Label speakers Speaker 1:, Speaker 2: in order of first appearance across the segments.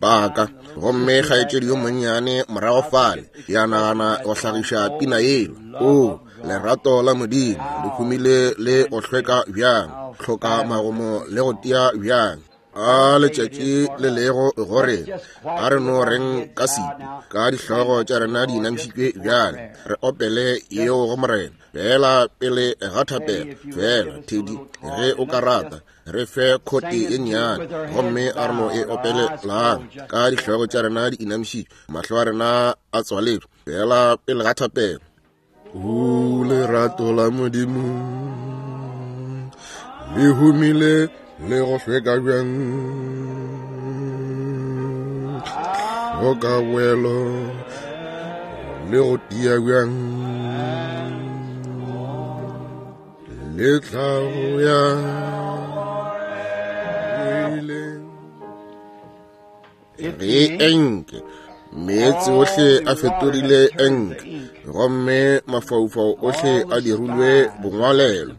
Speaker 1: Baka gomme kgaetšedi yo monnyane morago fale ya nagana go hlagiša pina yeo o lerato la modimo le humile le go hlweka bjang hloka magomo le go tia bjang a letšatši le lego gore a re no reng ka setu ka dihlogo tša rena di inamišitšwe bjale re opele yeo go morena fela pele ga thapelo fela thedi ge o ka rata re fe khote ye nnyane gomme a re no e opele lang ka dihlogo tša rena di inamišitšwe mahlo a rena a tswaletšwe fela pele ga thapelo o lerato la modimo le humile le go hlweka bjang hloka boelo le go tia bjang le tlhago ya ge enke meetse ohle a fetogile enke gomme mafaufau ohle a dirilwe bongwalelo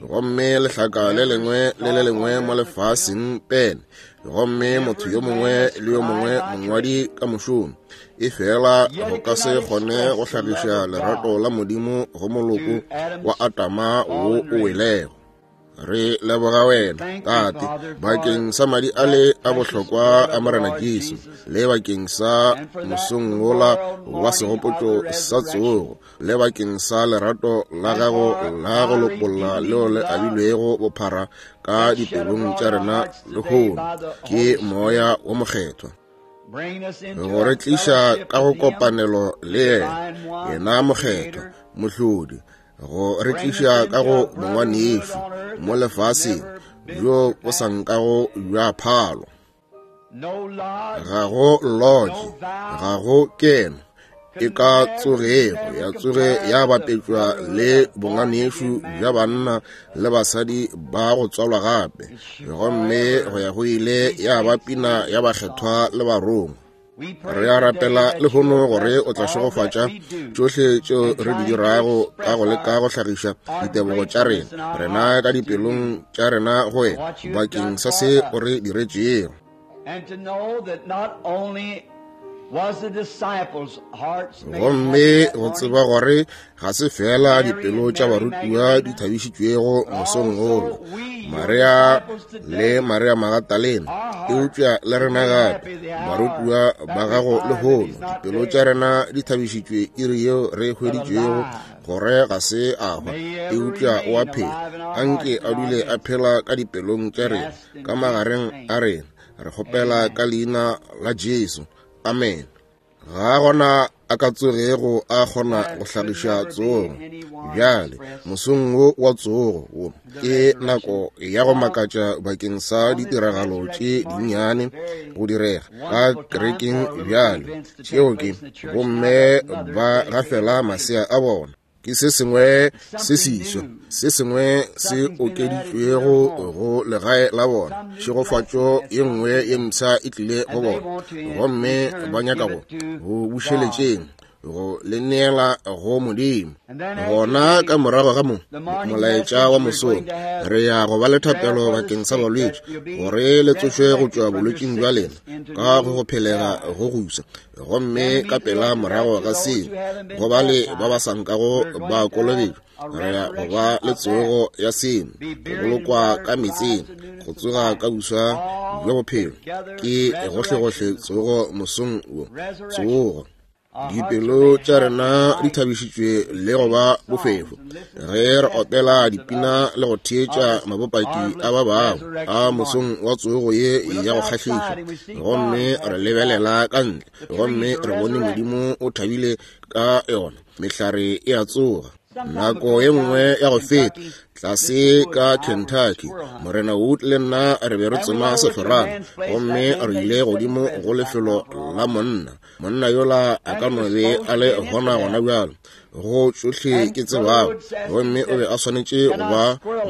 Speaker 1: gomme lehlaka le lengwe le le lengwe mo lefaseng pene gomme motho yo mongwe le yo mongwe mongwadi ka mošomo e fela go ka se kgone go hlagiša lerato la modimo go moloko wa atama wo o welego re leboga wena tate bakeng sa madi a le a bohlokwa a morena jesu le bakeng sa mosong wola wa segopotšo sa tsogo le bakeng sa lerato la gago la go lopolla leo le abilwego bophara ka dipelong tša rena lehono ke moya wo mokgethwa go re tliša ka go kopanelo le yena yena mokgethwa mohlodi go re tliša ka go bongwanešu mo lefaseng bjo bo sa nkago bja phalo ga go lodge ga go keno e ka tsogego ya tsoge ya bapetšwa le bonganešu bja banna le basadi ba go tswalwa gape gomme go ya go ile ya ba pina ya bakgethwa le barongwa re a rapela lehono gore o tla šegofatša tšohle tšeo re di dirago ka go leka go hlagiša ditebogo tša rena rena ka dipelong tša rena go wena bakeng sa se o re diretšego gomme go tseba gore ga se fela dipelo tša barutiwa di thabišitšwego mosong wolo maria le maria magatalena eupša le rena gape barutiwa ba gago lehono dipelo tša rena di thabišitšwe iri yeo re hweditšwego gore ga se a hwa eupša o a phela anke a dule a phela ka dipelong tša rena ka magareng a rena re kgopela ka leina la jesu amen ga gona a ka tsogego a kgona go hlagiša tsogo bjale mosong wo wa tsogo wo ke nako ya go makatša bakeng sa ditiragalo tše dinnyane go direga ka kerekeng bjale tšeo ke bomme ba gafela masea a bona ke se sengwe se seswa se sengwe se okeditšwego go legae la bona tšhegofatšo ye nngwe ye mpsha e tlile go bona gomme ba nyaka go go bušeletšeng go le neela go modimo gona ka morago ga mo molaetša wa mosong re ya go ba le thapelo bakeng sa balwetši gore le tsošwe go tšwa bolwetšing bja lena ka go go phelega go gusa gomme ka pela morago ga seo go ba le ba ba sa nkago ba kolobetšwa re ya go ba le tsogo ya seno go bolokwa ka metseng go tsoga ka buswa bja bophelo ke gohlegohle tsogo mosong wo tsogo dipelo tša rena di thabišitšwe le go ba bofefo ge re opela dipina le go theetša mabopaki a ba bangwe a mosong wa tsogo ye ya go kgahliša gomme re lebelela ka ntle gomme re bone modimo o thabile ka yona mehlare e a tsoga nako ye nngwe ya go feta tlase ka kentucky morena wood le nna re be re tsoma sehlorana gomme re ile godimo go lefelo la monna monna yola a ka no be a le gona gona bjalo go tšohle ke tsebago gomme o be a swanetše go ba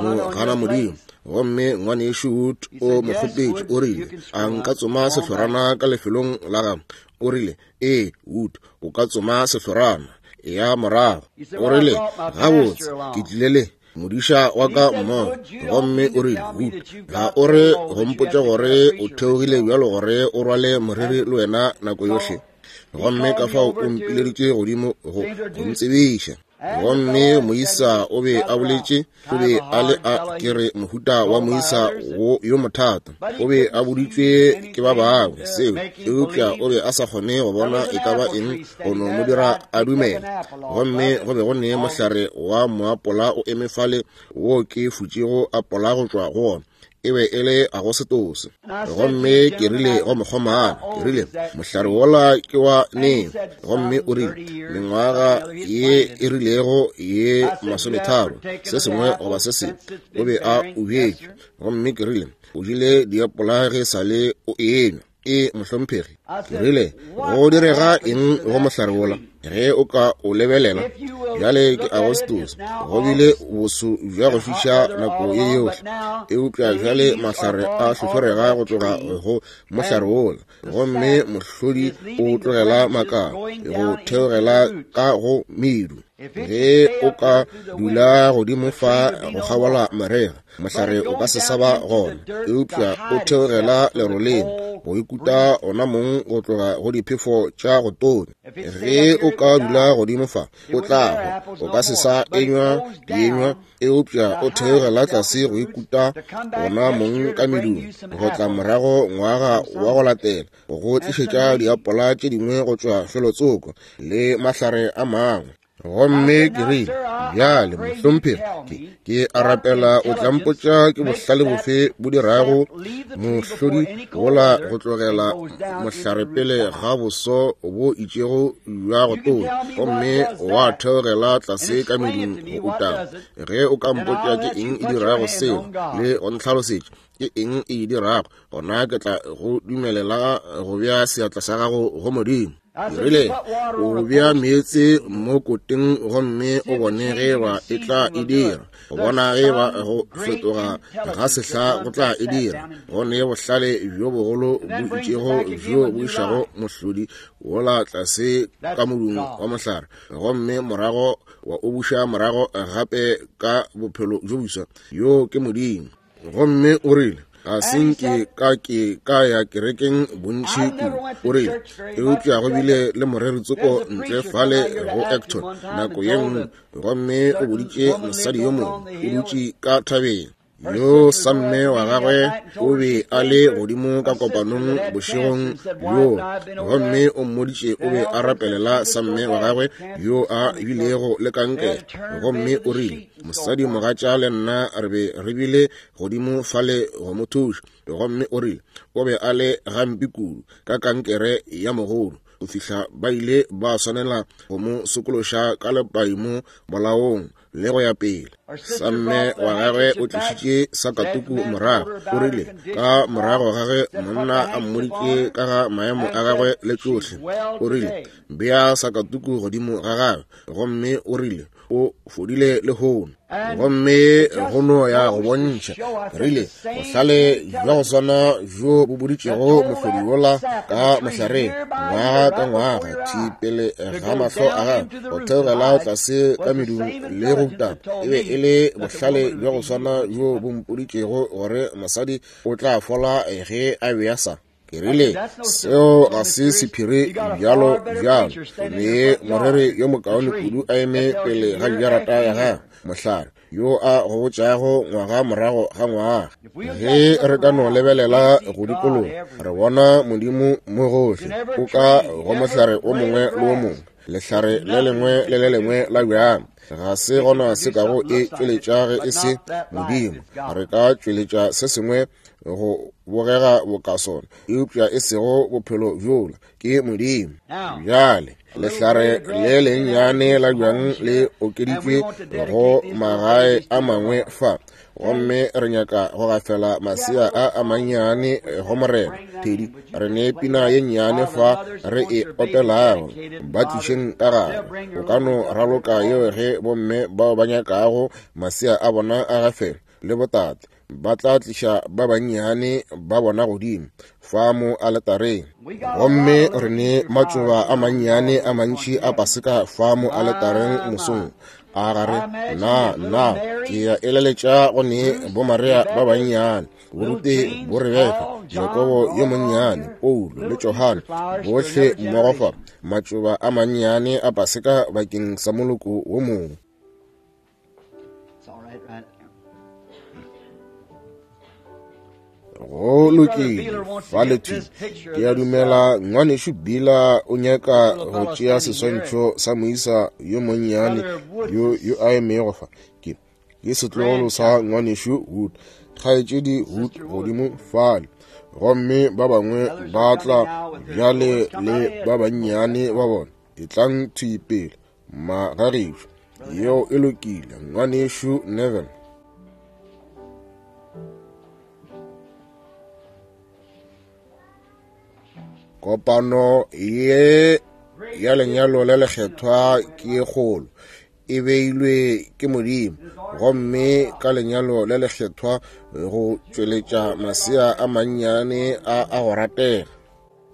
Speaker 1: mo gana modimo gomme ngwanešu Wood o mo kgopetše o rile a nka tsoma sehlorana ka lefelong la gago o rile ee Wood o ka tsoma sehlorana ya morago o rile gabotse ke tlile le Modiša wa ka mmogo. Gomme o rile, Wood, ga o re go mpotša gore o theogile bjalo gore o rwale moreri le wena nako yohle? Gomme ka fao o mpileditše godimo go ntsebiša. Gomme moisa o be a boletše, o be a le a, ke re, mohuta wa moisa wo yo mothata. O be a boditšwe ke ba bangwe seo, eupša o be a sa kgone go bona e ka ba eng go no mo dira a dumele. Gomme go be go ne mohlare wa moapola o eme fale wo ke futšego apola go tšwa go wona. E be e le Agosetose. Gomme ke rile go mokgomana, ke rile, mohlare wola ke wa neng? Gomme o rile, mengwaga ye e rilego ye 30, se sengwe goba se sengwe, o be a o bjetše. Gomme ke rile, o jele diapola ge sa le o enywa. E, mohlomphegi. Ke rile, go direga eng go mohlare wola ge o ka o lebelela? Bjale ke Agostose, go bile boso bja go fiša nako ye yohle, eupša bjale mahlare a hlohlorega go tloga go mohlare wola, gomme mohlodi o tlogela makala go theogela ka go medu. Ge o ka dula godimo fa go kgabola marega, mohlare o ka se sa ba gona, eupša o theogela leroleng go ikuta ona mong go tloga go diphefo tša go tonya. Ge o ka dula godimo fa, o tla hwa, o ka se sa enywa dienywa, eupša o theogela tlase go ikuta ona mong ka medung, go tla morago ngwaga wa go latela go tlišetša diapola tše dingwe go tšwa felotsoko le mahlare a mangwe. Gomme ke rile, bjale, mohlomphegi, ke a rapela o tla mpotša ke bohlale bofe bo dirago mohlodi wola go tlogela mohlare pele ga boso bo itšego bja go tonya, gomme wa theogela tlase ka medung go utama. Ge o ka mpotša ke eng e dirago seo le go ntlhalosetša ke eng e dirago, gona ke tla go dumelela go bea seatla sa gago go Modimo. Ke rile, o bea meetse mo koteng gomme o bone ge ba e tla e dira, go bona ge ba go fetoga ga sehla go tla e dira. Go ne bohlale bjo bogolo bo itšego bjo bo išago mohlodi wola tlase ka modung wa mohlare, gomme morago wa o buša morago gape ka bophelo bjo boswa. Yo ke Modimo. Gomme o rile, ga se nke ka ke ka ya kerekeng bontši kudu, o rile, eupša go bile le moreri tsoko ntle fale go Acton nako ye nngwe, gomme o boditše mosadi yo mongwe o dutše ka thabeng, yo samme wa gagwe o be a le godimo ka kopanong bošegong bjo, gomme o mmoditše o be a rapelela samme wa gagwe yo a bilego le kankere, gomme o rile, mosadi mogatša le nna re be re bile godimo fale go mo thuša, gomme o rile o be a le gampe kudu ka kankere ya mogodu go fihla ba ile ba swanela go mo sokološa ka lepai mo bolaong le go ya pele. Samme wa gagwe o tlišitše sakatuku morago, o rile ka morago ga ge monna a mmoditše ka ga maemo a gagwe le tšohle, o rile bea sakatuku godimo ga gagwe, gomme o rile o fodile lehono. Gomme go no ya go bontšha, rile bohlale bja go swana bjo bo boditšego mohlodi wola ka mohlareng ngwaga ka ngwaga thi pele ga mahlo a gagwe go theogela tlase ka medung le go utama, e be e le bohlale bja go swana bjo bo mpoditšego gore mosadi o tla fola ge a bea sa. Ke rile, seo ga se sephiri bjalo bjalo. Le moreri yo mokaone kudu a eme pele ga jarata ya gagwe, mohlare yo a go botšago ngwaga morago ga ngwaga. Ge re ka no lebelela go dikologa, re bona Modimo mo gohle, o ka go mohlare o mongwe le o mongwe, lehlare le lengwe le le lengwe la bjang. Ga se gona se kago e tšweletša ge e se Modimo. Re ka tšweletša se sengwe go bogega boka sona, eupša e sego bophelo bjola, ke Modimo. Bjale lehlare le lennyane la bjang le okeditšwe go magae a mangwe fa, gomme re nyaka go gafela masea a a mannyane go Morena. Thedi, re ne pina ye nnyane fa re e opelago, ba tlišeng ka gare. O ka no raloka yeo ge bomme bao ba nyakago masea a bona a gafelwe le botate. ba tla tliša ba bannyane ba bona godimo fa mo aletareng. Gomme re ne matšoba a mannyane a mantši a Paseka fa mo aletareng mosong. A gare na na ke ya eleletša go ne boMaria ba bannyane, Borute, boRebeka, Jakobo yo monnyane, Paulo le Johane, bohle mmogo fa, matšoba a mannyane a Paseka bakeng sa moloko wo mongwe. Go lokile, fa le thwi. Ke a dumela ngwanešu Bila o nyaka go tšea seswantšho sa moisa yo monnyane yo yo a emego fa. Ke ke setlogolo sa ngwanešu Wood, kgaetšedi Wood godimo fale. Gomme ba bangwe ba tla bjale le ba bannyane ba bona. Etlang thwi pele, magagešo. Yeo e lokile, ngwanešu Neville. Kopano ye ya lenyalo le lekgethwa ke ye kgolo, e beilwe ke Modimo, gomme ka lenyalo le lekgethwa go tšweletša masea a mannyane a a go ratega.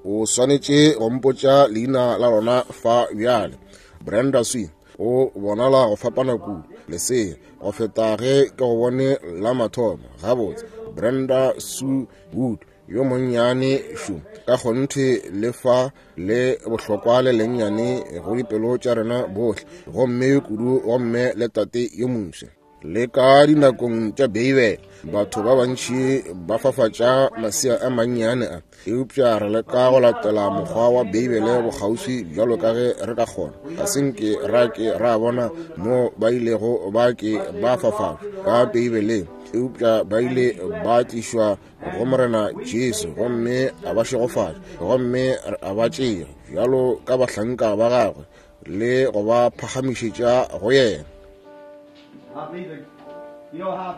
Speaker 1: O swanetše go mpotša leina la lona fa bjale. Brenda Sue, o bonala go fapana kudu, lesea, go feta ge ke go bone la mathomo. Gabotse, Brenda Sue Wood, yo monnyane šo, ka kgonthe le fa le bohlokwa le lennyane go dipelo tša rena bohle, gomme kudu gomme le tate yo moswa. Le ka dinakong tša Beibele, batho ba bantši ba fafatša masea a mannyane a, eupša re leka go latela mokgwa wa Beibele bokgauswi bjalo ka ge re ka kgona. Ga se nke ra ke ra bona mo ba ilego ba ke ba fafatšwa ka Beibeleng, eupša ba ile ba tlišwa go Morena Jesu gomme a ba šegofatša, gomme a ba tšea bjalo ka bahlanka ba gagwe le go ba phagamišetša go yena.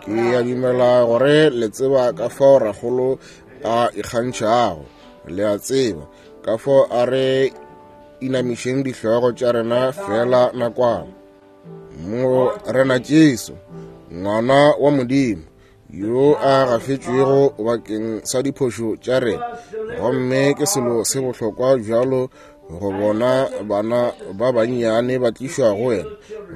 Speaker 1: Ke a dumela gore le tseba ka fao rakgolo a ikgantšhago. Le a tseba ka fao a re inamišeng dihlogo tša rena fela nakwana. Morena Jesu, ngwana wa Modimo, yo a gafetšwego bakeng sa diphošo tša rena, gomme ke selo se bohlokwa bjalo go bona bana ba bannyane ba tlišwa go wena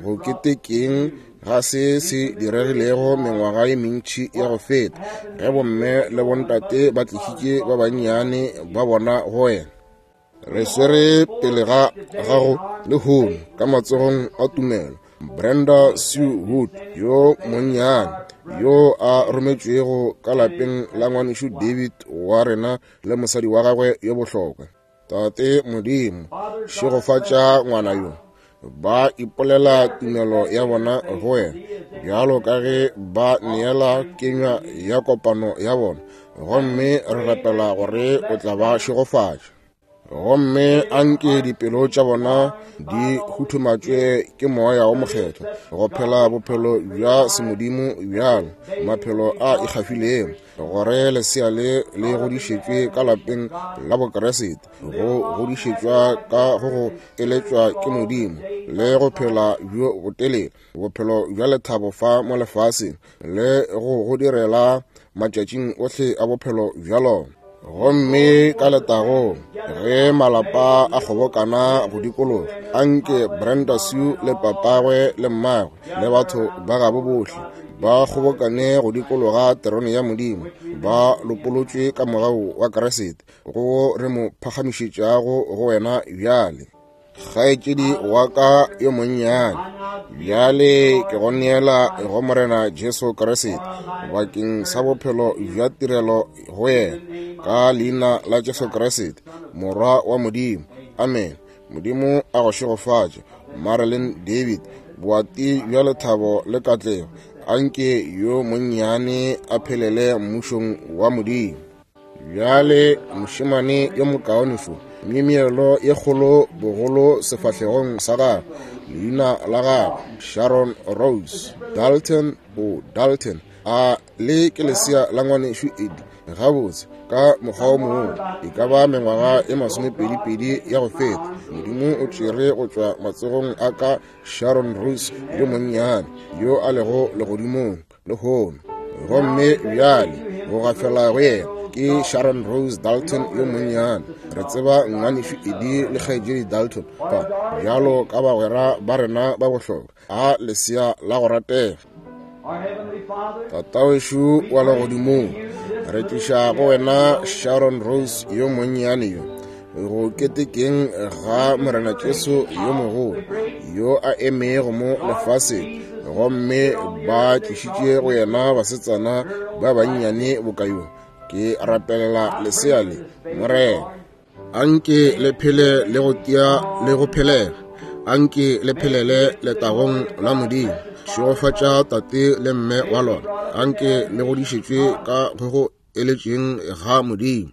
Speaker 1: go ketekeng ga se se diregilego mengwaga ye mentši ya go feta, ge bomme le bontate ba tlišitše ba bannyane ba bona go wena. Re swere pele ga gago lehono ka matsogong a tumelo Brenda Sue Wood yo monnyane yo a rometšwego ka lapeng la ngwanešu David wa rena le mosadi wa gagwe yo bohlokwa. Tate Modimo, šegofatša ngwana yo. Ba ipolela tumelo ya bona go wena bjalo ka ge ba neela kenywa ya kopano ya bona, gomme re rapela gore o tla ba šegofatša. Gomme anke dipelo tša bona di huthumatšwe ke Moya wo Mokgethwa go phela bophelo bja semodimo bjalo, maphelo a ikgafilego, gore lesea le le godišetšwe ka lapeng la Bokriste, go godišetšwa ka go go eletšwa ke Modimo, le go phela bjo botelele bophelo bja lethabo fa mo lefaseng, le go go direla matšatšing ohle a bophelo bja lona. Gomme ka letagong ge malapa a kgobokana go dikologa, anke Brenda Sue le papagwe le mmagwe le batho ba gabo bohle ba kgobokane go dikologa terone ya Modimo, ba lopolotšwe ka mogau wa Kriste, go re mo phagamišetšago go wena bjale. Kgaetšedi wa ka yo monnyane, bjale ke go neela go Morena Jesu Kriste bakeng sa bophelo bja tirelo go yena, ka leina la Jesu Kriste, Morwa wa Modimo. Amen. Modimo a go šegofatše, Marilyn David, boati bja lethabo le katlego. Anke yo monnyane a phelele mmušong wa Modimo. Bjale mošemane yo mokaone fo, myemyelo ye kgolo bogolo sefahlegong sa gagwe, leina la gagwe Sharon Rose Dalton o Dalton. A le ke lesea la ngwanešu Eddie? Gabotse, ka mokgwa o mongwe e ka ba mengwaga e masomepedipedi ya go feta, Modimo o tšere go tšwa matsogong a ka Sharon Rose yo monnyane yo a lego legodimong lehono. Gomme bjale go gafela go yena ke Sharon Rose Dalton yo monnyane. Re tseba ngwanešu Eddie le kgaetšedi Dalton fa bjalo ka bagwera ba rena ba bohlokwa. A lesea la go ratega. Tatawešu wa legodimong, re tliša go wena Sharon Rose yo monnyane yo go ketekeng ga Morena Jesu yo mogolo yo a emego mo lefaseng, gomme ba tlišitše go yena basetsana ba bannyane boka yo. Ke rapelela lesea le, Morena. Anke le phele le go tia le go phelega. Anke le phelele letagong la Modimo. Šegofatša tate le mme wa lona. Anke le godišetšwe ka go go eletšeng ga Modimo.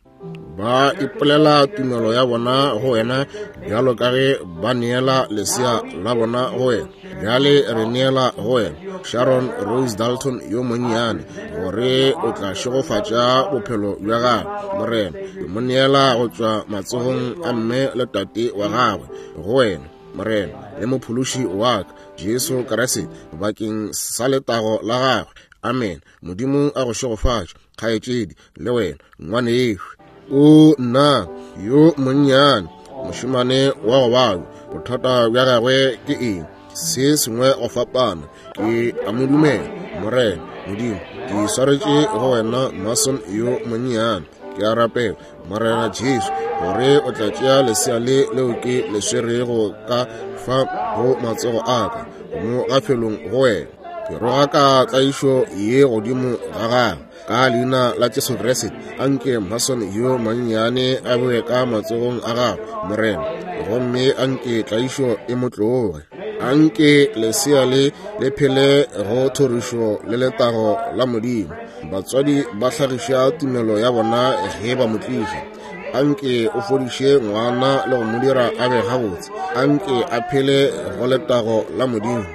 Speaker 1: Ba ipolela tumelo ya bona go wena bjalo ka ge ba neela lesea la bona go wena. Bjale re neela go wena Sharon Rose Dalton yo monnyane, gore o tla šegofatša bophelo bja gagwe. Morena, ke mo neela go tšwa matsogong a mme le tate wa gagwe go wena, Morena, le mophološi wa ka, Jesu Kriste, bakeng sa letago la gagwe. Amen. Modimo a go šegofatše, kgaetšedi, le wena, ngwanešu. O nna yo monnyane, mošemane wa go babja, bothata bja gagwe ke eng? Se sengwe go fapana. Ke a mo dumela, Morena Modimo. Ke swaretše go wena Mason yo monnyane. Ke a rapela, Morena Jesu, gore o tla tšea lesea le leo ke le swerego ka fa go matsogo a ka, mo gafelong go wena. Ke rogaka tlaišo ye godimo ga gagwe ka leina la Jesu Kriste. Anke Mason yo mannyane a boe ka matsogong a gagwe, Morena, gomme anke tlaišo e mo tloge. Anke lesea le le phele go thorišo le letago la Modimo. Batswadi ba hlagiša tumelo ya bona ge ba mo tliša. Anke o fodiše ngwana le go mo dira a be gabotse. Anke a phele go letago la Modimo,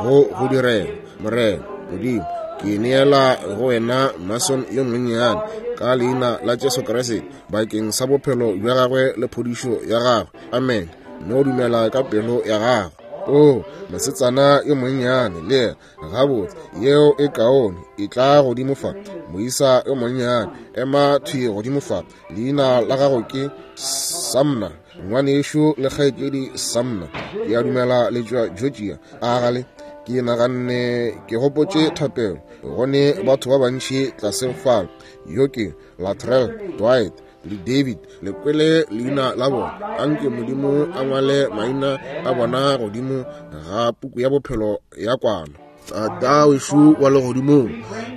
Speaker 1: go go direla. Morena Modimo, ke neela go wena Mason yo monnyane ka leina la Jesu Kriste, bakeng sa bophelo bja gagwe le phodišo ya gagwe. Amen. No dumela ka pelo ya gago. O mosetsana yo monnyane le yena. Gabotse, yeo e kaone. E tla godimo fa, moisa yo monnyane. Ema thwi godimo fa. Leina la gago ke Samna, ngwanešu le kgaetšedi Samna. Ke a dumela le tšwa Georgia. A gale ke naganne ke gopotše thapelo. Go ne batho ba bantši tlase fale. Yo ke Latrell, Dwight le David. Le kwele leina la bona. Anke Modimo a ngwale maina a bona godimo ga puku ya bophelo ya kwana. Tata wešo wa legodimong,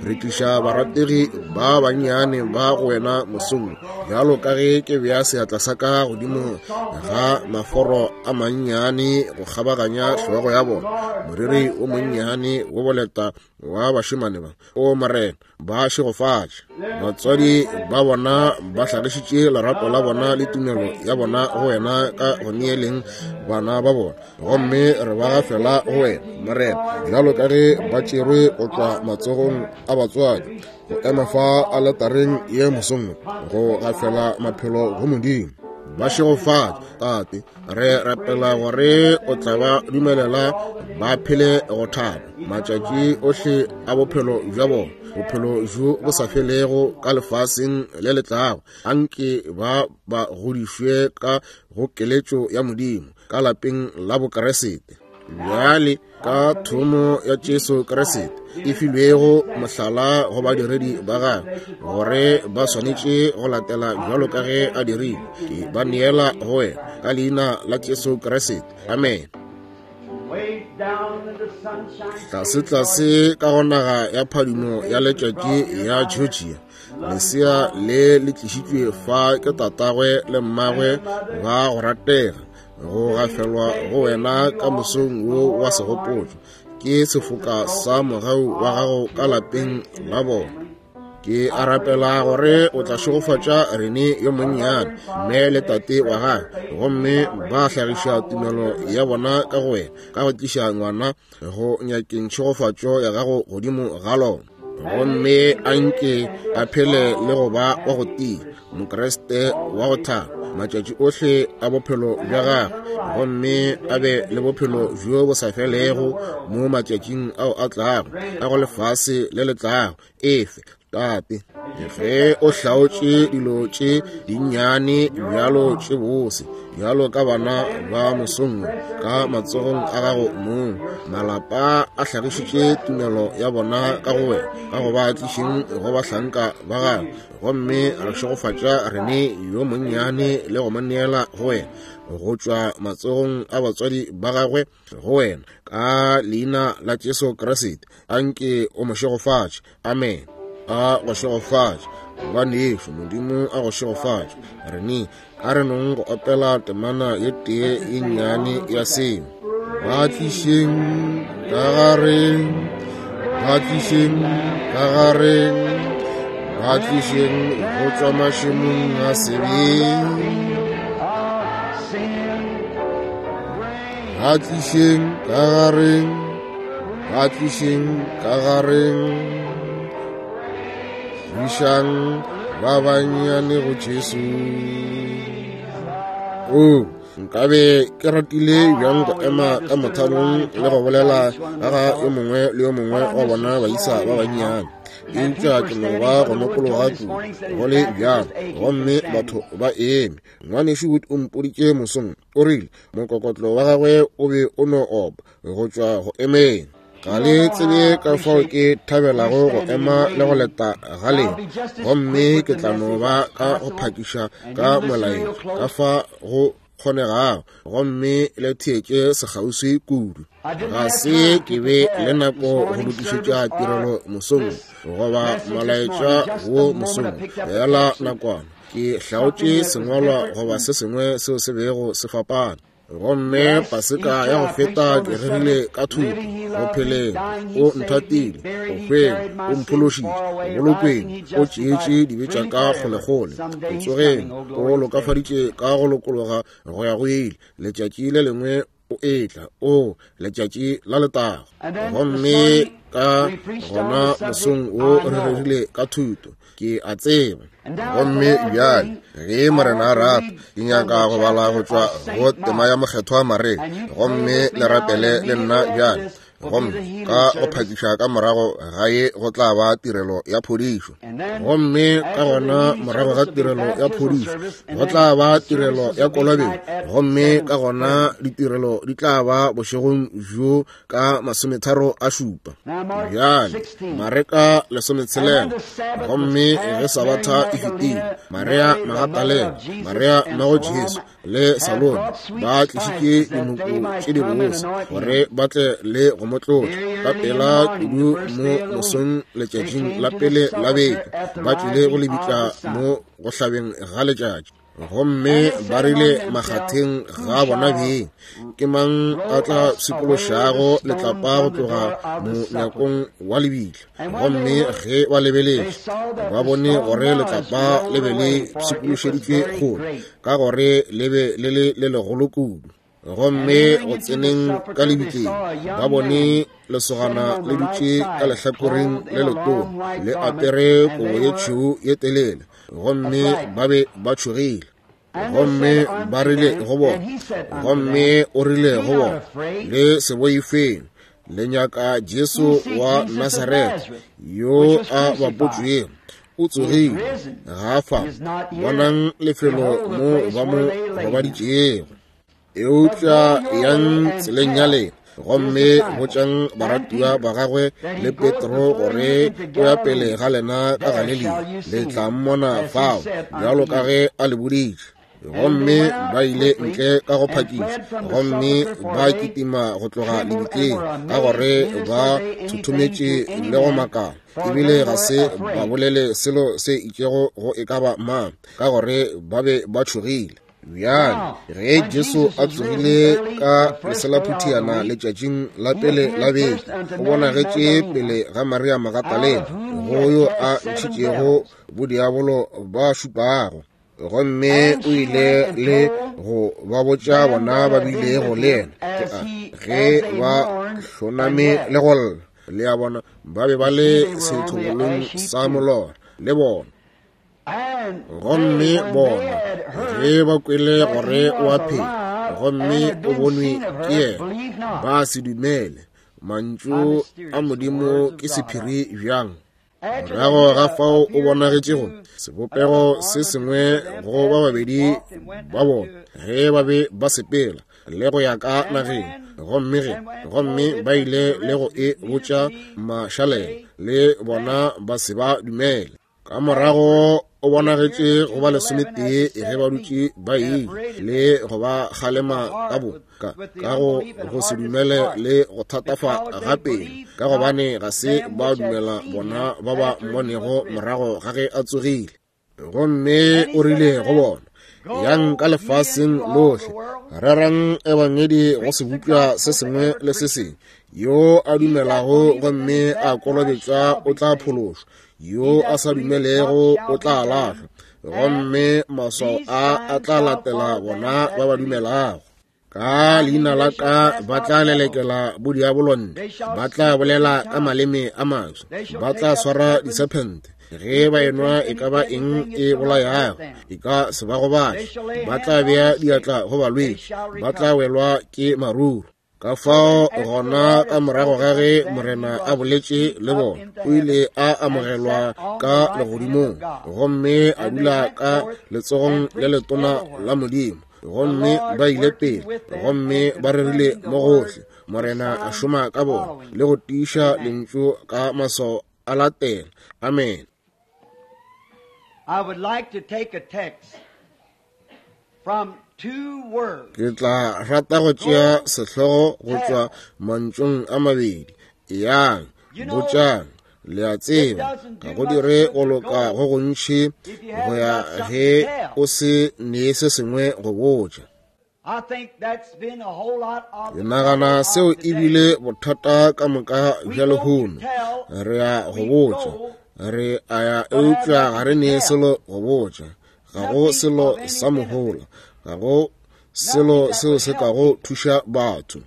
Speaker 1: re tliša barategi ba bannyane ba go wena mosong, bjalo ka ge ke bea seatla sa ka godimo ga maforo a mannyane go kgabaganya hlogo ya bona, moriri o monnyane wo boleta wa bašemane ba. O Morena, ba šegofatše. Batswadi ba bona ba hlagišitše lerato la bona le tumelo ya bona go wena ka go neeleng bana ba bona, gomme re ba gafela go wena, Morena, bjalo ka ge ba tšerwe go tšwa matsogong a batswadi go ema fa aletareng ye mosong go gafela maphelo go Modimo. Ba šegofatše, Tate. Re rapela gore o tla ba dumelela ba phele go thaba matšatši ohle a bophelo bja bona, bophelo bjo bo sa felego ka lefaseng le le tlago. Anke ba ba godišwe ka go keletšo ya Modimo ka lapeng la Bokeresete. Bjale ka thomo ya Jesu Kriste e filwego mohlala go badiredi ba gagwe gore ba swanetše go latela bjalo ka ge a dirile, ke ba neela go wena ka leina la Jesu Kriste. Amen. Tlase-tlase ka go naga ya phadimo ya letšatši ya Georgia, lesea le le tlišitšwe fa ke tatagwe le mmagwe ba go ratega, go gafelwa go wena ka mosong wo wa segopotšo ke sefoka sa mogau wa gago ka lapeng la bona. Ke a rapela gore o tla šegofatša Rene yo monnyane, mme le tate wa gagwe, gomme ba hlagiša tumelo ya bona ka go wena ka go tliša ngwana go nyakeng tšhegofatšo ya gago godimo ga lona. Gomme a nke a phele le go ba wa go tia, Mokriste wa go thaba. matšatši ohle a bophelo bja gagwe, gomme a be le bophelo bjo bo sa felego mo matšatšing ao a tlago a go lefase le le tlago. Efe, Tate, ge o hlaotše dilo tše dinnyane bjalo tše bose bjalo ka bana ba mosong ka matsogong a gago mong, malapa a hlagišitše tumelo ya bona ka go wena, ka go ba tlišeng go bahlanka ba gago, gomme re šegofatša rene yo monnyane le go mo neela go wena, go tšwa matsogong a batswadi ba gagwe go wena, ka leina la Jesu Kriste, a nke o mo šegofatše. Amen. A go šegofatše, ngwanešu. Modimo a go šegofatše. Rene, a re nong go opela temana ye tee ye nnyane ya seo. Ba tlišeng ka gareng, ba tlišeng ka gareng, ba tlišeng go tšwa mašemong a sebe. Ba tlišeng ka gareng, ba tlišeng ka gareng, išang ba bannyane go Jesu. O nkabe ke ratile bjang go ema ka mothalong le go bolela ka ga yo mongwe le yo mongwe wa bona baisa ba bannyane, eupša ke no ba go nokologa kudu go le bjalo, gomme batho ba eme. Ngwanešu Wood o mpoditše mosong, o rile mokokotlo wa gagwe o be o no opa go tšwa go emeng. Ga le tsebe ka fao ke thabelago go ema le go leta ga lena, gomme ke tla no ba ka go phakiša ka molaetša ka fa go kgonegago, gomme le theetše sekgauswi kudu. Ga se ke be le nako go lokišetša tirelo mosong goba molaetša wo mosong, fela nakwana ke hlaotše sengwalwa goba se sengwe seo se bego se fapana. Gomme Paseka ya go feta ke rerile ka thuto, go pheleng o nthatile, go hweng o mphološitše, go bolokweng o tšeetše dibe tša ka kgolekgole, go tsogeng o lokafaditše ka go lokologa go ya go ile, letšatši le lengwe o etla, o letšatši la letago. Gomme ka gona mosong wo re rerile ka thuto, ke a tseba. Gomme bjale ge Morena a rata, ke nyaka go bala go tšwa go tema ya Mokgethwa Maria, gomme le rapele le nna bjale. Gomme ka go phakiša ka morago ga ye go tla ba tirelo ya phodišo, gomme ka gona morago ga tirelo ya phodišo go tla ba tirelo ya kolobetšo, gomme ka gona ditirelo di tla ba bošegong bjo ka 37. Bjale Mareka 16. Gomme ge Sabatha e fetile, Maria Magatalena, Maria mmago Jesu, le Salome ba tlišitše dinoko tše di bose gore ba tle le go mo tlotla. Ka pela kudu mo mosong letšatšing la pele la beke ba tlile go lebitla mo go hlabeng ga letšatši, gomme ba rile makgatheng ga bona beng, ke mang a tla pshikološago letlapa go tloga monyakong wa lebitla? Gomme ge ba lebeletše, ba bone gore letlapa le be le pshikološeditšwe kgole, ka gore le be le le le legolo kudu. Gomme go tseneng ka lebitleng, ba bone lesogana le dutše ka lehlakoreng le letona, le apere kobo ye tšhweu ye telele, gomme ba be ba tšhogile. Gomme ba rile go bona, gomme o rile go bona, le se boifeng, le nyaka Jesu wa Nasaretha yo a bapotšwego. O tsogile, ga fa, bonang lefelo mo ba mo robaditšego. Eupša yang tseleng ya lena, gomme botšang baratiwa ba gagwe le Petro gore o ya pele ga lena ka Galilea, le tla mmona fao, bjalo ka ge a le boditše. Gomme ba ile ntle ka go phakiša, gomme ba kitima go tloga lebitleng, ka gore ba thothometše le go makala, ebile ga se ba bolele selo se itšego go e ka ba mang, ka gore ba be ba tšhogile. Bjale ge Jesu a tsogile ka leselaphuthiana letšatšing la pele la beke, o bonagetše pele ga Maria Magatalena, go yo a ntšhitšego bodiabolo ba šupago. Gomme o ile le go ba botša bona ba bilego le yena, ke a ge ba hloname le go lla. Le a bona, ba be ba le sethobolong sa molora le bona. Gomme bona ge ba kwele gore o a phela gomme o bonwe ke yena, ba se dumele. Mantšu a Modimo ke sephiri bjang? Morago ga fao o bonagetšego sebopego se sengwe go ba babedi ba bona ge ba be ba sepela le go ya ka nageng, gomme ge gomme ba ile le go e botša mašalela, le bona ba se ba dumele. Ka morago o bonagetše go ba 11 ge ba dutše ba ile le go ba kgalema ka bo ka go se dumele le go thatafa ga pelo, ka gobane ga se ba dumela bona ba ba mmonego morago ga ge a tsogile. Gomme o rile go bona, yang ka lefaseng lohle, rerang ebangedi go sebopša se sengwe le se sengwe. Yo a dumelago gomme a kolobetšwa o tla phološwa, yo a sa dumelego o tla lahlwa, gomme maswao a a tla latela bona ba ba dumelago. Ka leina la ka ba tla lelekela bodiabolo ntle, ba tla bolela ka maleme a maswa, ba tla swara disephente, ge ba enwa e ka ba eng e bolayago e ka se ba gobatše, ba tla bea diatla go balwetši, ba tla welwa ke maruru. Ka fao gona ka morago ga ge Morena a boletše le bona, o ile a amogelwa ka legodimong gomme a dula ka letsogong le letona la Modimo. Gomme ba ile pele gomme ba rerile mo gohle. Morena a šoma ka bona le go tiiša lentšu ka maswao a latela. Amen.
Speaker 2: I would like to take a text from two words.
Speaker 1: Ke tla rata go tšea sehlogo go tšwa mantšung a mabedi. Yang, botšang, le a tseba, ga go dire go loka go gontši go ya ge o se nee se sengwe go botša.
Speaker 2: I think that's been a whole lot of
Speaker 1: Ke nagana seo ebile bothata ka moka bja lehono. Re a go botša, re a ya, eupša ga re nee selo go botša. Ga go selo sa mohola, ga go selo seo se kago thuša batho.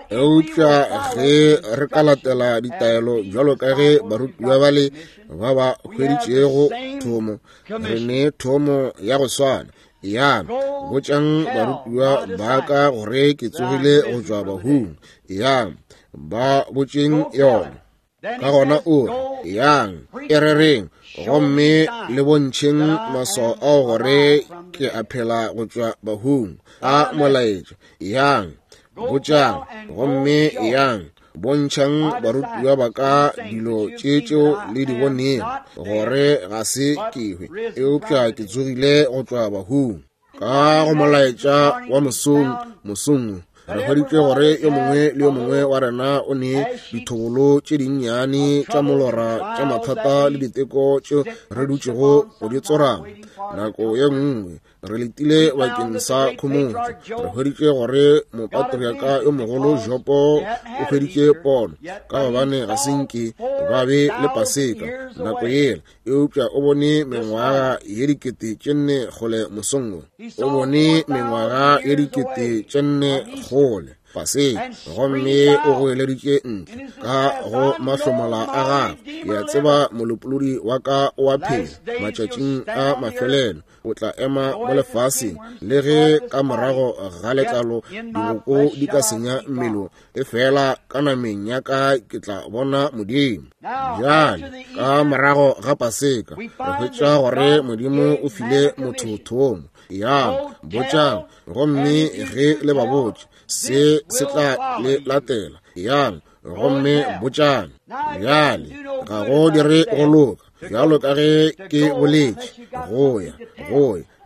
Speaker 1: Eupša ge re ka latela ditaelo bjalo ka ge barutiwa bale ba ba hweditšego thomo, re ne thomo ya go swana. Yang, botšang barutiwa ba ka gore ke tsogile go tšwa bahung. Yang, ba botšeng yona. Ka gona o re, yang, e rereng, gomme le bontšheng maswao ao gore ke a phela go tšwa bahung. A molaetša. Yang, botšang, gomme yang, bontšhang barutiwa ba ka dilo tše tšeo le di bonego, gore ga se ke hwe, eupša ke tsogile go tšwa bahung. Ka go molaetša wa mosong, re hweditše gore yo mongwe le yo mongwe wa rena o ne dithobolo tše dinnyane tša molora tša mathata le diteko tšeo re dutšego go di tsorama. Nako ye nngwe re letile bakeng sa khomotšo. Re hweditše gore mopatriaka yo mogolo Jopo o hweditše pono, ka gobane ga se nke ba be le Paseka nako yela, eupša o bone mengwaga ye 4,000 kgole mosong wo. O bone mengwaga ye 4,000 kgole Paseka, gomme o goeleditše ntle ka go mahlomola a gagwe. Ke a tseba molopolodi wa ka o a phela matšatšing a mafelelo, o tla ema mo lefaseng, le ge ka morago ga letlalo diboko di ka senya mmele, e fela ka nameng ya ka ke tla bona Modimo. Bjale ka morago ga Paseka re hwetša gore Modimo o file motho thomo. Yang, botšang, gomme ge le ba botše, se se tla le latela. Yang, gomme botšang. Bjale ga go dire go loka, bjalo ka ge ke boletše, go ya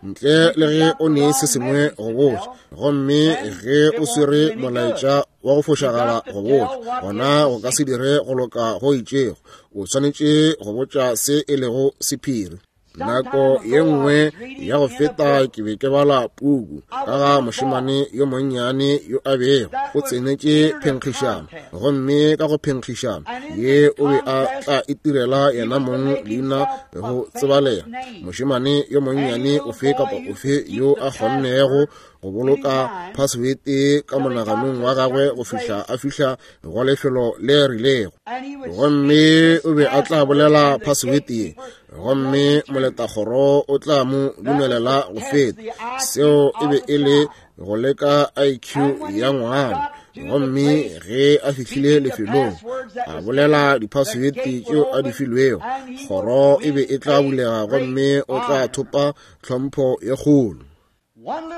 Speaker 1: ntle le ge o ne se sengwe go botša, gomme ge o swere molaetša wa go fošagala go botša, gona go ka se dire go loka go itšego. O swanetše go botša se e lego sephiri. Nako ye nngwe ya go feta ke be ke bala puku ka ga mošemane yo monnyane yo a bego o tsenetše phenkgišano, gomme ka go phenkgišano ye o be a tla itirela yena mong leina go tsebalega. Mošemane yo monnyane ofe kapa ofe yo a kgonnego go go boloka phasewete ka monaganong wa gagwe go fihla a fihla go lefelo le rilego. Gomme o be a tla bolela phasewete ye, gomme moletakgoro o tla mo dumelela go feta. Seo e be e le go leka IQ ya ngwana. Gomme ge a fihlile lefelong, a bolela diphasewete tšeo a di filwego, kgoro e be e tla bulega gomme o tla thopa tlhompho ye kgolo.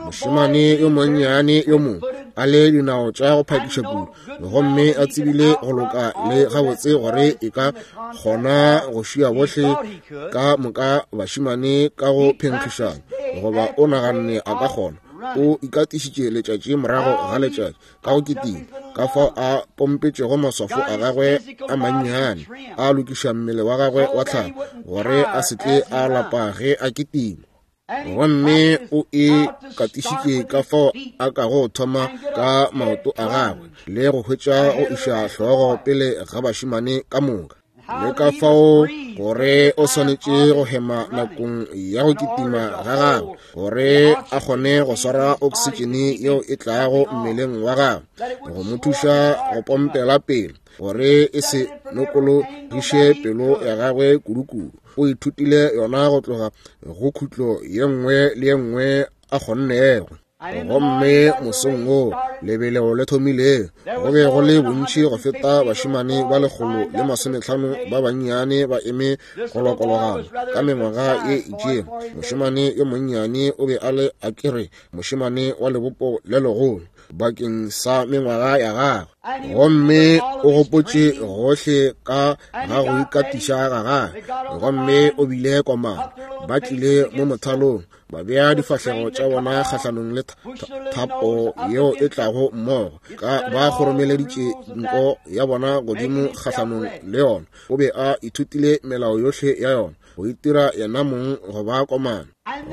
Speaker 1: Mošemane yo monnyane yo mongwe a le dinao tša go phakiša kudu, gomme a tsebile go loka le gabotse gore e ka kgona go šia bohle ka moka bašemane ka go phenkgišana, goba o naganne a ka kgona. O ikatišitše letšatši morago ga letšatši ka go kitima, ka fao a pompetšego maswafo a gagwe a mannyane, a lokiša mmele wa gagwe wa tlhago gore a se tle a lapa ge a kitima. Gomme o e katišitše ka fao a kago thoma ka maoto a gagwe le go hwetša go iša hlogo pele ga bašemane ka moka, le ka fao gore o swanetše go hema nakong ya go kitima ga gagwe gore a kgone go swara oksitšene yeo e tlago mmeleng wa gagwe go mo thuša go pompela pele gore e se nokologiše pelo ya gagwe kudukudu. O ithutile yona go tloga go khutlo ye nngwe le ye nngwe a kgonnego. Gomme mosong wo lebeleo le thomile, go be go le bontši go feta bašemane ba 150 ba bannyane ba eme go lokologana ka mengwaga ye itšego. Mošemane yo monnyane o be a le a kere mošemane wa lebopo le legolo bakeng sa mengwaga ya gagwe, gomme o gopotše gohle ka ga go ikatiša ga gagwe, gomme o bile komana. Ba tlile mo mothalong, ba bea difahlego tša bona kgahlanong le thapo yeo e tlago mmogo, ka ba kgoromeleditše nko ya bona godimo kgahlanong le yona. O be a ithutile melao yohle ya yona, go itira yena mong go ba komana.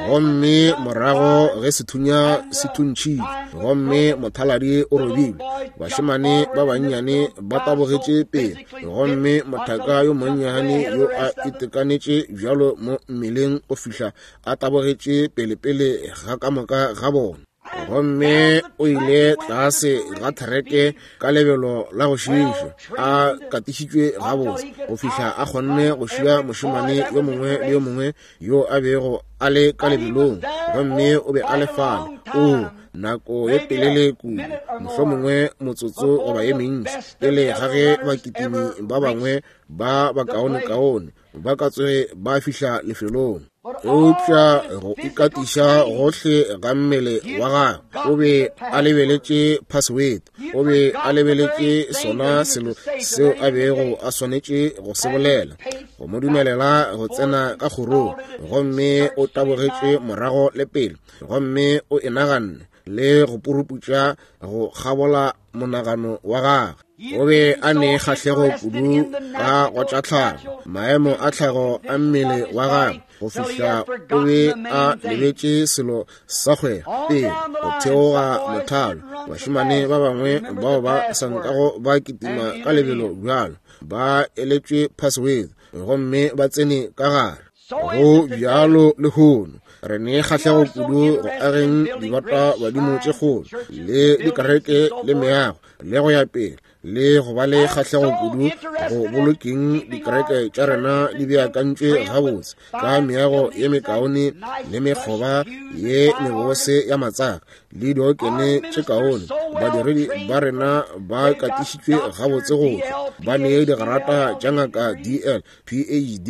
Speaker 1: Gomme morago ge sethunya se thuntšhile gomme mothaladi o robilwe, bašemane ba bannyane ba tabogetše pele, gomme mothaka yo monnyane yo a itekanetše bjalo mo mmeleng go fihla a tabogetše pelepele ga ka moka ga bona. Gomme o ile tlase ga thereke ka lebelo la go šiiša, a katišitšwe gabotse go fihla a kgonne go šia mošemane yo mongwe le yo mongwe yo a bego a le ka lebelong. Gomme o be a le fale o nako ye telele kudu, mohlomongwe motsotso goba ye mentši, pele ga ge bakitimi ba bangwe ba bakaonekaone ba ka tsoge ba fihla lefelong. Eupša go ikatiša gohle ga mmele wa gagwe, o be a lebeletše password, o be a lebeletše sona selo seo a bego a swanetše go se bolela, go mo dumelela go tsena ka kgorong. Gomme o tabogetše morago le pele, gomme o e naganne le go puruputša go kgabola monagano wa gagwe. O be a ne kgahlego kudu ka go tša tlhago, maemo a tlhago a mmele wa gagwe, go fihla o be a lebetše selo sa kgwego pele go theoga mothalo. Bašemane ba bangwe bao ba sa nkago ba kitima ka lebelo bjalo ba eletšwe password gomme ba tsene ka gare. Go bjalo lehono, re ne kgahlego kudu go ageng dibata badimo tše kgolo le dikereke le meago le go ya pele, le go ba le kgahlego kudu go bolokeng dikereke tša rena di beakantšwe gabotse ka meago ye mekaone le mekgoba ye mebose ya matsaka le diokene tše kaone. Badiredi ba rena ba katišitšwe gabotse go tšwa ba ne digrata tša ngaka DL, PhD,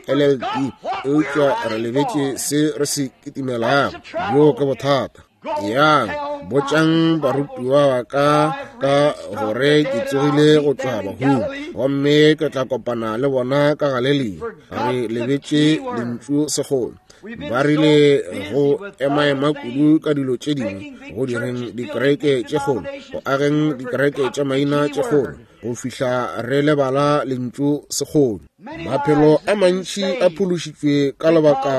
Speaker 1: LLD, eupša re lebetše se re se kitimelago. Bjo ke bothata. Yang, botšang barutiwa ba ka ka gore ke tsogile go tšwa bahung, gomme ke tla kopana le bona ka Galelia. Re lebetše lentšu segolo. Ba rile go emaema kudu ka dilo tše dingwe, go direng dikereke tše kgolo, go ageng dikereke tša maina tše kgolo, go fihla re lebala lentšu segolo. Maphelo a mantši a phološitšwe ka lebaka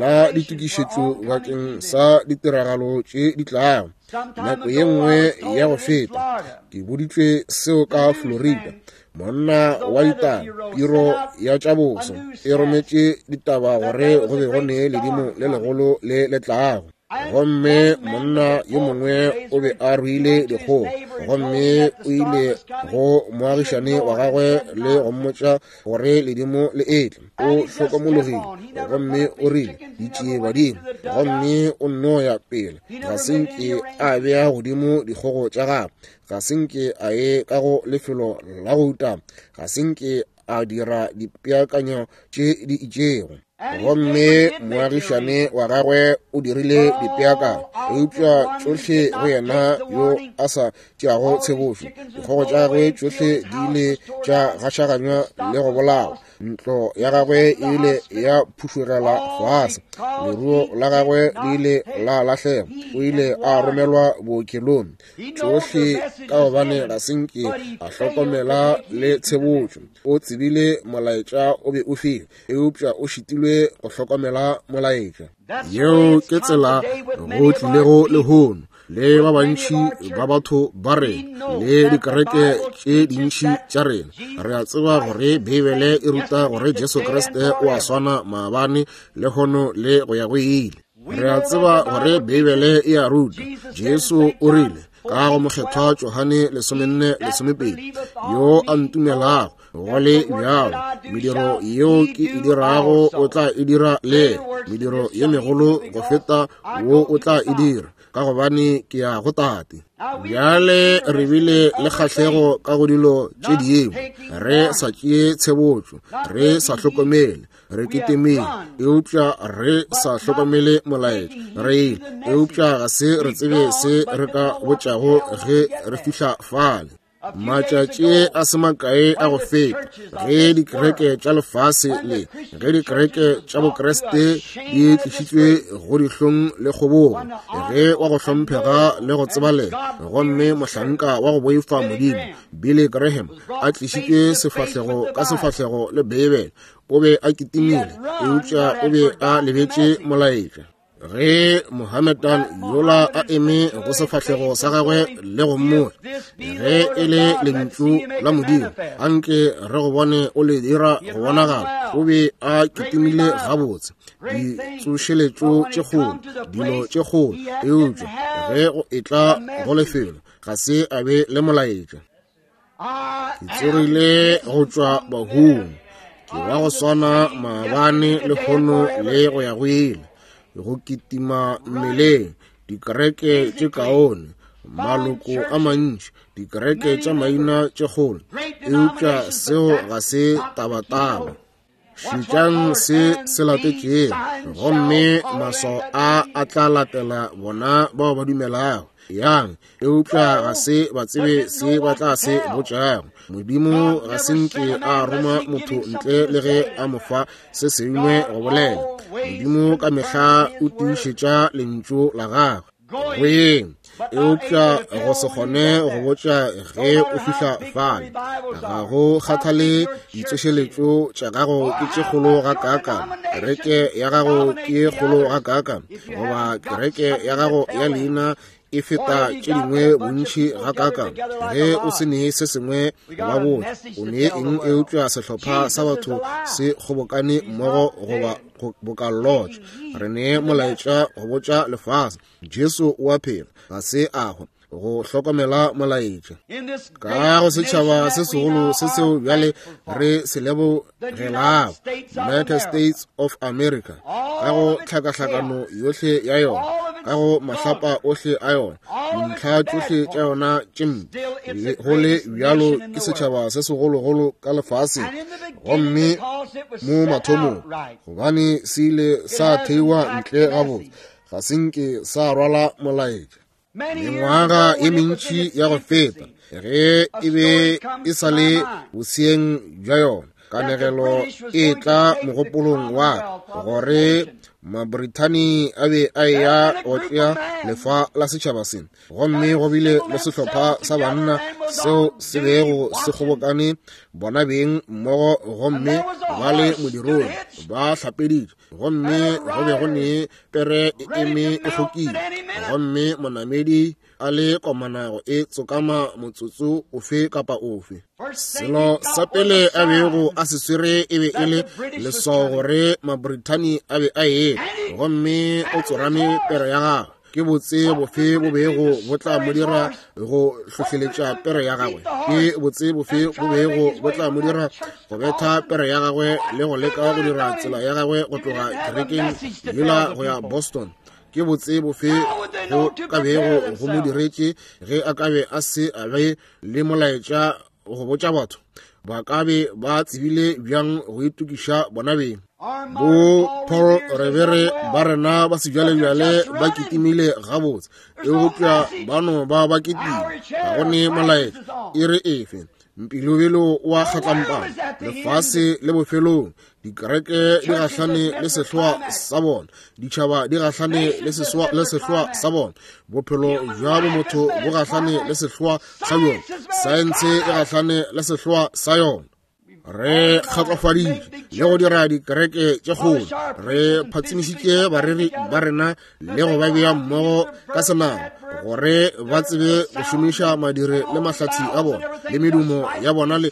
Speaker 1: la ditokišetšo bakeng sa ditiragalo tše di tlago. Nako ye nngwe ya go feta ke boditšwe seo ka Florida. Monna wa ditaba, piro ya tša boso, e rometše ditaba gore go be go ne ledimo le legolo le le tlago. Gomme monna yo mongwe o be a ruile dikgogo, gomme o ile go moagišane wa gagwe le go mmotša gore ledimo le etla. O hlokomologile gomme o rile, Ditšie badimo. Gomme o nno ya pele. Ga se nke a bea godimo dikgogo tša gagwe. Ga se nke a ye ka go lefelo la go utama. Ga se nke a dira dipeakanyo tše di itšego. Gomme moagišane wa gagwe o dirile dipeakanyo, eupša tšohle go yena yo a sa tšeago tshebošo. Dikgogo tša gagwe tšohle di ile tša gašaganywa le go bolawa. Ntlo ya gagwe e ile ya phušugela fase. Leruo la gagwe le ile la lahlega. O ile a romelwa bookelong. Tšohle ka gobane ga se nke a hlokomela le tshebotšo. O tsebile molaetša o be o file, eupša o šitilwe go hlokomela molaetša. Yeo ke tsela go tlilego lehono le ba bantši ba batho ba rena le dikereke tše dintši tša rena. Re a tseba gore Beibele e ruta gore Jesu Kriste o a swana maabane, lehono le go ya go ile. Re a tseba gore Beibele e a ruta. Jesu o rile ka go mokgethwa Johane 14:12, yo a ntumelago, go le bjalo mediro yeo ke e dirago o tla e dira le mediro ye megolo go feta wo o tla e dira, ka gobane ke ya go Tate. Bjale re bile le kgahlego ka go dilo tše dingwe, re sa tšee tshebotšo, re sa hlokomele, re ketemile, eupša re sa hlokomele molaetša. Re ile, eupša ga se re tsebe se re ka botšago ge re fihla fale. Matšatši a se makae a go feta, ge dikereke tša lefase le ge dikereke tša Bokriste di tlišitšwe go dihlong le kgobogo, ge wa go hlomphega le go tsebalega gomme mohlanka wa go boifa Modimo Billy Graham a tlišitšwe sefahlego ka sefahlego le Beibele, o be a kitimile, eupša o be a lebetše molaetša. Ge Mohammedan yola a eme go sefahlego sa gagwe le go mmotša, ge e le lentšu la Modimo, anke re go bone o le dira go bonagala. O be a kitimile gabotse, ditsošeletšo tše kgolo, dilo tše kgolo, eupša ge go etla go lefelo, ga se a be le molaetša. Ke tsogile go tšwa bahung, ke wa go swana maabane, lehono le go ya go ile. Go kitima mmeleng, dikereke tše kaone, maloko a mantši, dikereke tša maina tše kgolo, eupša seo ga se tabataba. Šetšang se se latetšego, gomme maswao a a tla latela bona bao ba dumelago. Yang, eupša ga se ba tsebe se ba tla se botšago. Modimo ga se nke a roma motho ntle le ge a mo fa se sengwe go bolela. Modimo ka mehla o tiišetša lentšu la gagwe. Go yeng, eupša go se kgone go botša ge o fihla fale. Ga go kgathale ditsošeletšo tša gago ke tše kgolo gakaakang, kereke ya gago ke kgolo gakaakang, goba kereke ya gago ya leina e feta tše dingwe bontši gakaakang, ge o se nee se sengwe go ba botša, o nee eng eupša sehlopha sa batho se kgobokane mmogo goba boka lotša. Re nee molaetša go botša lefase, Jesu o a phela, ga se a hwa, go hlokomela molaetša. Ka go setšhaba se segolo se seo bjale re se lebogelago, United States of America, ka go tlhakahlakano yohle ya yona, ka go mahlapa ohle a yona, dintlha tšohle tša yona tše mpe, go le bjalo ke setšhaba se segologolo ka lefaseng. Gomme mo mathomong, gobane se ile sa theiwa ntle gabotse, ga se nke sa rwala molaetša. Mengwaga ye mentši ya go feta, ge e be e sa le boseeng bja yona, kanegelo e tla mogopolong wa ka gore Mabrithani a be a eya go tšea lefa la setšhaba se, gomme go bile le sehlopha sa banna seo se bego se kgobokane bona beng mmogo, gomme ba le modirong ba hlapeditše, gomme go be go ne pere e eme e kgokile, gomme monamedi a le komana go e tsokama motsotso ofe kapa ofe. Selo sa pele a bego a se swere e be e le leswao gore Mabrithani a be a etla, gomme o tsorame pere ya gagwe. Ke botse bofe bo bego bo tla mo dira go hlohleletša pere ya gagwe? Ke botse bofe bo bego bo tla mo dira go betha pere ya gagwe le go leka go dira tsela ya gagwe go tloga kerekeng yela go ya Boston? Ke botse bofe go ka bego go mo diretše ge a ka be a se a be le molaetša go botša batho? Ba ka be ba tsebile bjang go itokiša bona beng? Bo Paul Revere ba rena ba sejwalejwale ba kitimile gabotse, eupša ba no ba ba kitima, ga go ne molaetša. E re efe? Mpilobelo wa kgatlampana, lefase le bofelong, dikereke di gahlane le sehloa sa bona, ditšhaba di gahlane le sehloa sa bona, bophelo bja bomotho bo gahlane le sehloa sa bjona, saense e gahlane le sehloa sa yona. Re kgatlofaditše le go dira dikereke tše kgolo, re phatsimišitše bareri ba rena le go ba bea mmogo ka senama gore ba tsebe go šomiša madire le mahlatsi a bona le medumo ya bona le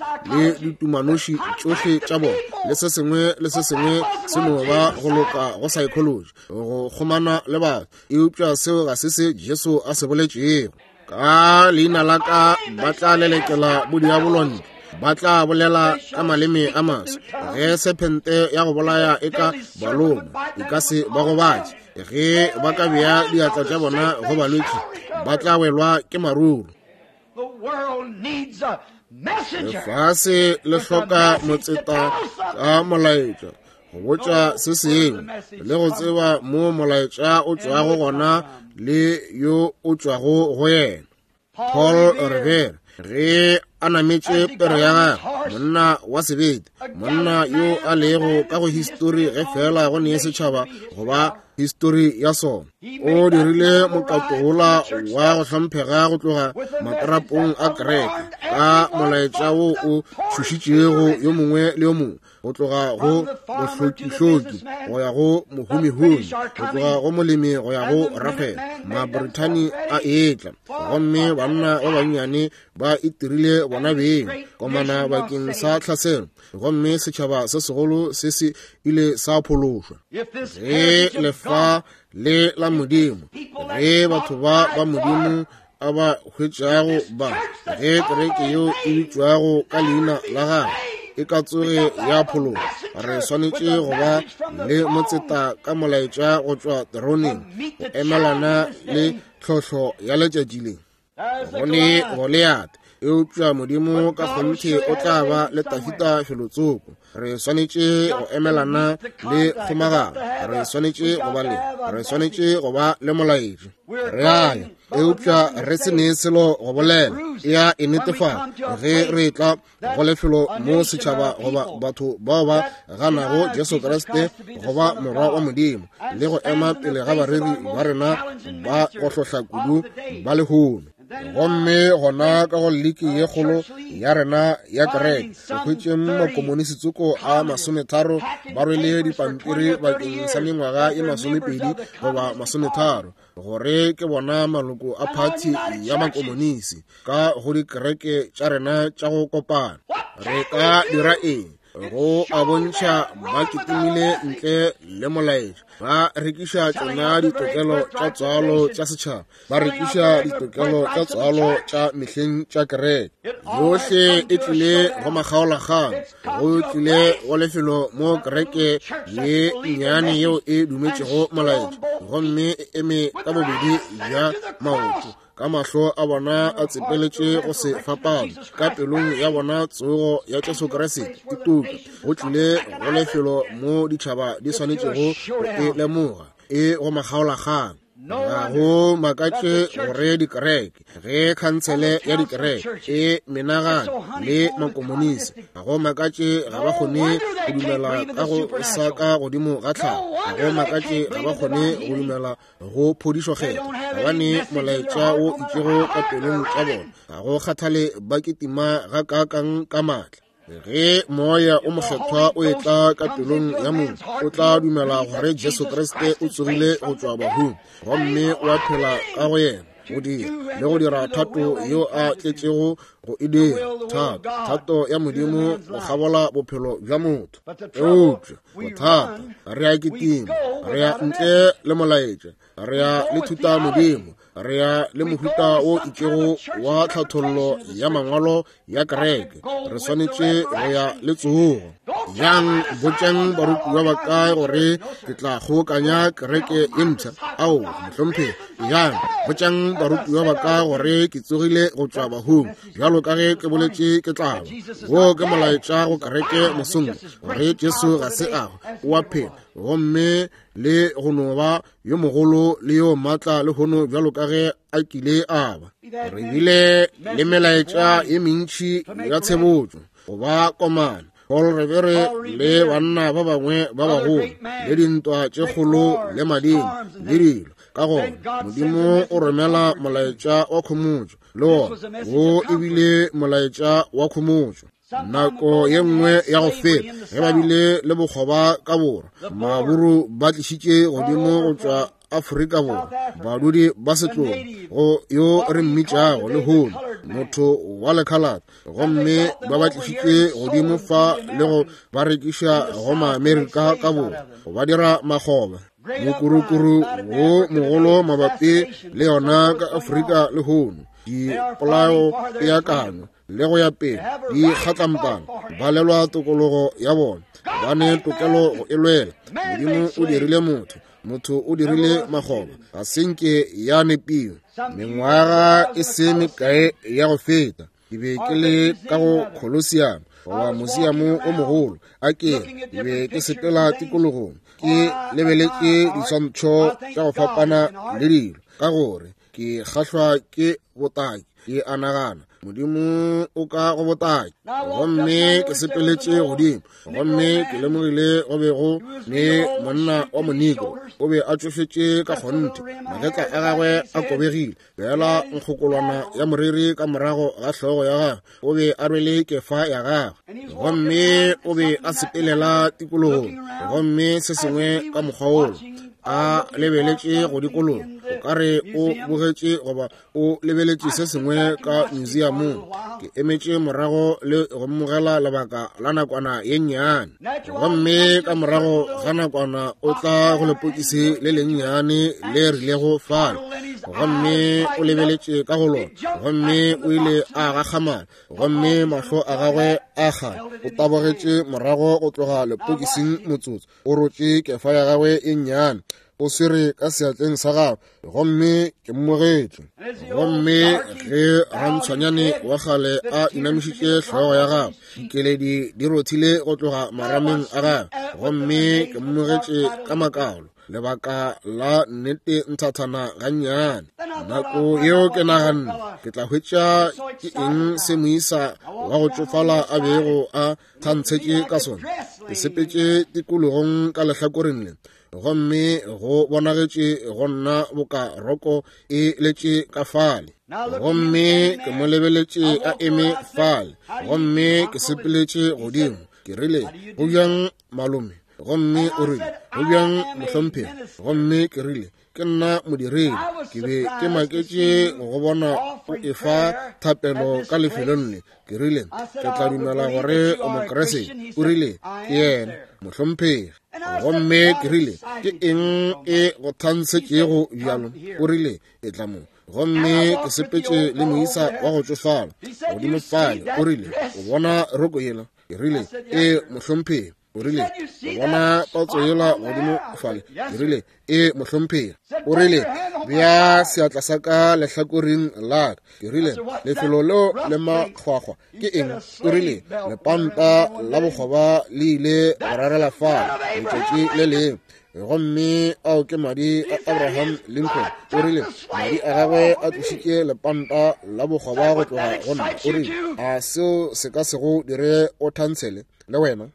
Speaker 1: ditumanoši tšohle tša bona, le se sengwe le se sengwe se no ba go loka go psychology go kgomana le batho. Eupša seo ga se se Jesu a se boletšego. Ka leina la ka ba tla lelekela bodiabolo ntle, ba tla bolela ka maleme a maswa. Ge sephente ya go bolaya e ka ba loma, e ka se ba gobatše. Ge ba ka bea diatla tša bona go balwetši, ba tla welwa ke maruru. Lefase le hloka motseta ka molaetša go botša se sengwe le go tseba mo molaetša o tšwago gona le yo o tšwago go yena. Paul Revere ge a nametše pere ya gagwe, monna wa sebete, monna yo a lego ka go histori ge fela go ne setšhaba goba histori ya sona, o dirile mokato wola wa go hlomphega go tloga matrapong a kereke ka molaetša wo o tšhošitšego yo mongwe le yo mongwe, go tloga go mohloki-hloki go ya go mohumi-humi, go tloga go molemi go ya go rakgwebo. Mabrithani a etla, gomme banna ba bannyane ba itirile bona beng komana bakeng sa tlhaselo, gomme setšhaba se segolo se se ile sa phološwa. Ge lefa le la Modimo, ge batho ba ba Modimo a ba hwetšago ba, ge kereke yeo e bitšwago ka leina la gagwe e ka tsoge ya phologa, re swanetše go ba le motseta ka molaetša go tšwa teroneng go emelana le tlhohlo ya letšatši le. Go ne Goliath, eupša Modimo ka kgonthe o tla ba le Dafida felotsoko. Re swanetše go emelana le kgomagano, re swanetše go ba le, re swanetše go ba le molaetši. Re a ya, eupša re se ne selo go bolela. E a e netefatša ge re tla go lefelo mo setšhaba goba batho bao ba ganago Jesu Kriste goba Morwa wa Modimo, le go ema pele ga bareri ba rena ba go hlohla kudu ba lehono. Gomme gona ka go liki ye kgolo ya rena ya kereke, re hwetšeng makomonisitsoko a 30 ba rwele dipampiri bakeng sa mengwaga ye 20 goba 30, gore ke bona maloko a phathi ya makomonisi ka go dikereke tša rena tša go kopana. Re ka dira eng? Go a bontšha ba kitimile ntle le molaetša, ba rekiša tšona ditokelo tša tswalo tša setšhaba, ba rekiša ditokelo tša tswalo tša mehleng tša kereke. Yohle e tlile go makgaolakgang, go tlile go lefelo mo kereke ye nnyane yeo e dumetšego molaetša gomme e eme ka bobedi bja maoto, ka mahlo a bona a tsepeletše go se fapano, ka pelong ya bona tsogo ya Jesu Kriste e tuka. Go tlile go lefelo mo ditšhaba di swanetšego go e lemoga, e go makgaolakgang. Ga go makatše gore dikereke, ge khansele ya dikereke e menagane le makomonisi, ga go makatše ga ba kgone go dumela ka go sa ka godimo ga tlhago, ga go makatše ga ba kgone go dumela go phodišo kgetho, gobane molaetša o itšego ka pelong tša bona, ga go kgathale ba kitima ga kaakang ka maatla. Ge moya o mokgethwa o etla ka pelong ya motho, o tla dumela gore Jesu Kriste o tsogile go tšwa bahung gomme o a phela ka go yena. go dira le go dira thato yo a tletšego go e dira, thato, thato ya Modimo go kgabola bophelo bja motho. Eupša bothata, re a kitima, re ya ntle le molaetša, re ya le thuta Modimo, re ya le mohuta wo itšego wa tlhathollo ya mangwalo ya kereke. Re swanetše go ya le tsogo. Yang botšang barutiwa ba ka gore ke tla kgobokanya kereke ye mpsha. Ao, mohlomphegi. Yang botšang barutiwa ba ka gore ke tsogile go tšwa bahung, bjalo ka ge ke boletše ke tla ba. Wo ke molaetša go kereke mosong, gore Jesu ga se a hwa, o a phela, gomme le go no ba yo mogolo le yo maatla lehono bjalo ka ge a kile a ba. Re bile le melaetša ye mentši ya tshebotšo go ba komana, Paul Revere le banna ba bangwe ba bagolo, le dintwa tše kgolo le madimo le dilo. Ka gona Modimo o romela molaetša wa khomotšo, le wona wo e bile molaetša wa khomotšo. Nako ye nngwe ya go feta ge ba bile le bokgoba ka borwa, maburu ba tlišitše godimo go tšwa Afrika Borwa badudi ba setlogo go yo re mmitšago lehono motho wa lekhalate, gomme ba ba tlišitše godimo fa le go ba rekiša go Maamerika ka borwa go ba dira makgoba. Mokurukuru wo mogolo mabapi le yona ka Afrika lehono, dipolao, peakanyo le go ya pele di kgatlampana, ba lelwa tokologo ya bona, ba ne tokelo go e lwela. Modimo o dirile motho, motho o dirile makgoba, ga se nke ya nepiwa. Mengwaga e se mekae ya go feta ke be ke le ka go Colosseum goba musiamo o mogolo, a ke ke be ke sepela tikologong ke lebeletše diswantšho tša go fapana le dilo, ka gore ke kgahlwa ke botaki. Ke a nagana Modimo o ka go botaki. Gomme ke sepeletše godimo, gomme ke lemogile go be go ne monna wa moniko, o be a tšofetše ka kgonthe, magetla a gagwe a kobegile, fela nkgokolwana ya moriri ka morago ga hlogo ya gagwe, o be a rwele kefa ya gagwe, gomme o be a sepelela tikologong, gomme se sengwe ka mokgwa wolo, a lebeletše go dikologa, o ka re o bogetše goba o lebeletše se sengwe ka museumong. Ke emetše morago le go mmogela lebaka la nakwana ye nnyane, gomme ka morago ga nakwana o tla go lepokisi le lennyane le rilego fale, gomme o lebeletše ka go lona, gomme o ile a gakgamala, gomme mahlo a gagwe a kgale. O tabogetše morago go tloga lepokising motsotso, o rotše kefa ya gagwe e nnyane, o swere ka seatleng sa gagwe, gomme ke mmogetše. Gomme ge rantshwanyane wa kgale a inamišitše hlogo ya gagwe, dikeledi di rothile go tloga marameng a gagwe, gomme ke mmogetše ka makalo lebaka la nnete nthathana gannyane. Nako yeo ke naganne ke tla hwetša ke eng se moisa wa go tšofala a bego a thantshetše ka sona. Ke sepetše tikologong ka lehlakoreng le, gomme go bonagetše go nna boka roko e letše ka fale, gomme ke mo lebeletše a eme fale, gomme ke sepeletše godimo. Ke rile, go bjang malome? Gomme o rile, go bjang mohlomphegi? Gomme ke rile, ke nna modiredi, ke be ke maketše go bona o efa thapelo ka lefelong le. Ke rile, ke tla dumela gore o Mokriste. O rile, ke yena mohlomphegi. Gomme ke rile, ke eng e go thantshetšego bjalo? O rile, e tla mo. Gomme ke sepetše le moisa wa go tšofala godimo fale. O rile, o bona roko yela? Ke rile, e mohlomphegi. O rile, o bona patso yela godimo fale? Ke rile, e mohlomphegi. O rile, bea seatla sa ka lehlakoreng la ka. Ke rile, lefelo leo le makgwakgwa ke eng? O rile, lepanta la bokgoba le ile go rarela fale letšatši le lengwe, gomme ao ke madi a Abraham Lincoln. O rile, madi a gagwe a tlošitše lepanta la bokgoba go tloga go nna. O rile, a seo se ka se go dire o thantshele le wena?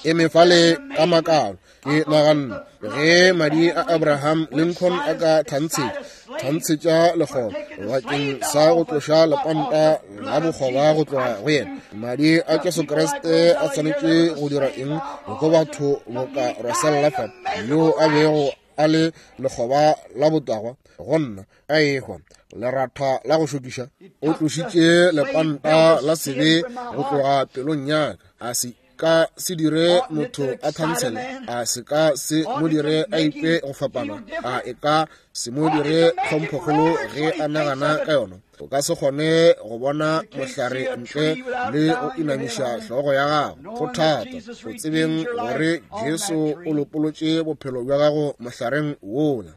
Speaker 1: Ke eme fale ka makalo, ke naganne, ge madi a Abraham Lincoln a ka thantshetša lekgoba bakeng sa go tloša lepanta la bokgoba go tloga go yena, madi a Jesu Kriste a swanetše go dira eng go batho boka Russell fa, yo a bego a le lekgoba la botagwa? go nna a ehwa leratha la go šokiša. O tlošitše lepanta la sebe go tloga pelong ya ka. A se ka se dire motho a thansele, a se ka se mo dire a ikwe go fapana, a e ka se mo dire tlhomphokgolo ge a nagana ka yona. O ka se kgone go bona mohlare ntle le go inamiša hlogo ya gago. Go thata go tsebeng gore Jesu o lopolotše bophelo bja gago mohlareng wola.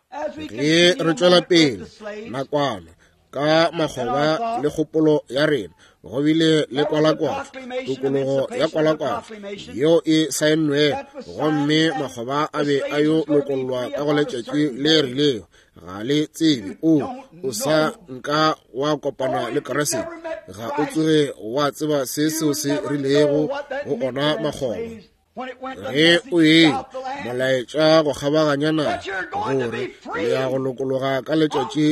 Speaker 1: Ge re tšwela pele nakwana ka makgoba le kgopolo ya rena, go bile le kwalakwatšo, tokologo ya kwalakwatšo yeo e saennwego, gomme makgoba a be a yo lokollwa ka go letšatši le rilego. Ga le tsebe, o sa nka wa kopana le Kriste, ga o tsoge wa tseba se seo se rilego go ona makgoba. Ge o e molaetša go kgabaganya naga gore le ya go lokologa ka letšatši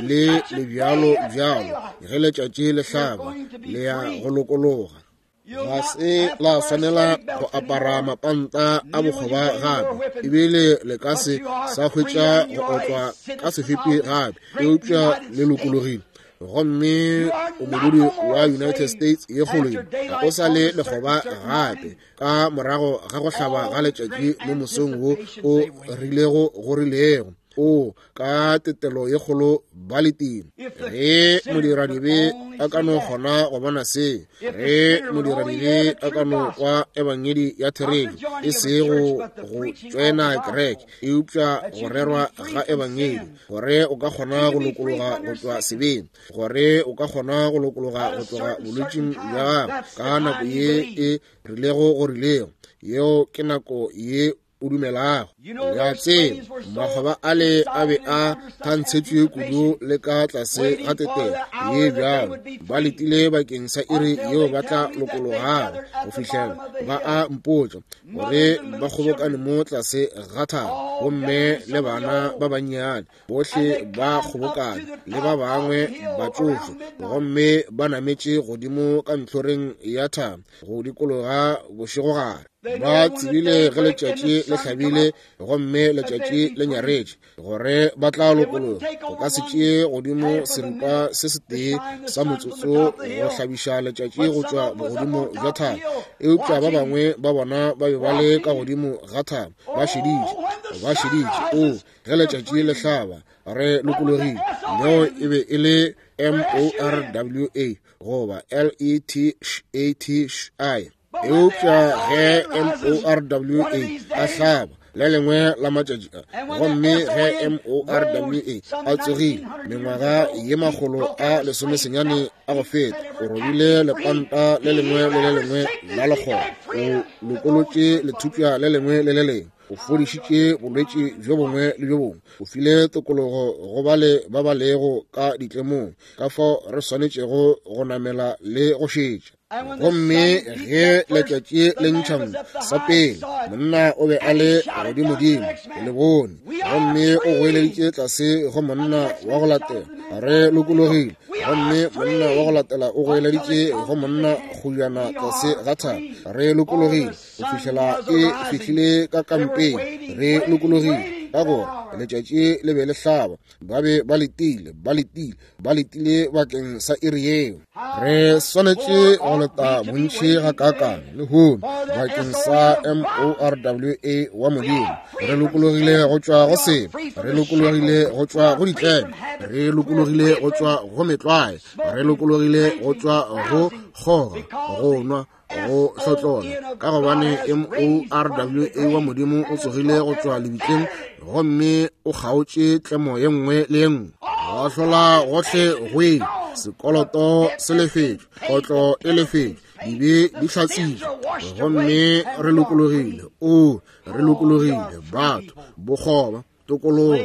Speaker 1: le le bjalo bjalo, ge letšatši le hlaba le ya go lokologa. Ga se la swanela go apara mapanta a bokgoba gape, ebile le ka se sa hwetša go otlwa ka sefepi gape, eupša le lokologile. Gomme o modudi wa United States ye kgolo, ga o sa le lekgoba gape. Ka morago ga go hlaba ga letšatši mo mosong wo o rilego go rilego, o ka tetelo ye kgolo ba letile. Ge modiradibe a ka no kgona go bona se, ge modiradibe a ka no kwa ebangedi ya therešo, e sego go tšwena kereke, eupša go rerwa ga ebangedi, gore o ka kgona go lokologa go tšwa sebeng, gore o ka kgona go lokologa go tloga bolwetšing bja gago ka nako ye e rilego go rilego, yeo ke nako ye o dumelago. Ya tseba makgoba ale a be a thantshetšwe kudu le ka tlase ga tetelo ye bjalo, ba letile bakeng sa iri yeo ba tla lokologago go fihlela ba a mpotša gore ba kgobokane mo tlase ga thaba, gomme le bana ba bannyane bohle ba kgobokane le ba bangwe batšofe, gomme ba nametše godimo ka ntlhoreng ya thaba go dikologa bošegogare. Ba tsebile ge letšatši le hlabile gomme letšatši le nyaretše gore ba tla lokologa. Go ka se tšee godimo seripa se setee sa motsotso go hlabiša letšatši go tšwa bogodimo bja thaba, eupša ba bangwe ba bona ba be ba le ka godimo ga thaba ba šeditše, ba šeditše. O ge letšatši le hlaba re lokologile. Leo e be e le M-O-R-W-A goba L-E-T-H-A-T-I. Eupša ge M-O-R-W-A a hlaba le lengwe la matšatši a, gomme ge M-O-R-W-A a tsogile mengwaga ye 190 a go feta, o robile lepanta le lengwe le le lengwe la lekgoba, o lokolotše lethupša le lengwe le le lengwe, o fodišitše bolwetši bjo bongwe le bjo bongwe, o file tokologo go bale ba ba lego ka ditlemong. Ka fao re swanetšego go namela le go šetša. Gomme ge letšatši le ntšha sa pele, monna o be a le godimodimo, le bone, gomme o goeleditše tlase go monna wa go latela, re lokologile. Gomme monna wa go latela o goeleditše go monna kgojana tlase ga thaba, re lokologile, go fihlela e fihlile ka kampeng, re lokologile. Ka gore letšatši le be le hlaba, ba be ba letile, ba letile, ba letile bakeng sa iri yeo. Re swanetše go leta bontši gakaakang lehono bakeng sa M-O-R-W-A wa Modimo. Re lokologile go tšwa go sebe, re lokologile go tšwa go ditlemo, re lokologile go tšwa go metlwae, re lokologile go tšwa go kgoga, go nwa, go hlotlola, ka gobane M-O-R-W-A wa Modimo o tsogile go tšwa lebitleng gomme o kgaotše tlemo ye nngwe le ye nngwe. Go hlola gohle go ile, sekoloto se lefetšwe, kotlo e lefetšwe, dibe di hlatsitšwe, gomme re lokologile. O, re lokologile, batho, bokgoba, tokologo.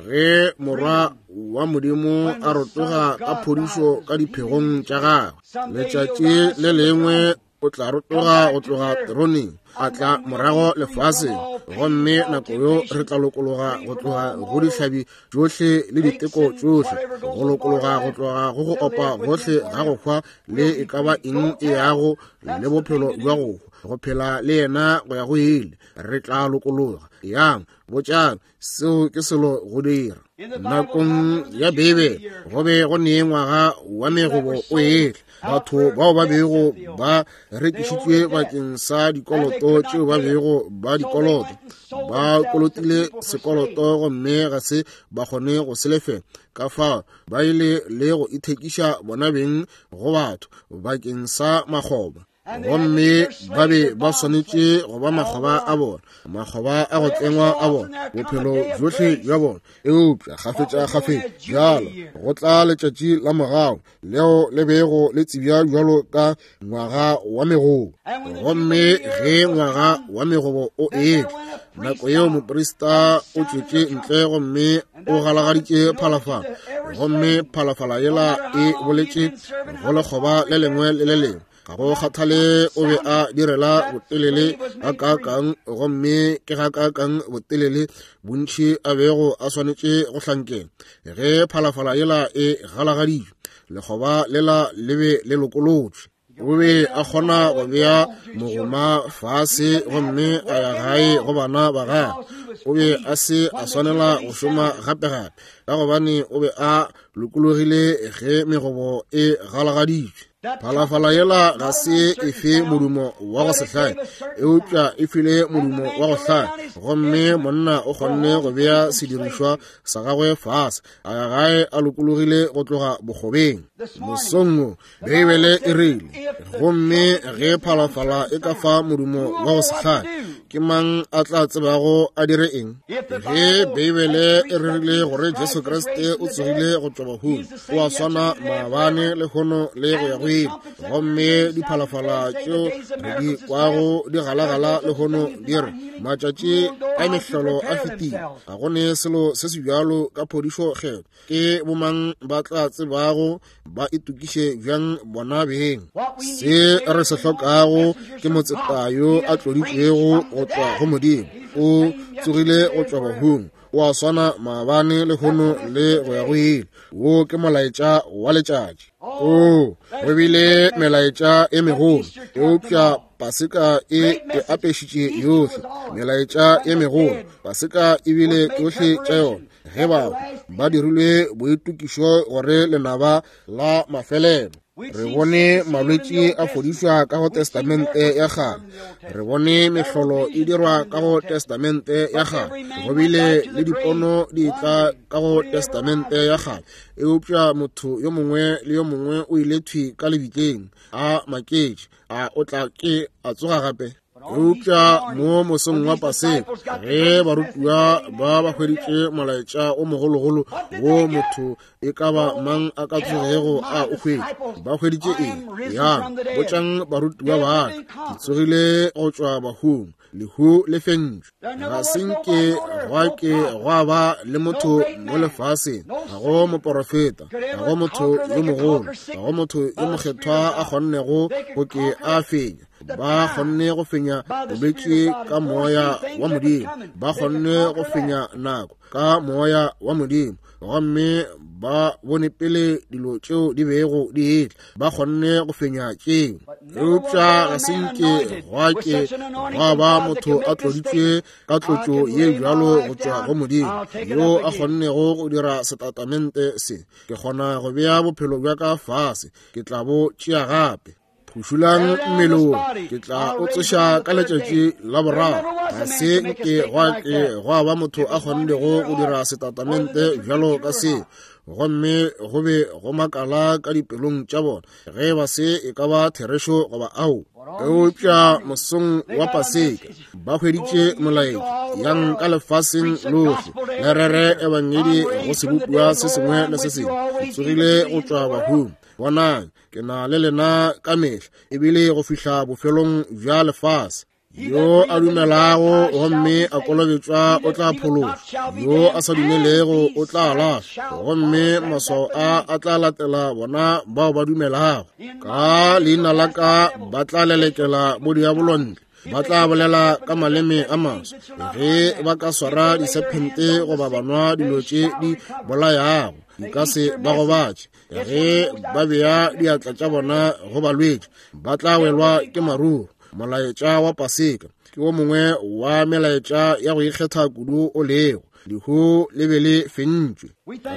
Speaker 1: Ge morwa wa Modimo a rotoga ka phodišo ka diphegong tša gagwe, letšatši le lengwe o tla rotoga go tloga teroneng. a tla morago lefaseng, gomme nako yo re tla lokologa go tloga go dihlabi tšohle le diteko tšohle, go lokologa go tloga go go opa gohle ga go hwa le e ka ba eng e yago le bophelo bja go hwa, go phela le yena go ya go ile. Re tla lokologa. Yang, botšang, seo ke selo go dira. Nakong ya Beibele go be go ne ngwaga wa megobo o etla, batho bao ba bego ba rekišitšwe bakeng sa dikoloto tšeo ba bego ba dikoloto, ba kolotile sekoloto gomme ga se ba kgone go se lefela, ka fao ba ile le go ithekiša bona beng go batho bakeng sa makgoba. Gomme ba be ba swanetše go ba makgoba a bona, makgoba a go tlengwa a bona, bophelo bjohle bja bona. Eupša kgafetša-kgafetša bjalo go tla letšatši la morago leo le bego le tsebja bjalo ka ngwaga wa megobo. Gomme ge ngwaga wa megobo o etla, nako yeo moprista o tšwetše ntle gomme o galagaditše phalafala, gomme phalafala yela e boletše go lekgoba le lengwe le le lengwe. Ga go kgathale o be a direla botelele gakaakang, gomme ke gakaakang botelele bontši a bego a swanetše go hlankela. Ge phalafala yela e galagaditšwe, lekgoba lela le be le lokolotšwe. O be a kgona go bea mogoma fase gomme a ya gae go bana ba gagwe. O be a se a swanela go šoma gape-gape, ka gobane o be a lokologile ge megobo e galagaditšwe. Phalafala yela ga se e fe modumo wa go se hlae, eupša e file modumo wa go hlae, gomme monna o kgonne go bea sedirišwa sa gagwe fase, a ya gae a lokologile go tloga bokgobeng. Mosong wo, Beibele e rile, gomme ge phalafala e ka fa modumo wa go se hlae, ke mang a tla tsebago a dire eng? Ge Beibele e rerile gore Jesu Kriste o tsogile go tšwa bahung, o a swana maabane, lehono le go ya go ile. Gomme diphalafala tšeo re di kwago di galagala lehono di re, matšatši a mehlolo a fetile, ga go ne selo se se bjalo ka phodišo kgetho. Ke bomang ba tla tsebago ba itokiše bjang bona beng? Se re se hlokago ke motseta yo a tloditšwego go tšwa go Modimo. O tsogile go tšwa bahung, o a swana maabane, lehono le go ya go ile. Wo ke molaetša wa letšatši. O go bile melaetša e megolo, eupša Paseka e e apešitše yohle. Melaetša e megolo, Paseka e bile tšohle tša yona. Ge ba ba dirilwe boitokišo gore lenaba la mafelelo. Re bone malwetši a fodišwa ka go Testamente ya Kgale. Re bone mehlolo e dirwa ka go Testamente ya Kgale. Go bile le dipono di tla ka go Testamente ya Kgale. Eupša motho yo mongwe le yo mongwe o ile thwi ka lebitleng, a maketše, a o tla ke a tsoga gape? Eupša mo mosong wa Paseka, ge barutiwa ba ba hweditše molaetša o mogologolo wo motho e ka ba mang a ka tsogego a o hwetše, ba hweditše eng? Yang, botšang barutiwa ba ka, ke tsogile go tšwa bahung, lehu le fentšwe. Ga se nke gwa ke gwa ba le motho mo lefaseng, ga go moporofeta, ga go motho yo mogolo, ga go motho yo mokgethwa a kgonnego go ke a fenya. Ba kgonne go fenya bolwetši ka moya wa Modimo, ba kgonne go fenya nako ka moya wa Modimo, gomme ba bone pele dilo tšeo di bego di etla, ba kgonne go fenya tšeo. Eupša ga se nke gwa ke gwa ba motho a tloditšwe ka tlotšo ye bjalo go tšwa go Modimo, yo a kgonnego go dira setatamente se, ke kgona go bea bophelo bja ka fase, ke tla bo tšea gape. Phušulang mmele wo, ke tla o tsoša ka letšatši la boraro. Ga se nke gwa ke gwa ba motho a kgonnego go dira setatamente bjalo ka se, gomme go be go makala ka dipelong tša bona ge ba se e ka ba therešo goba ao. Eupša mosong wa Paseka ba hweditše molaetša, yang ka lefaseng lohle le rere ebangedi go sebopiwa se sengwe le se sengwe. Ke tsogile go tšwa bahung, bonang, ke na le lena ka mehla, ebile go fihla bofelong bja lefase. Yo a dumelago gomme a kolobetšwa o tla phološwa, yo a sa dumelego o tla lahlwa, gomme maswao a a tla latela bona bao ba dumelago. Ka leina la ka ba tla lelekela bodiabolo ntle. Ba tla bolela ka maleme a maswa. Ge ba ka swara disephente goba ba nwa dilo tše di bolayago, di ka se ba gobatše. Ge ba bea diatla tša bona go balwetši, ba tla welwa ke maruru. Molaetša wa Paseka ke wo mongwe wa melaetša ya go ikgetha kudu o lego. Lehu le be le fentšwe.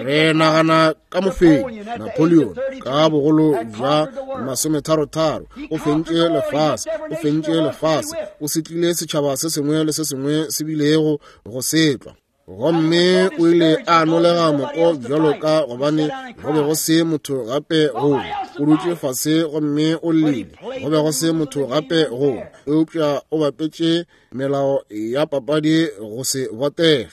Speaker 1: Re nagana ka mofenyi Napoleon ka bogolo bja 33, o fentše lefase, o fentše lefase, o setlile setšhaba se sengwe le se sengwe se bilego go setlwa. Gomme o ile a nolega moko bjalo ka gobane go be go se motho gape go. O dutše fase gomme o llile, go be go se motho gape go. Eupša o bapetše melao ya papadi go se botege.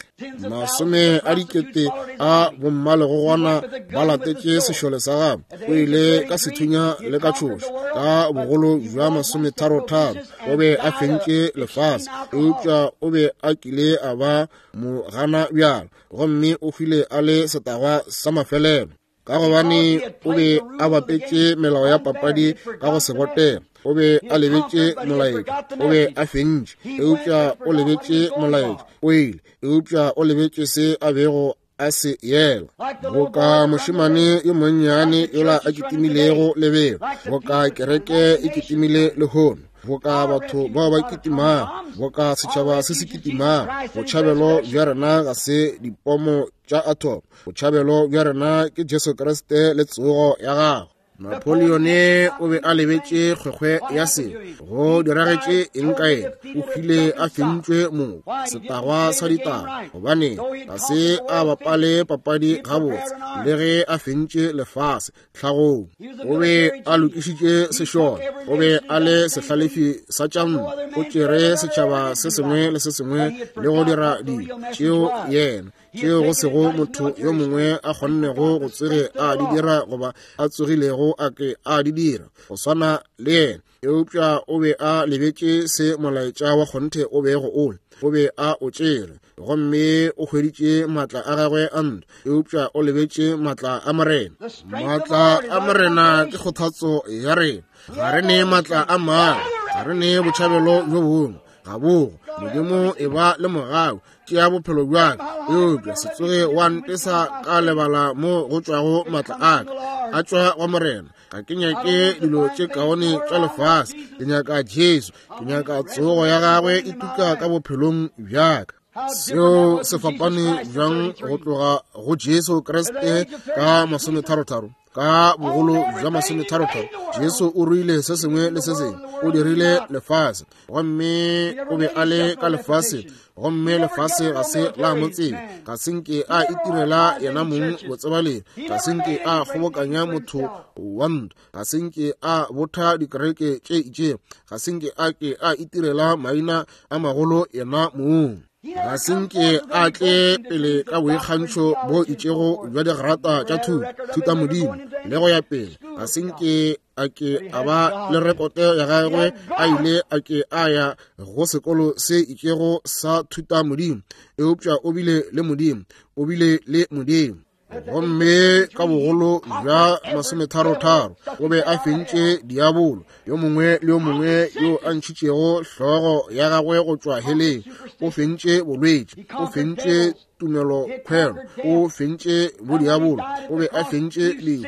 Speaker 1: Masome a dikete a bommalegogwana ba latetše sešole sa gagwe. O ile ka sethunya le ka tšhošo ka bogolo bja 33. O be a fentše lefase, eupša o be a kile a ba mogana bjalo, gomme o hwile a le setagwa sa mafelelo. Ka gobane o be a bapetše melao ya papadi ka go se botege. O be a lebetše molaetša. O be a fentše, eupša o lebetše molaetša. O ile, eupša o lebetše se a bego a se yela. Boka mošemane yo monnyane yola a kitimilego lebelo, boka kereke e kitimile lehono, boka batho bao ba kitimago, boka setšhaba se se kitimago. Botšhabelo bja rena ga se dipomo tša atom. Botšhabelo bja rena ke Jesu Kriste le tsogo ya gagwe. Napoleone o be a lebetše kgwekgwe ya se go diragetše eng ka yena. O hwile a fentšwe moko, setagwa sa ditaba, gobane ga se a bapale papadi gabotse le ge a fentše lefase tlhagong. O be a lokišitše sešole, o be a le sehlalefi sa tša ntwa, o tšere setšhaba se sengwe le se sengwe le go dira dilo tšeo yena tšeo go sego motho yo mongwe a kgonnego go tsoge a di dira goba a tsogilego a ke a di dira go swana le yena. Eupša o be a lebetše se molaetša wa kgonthe o bego o le. O be a o tšere gomme o hweditše maatla a gagwe a ntwa, eupša o lebetše maatla a Morena. Maatla a Morena ke kgothatso ya rena. Ga re ne maatla a mangwe, ga re ne botšhabelo bjo bongwe. Ga bogo. Modimo e ba le mogau, tšea bophelo bja ka, eupša se tsoge wa ntesa ka lebala mo go tšwago maatla a ka, a tšwa go Morena. Ga ke nyake dilo tše kaone tša lefase, ke nyaka Jesu, ke nyaka tsogo ya gagwe e tuka ka bophelong bja ka. Seo se fapane bjang go tloga go Jesu Kriste ka 33? Ka bogolo bja 33 Jesu o ruile se sengwe le se sengwe. O dirile lefase, gomme o be a le ka lefase, gomme lefase ga se la mo tseba. Ga se nke a itirela yena mong botsebalegi, ga se nke a kgobokanya motho wa ntwa, ga se nke a botha dikereke tše itšego, ga se nke a ke a itirela maina a magolo yena mong. Ga se nke a tle pele ka boikgantšho bo itšego bja digrata tša thuto, thutamodimo le go ya pele. Ga se nke a ke a ba le rekote ya gagwe a ile a ke a ya go sekolo se itšego sa thutamodimo, eupša o bile le Modimo, o bile le Modimo. Gomme ka bogolo bja 33 o be a fentše diabolo yo mongwe le yo mongwe yo a ntšhitšego hlogo ya gagwe go tšwa heleng. O fentše bolwetši, o fentše tumelo khwelo, o fentše bodiabolo, o be a fentše lehu.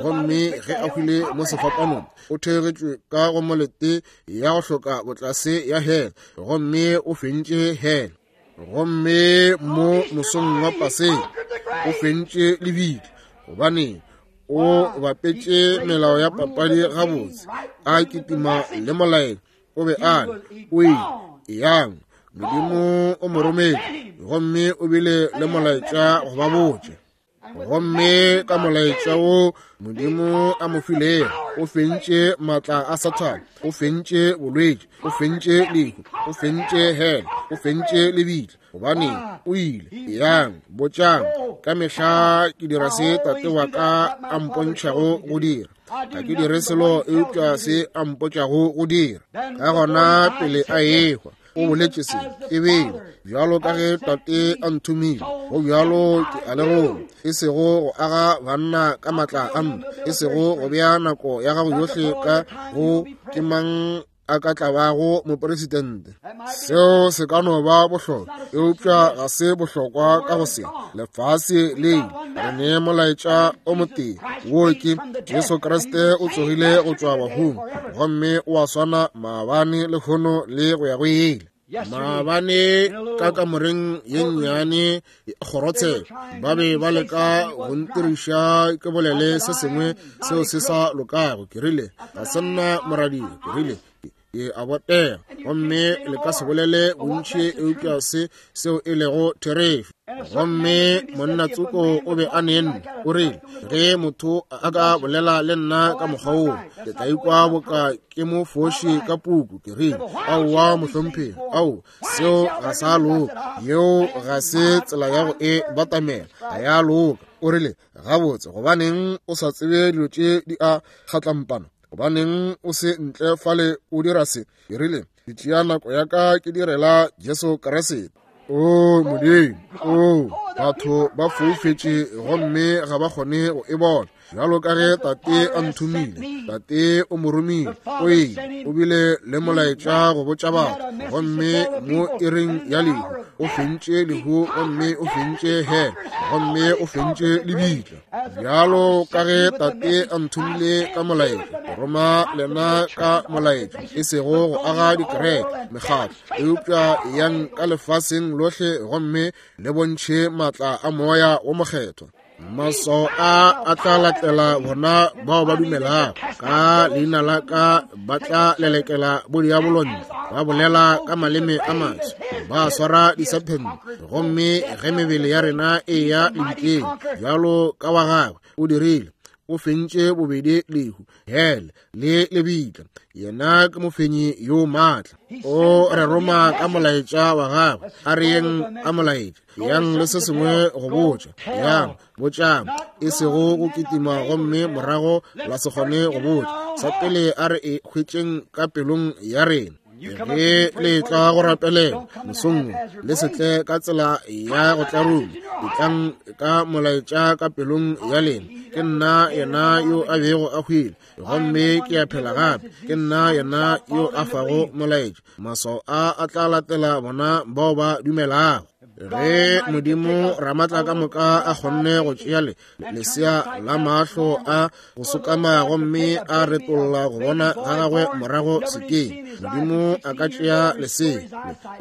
Speaker 1: Gomme ge a hwile mo sefapanong, o theogetšwe ka go molete ya go hloka botlase ya hele, gomme o fentše hele. Gomme mo mosong wa Paseka o fentše lebitla, gobane o bapetše melao ya papadi gabotse, a kitima le molaetša. O be a re, o ile, eyang, Modimo o mo rometše, gomme o bile le molaetša go ba botša. Gomme ka molaetša wo Modimo a mo filego, o fentše maatla a Sathane, o fentše bolwetši, o fentše lehu, o fentše hele, o fentše lebitla. Gobane o ile, eyang, botšang, ka mehla ke dira se Tate wa ka a mpontšhago go dira. Ga ke dire selo eupša se a mpotšago go dira. Ka gona pele a ehwa, o boletše se, e bele bjalo ka ge Tate a nthomile, go bjalo ke a le roma, e sego go aga banna ka maatla a nna, e sego go bea nako ya gago yohle ka go ke mang a ka tla bago mopresidente. Seo se ka no ba bohlokwa, eupša ga se bohlokwa ka go se. Lefase le ile, re ne molaetša o motee, wo ke Jesu Kriste o tsogile go tšwa bahung, gomme o a swana maabane, lehono le go ya go ile. Maabane ka kamoreng ye nnyane kgorotsheko ba be ba leka go ntiriša ke bolele se sengwe seo se sa lokago. Ke rile, ga se nna moradia. Ke rile, ke a botega, gomme le ka se bolele bontši eupša se seo e lego therešo. Gomme monna tsoko o be a ne nna, o rile, ge motho a ka bolela le nna ka mokgwa woo, ke tla ikwa boka ke mo foši ka puku. Ke rile, aowa mohlomphegi, ao, seo ga sa loka, yeo ga se tsela ya go e batamela, ga ya loka. O rile, gabotse, gobaneng o sa tsebe dilo tše di a kgatlampana? Gobaneng o se ntle fale o dira se? Ke rile, ke tšea nako ya ka ke direla Jesu Kriste. O Modimo, o batho ba foufetše gomme ga ba kgone go e bona. Bjalo ka ge Tate a nthomile, Tate o mo romile, o ile, o bile le molaetša go botša batho, gomme mo iring ya lehu o fentše lehu, gomme o fentše hell, gomme o fentše lebitla. Bjalo ka ge Tate a nthomile ka molaetša, ke roma lena ka molaetša, e sego go aga dikereke, mekgatlo, eupša yang ka lefaseng lohle gomme le bontšhe maatla a Moya wo Mokgethwa. Maswao a a tla latela bona bao ba dumelago, ka leina la ka ba tla lelekela bodiabolontle, ba bolela ka maleme a maswa, ba swara disephente, gomme ge mebele ya rena e ya lebitleng bjalo ka wa gagwe o dirile, o fentše bobedi lehu, hele le lebitla. Yena ke mofenyi yo maatla. O re roma ka molaetša wa gagwe. A re yeng ka molaetša, yang le se sengwe go botša, yang botšang, e sego go kitima gomme morago la se kgone go botša. Sa pele a re e hwetšeng ka pelong ya rena. Ge le tla go rapelela mosong, le se tle ka tsela ya go tlaruma, etlang ka molaetša ka pelong ya lena. Ke nna yena yo a bego a hwile, gomme ke a phela gape. Ke nna yena yo a fago molaetša. Maswao a a tla latela bona bao ba dumelago. Ge Modimo Ramatla ka moka a kgonne go tšea le lesea la mahlo a go sokama gomme a retolla go bona ga gagwe morago sekeng, Modimo a ka tšea lesea,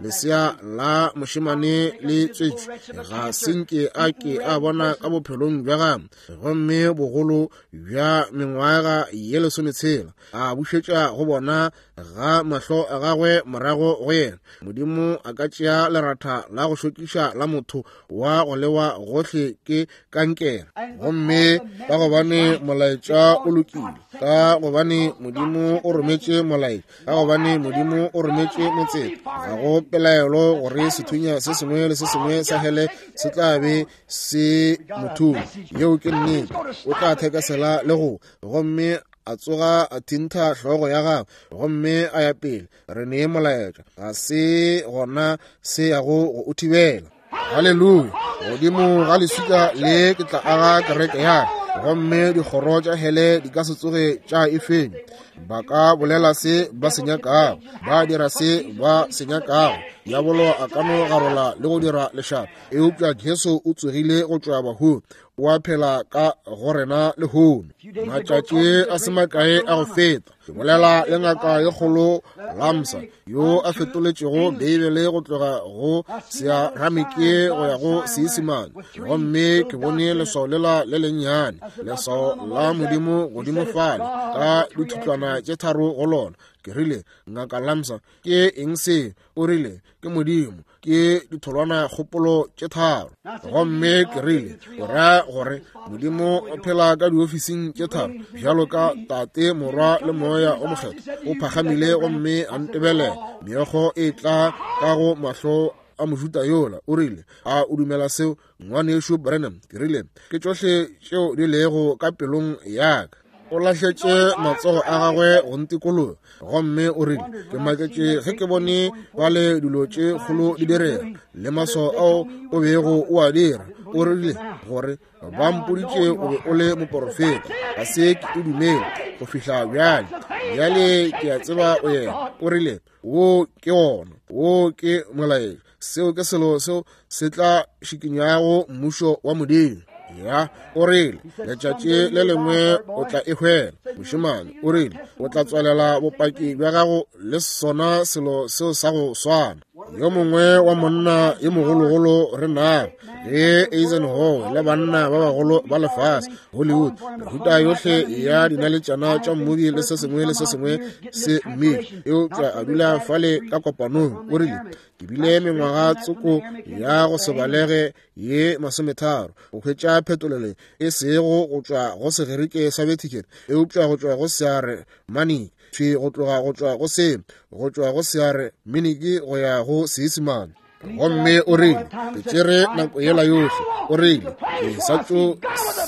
Speaker 1: lesea la mošemane le tswetšwe, ga se nke a ke a bona ka bophelong bja gagwe, gomme bogolo bja mengwaga ye 16 a bušetša go bona ga mahlo a gagwe morago go yena. Modimo a ka tšea leratha la go šokiša la motho wa go lewa gohle ke kankere, gomme ka gobane molaetša o lokile, ka gobane Modimo o rometše molaetša, ka gobane Modimo o rometše motseta, ga go pelaelo gore sethunya se sengwe le se sengwe sa hele se tla be se mothong. Yeo ke nnete. O tla thekesela le go, gomme a tsoga a thintha hlogo ya gagwe gomme a ya pele. Re nee molaetša, ga se gona se yago go o thibela. Haleluya! Godimo ga leswika le ke tla aga kereke ya ka, gomme dikgoro tša hele di ka se tsoge tša e fenya. Ba ka bolela se ba se nyakago, ba dira se ba se nyakago, diabolo a ka no garola le go dira lešata, eupša Jesu o tsogile go tšwa bahung, o a phela ka go rena lehono. Matšatši a se makae a go feta, ke bolela le ngaka ye kgolo Lamsa, yo a fetoletšego Beibele go tloga go Searamike go ya go Seisemane, gomme ke bone leswao lela le lennyane, leswao la Modimo godimo fale ka dithutlwana tše tharo go lona. Ke rile, Ngaka Lamsa, ke eng se? O rile, ke Modimo, ke ditholwana kgopolo tše tharo. Gomme ke rile, o ra gore Modimo o phela ka diofising tše tharo, bjalo ka Tate, Morwa le Moya o Mokgethwa? O phagamile gomme a ntebelela, meokgo e tla ka go mahlo a Mojuda yola. O rile, a o dumela seo, Ngwanešu Branham? Ke rile, ke tšohle tšeo di lego ka pelong ya ka. O lahletše matsogo a gagwe go ntikologa gomme o rile, ke maketše ge ke bone bale dilo tše kgolo di direga le maswao ao o bego o a dira. O rile, gore ba mpoditše o be o le moporofeta, ga se ke o dumele go fihla bjale. Bjale ke a tseba o yena. O rile, Wo ke wona, wo ke molaetša. Seo ke selo seo se tla šikinyago mmušo wa Modimo. Ya, o rile, letšatši le lengwe o tla e hwela, mošemane. O rile, o tla tswalela bopaki bja gago le sona selo seo sa go swana. Yo mongwe wa monna yo mogologolo re nago, ge Eisenhower le banna ba bagolo ba lefase, Hollywood, mehuta yohle ya dinaletšana tša mmobi le se sengwe le se sengwe se mmile, eupša a dula fale ka kopanong. O rile, Ke bile mengwaga tsoko ya go se balege ye 30 go hwetša phetolelo e sego go tšwa go Segerike sa Vatican, eupša go tšwa go Searemaniki, thwi go tloga go tšwa go se, go tšwa go Searemaniki go ya go Seisemane. Gomme o rile, Ke tšere nako yela yohle. O rile, Ke sa tšo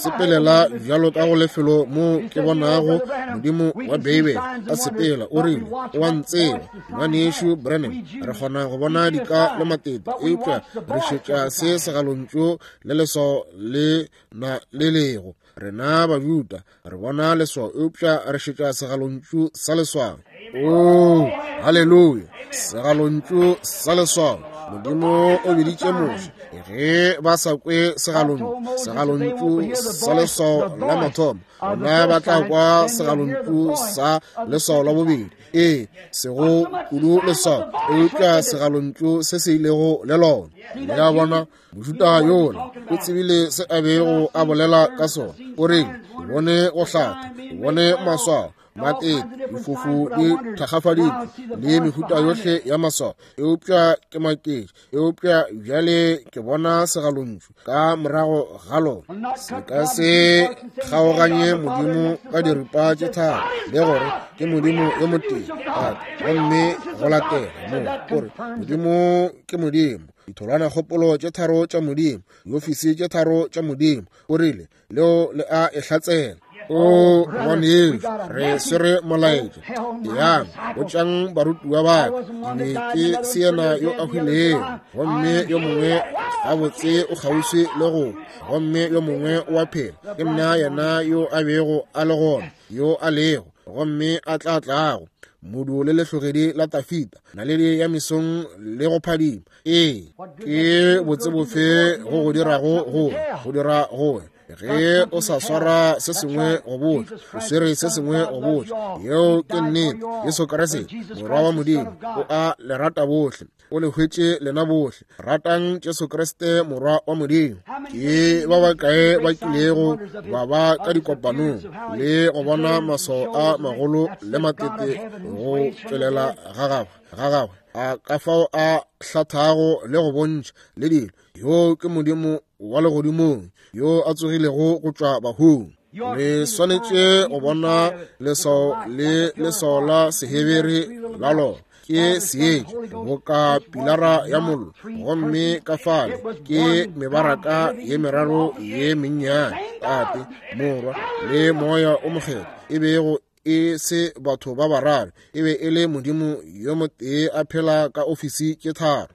Speaker 1: sepelela bjalo ka go lefelo mo ke bonago Modimo wa Beibele a sepela. O rile, O a ntseba, Ngwanešu Branham. Re kgona go bona dika le matete, eupša re šetša se segalontšu le leswao le na le lego. Rena Bajuda re bona leswao, eupša re šetša segalontšu sa leswao. Oo, haleluya! Segalontšu sa leswao. Modimo o biditše Moshe ge ba sa kwe segalontšu, segalontšu sa leswao la mathomo, gona ba tla kwa segalontšu sa leswao la bobedi. Ee, sego kudu leswao, eupša segalontšu se se ilego le lona. Le a bona? Mojuda yola o tsebile se a bego a bolela ka sona. O rile, Ke bone go hlatha, ke bone maswao, matete, difofu di thakgafaditšwe, le mehuta yohle ya maswao, eupša ke maketše. Eupša bjale ke bona segalontšu ka morago ga lona. Se ka se kgaoganye Modimo ka diripa tše tharo, le gore ke Modimo yo motee, Tate, gomme go latela mo, gore Modimo ke Modimo. Ditholwanakgopolo tše tharo tša Modimo, diofisi tše tharo tša Modimo. O rile, Leo le a e hlatsela. O ngwanešu, re swere molaetša. Eyang, botšang barutiwa ba ka, ke be ke se yena yo a hwilego, gomme yo mongwe gabotse o kgauswi le go hwa, gomme yo mongwe o a phela. Ke nna yena yo a bego a le gona, yo a lego, gomme a tla tlago, modu le lehlogedi la Tafita, naledi ya mesong le go phadima. Ee, ke botse bofe go go dirago go go dira go ge o sa swara se sengwe go botša, o swere se sengwe go botša. Yeo ke nnete. Jesu Kriste, Morwa wa Modimo, o a le rata bohle. O le hwetše lena bohle. Ratang Jesu Kriste, Morwa wa Modimo. Ke ba bakae ba kilego ba ba ka dikopanong le go bona maswao a magolo le matete go tšwelela ga gagwe, ga gagwe, a ka fao a hlathago le go bontšha le dilo. Yoo ke Modimo wa legodimong yo a tsogilego go tšwa bahung. Le swanetše go bona leswao le leswao la Sehebere la lona ke seetša boka pilara ya mollo, gomme ka fale ke mebaraka ye meraro ye mennyane, Tate, Morwa le Moya o Mokgethwa, e bego e se batho ba bararo, e be e le Modimo yo motee a phela ka ofisi tše tharo.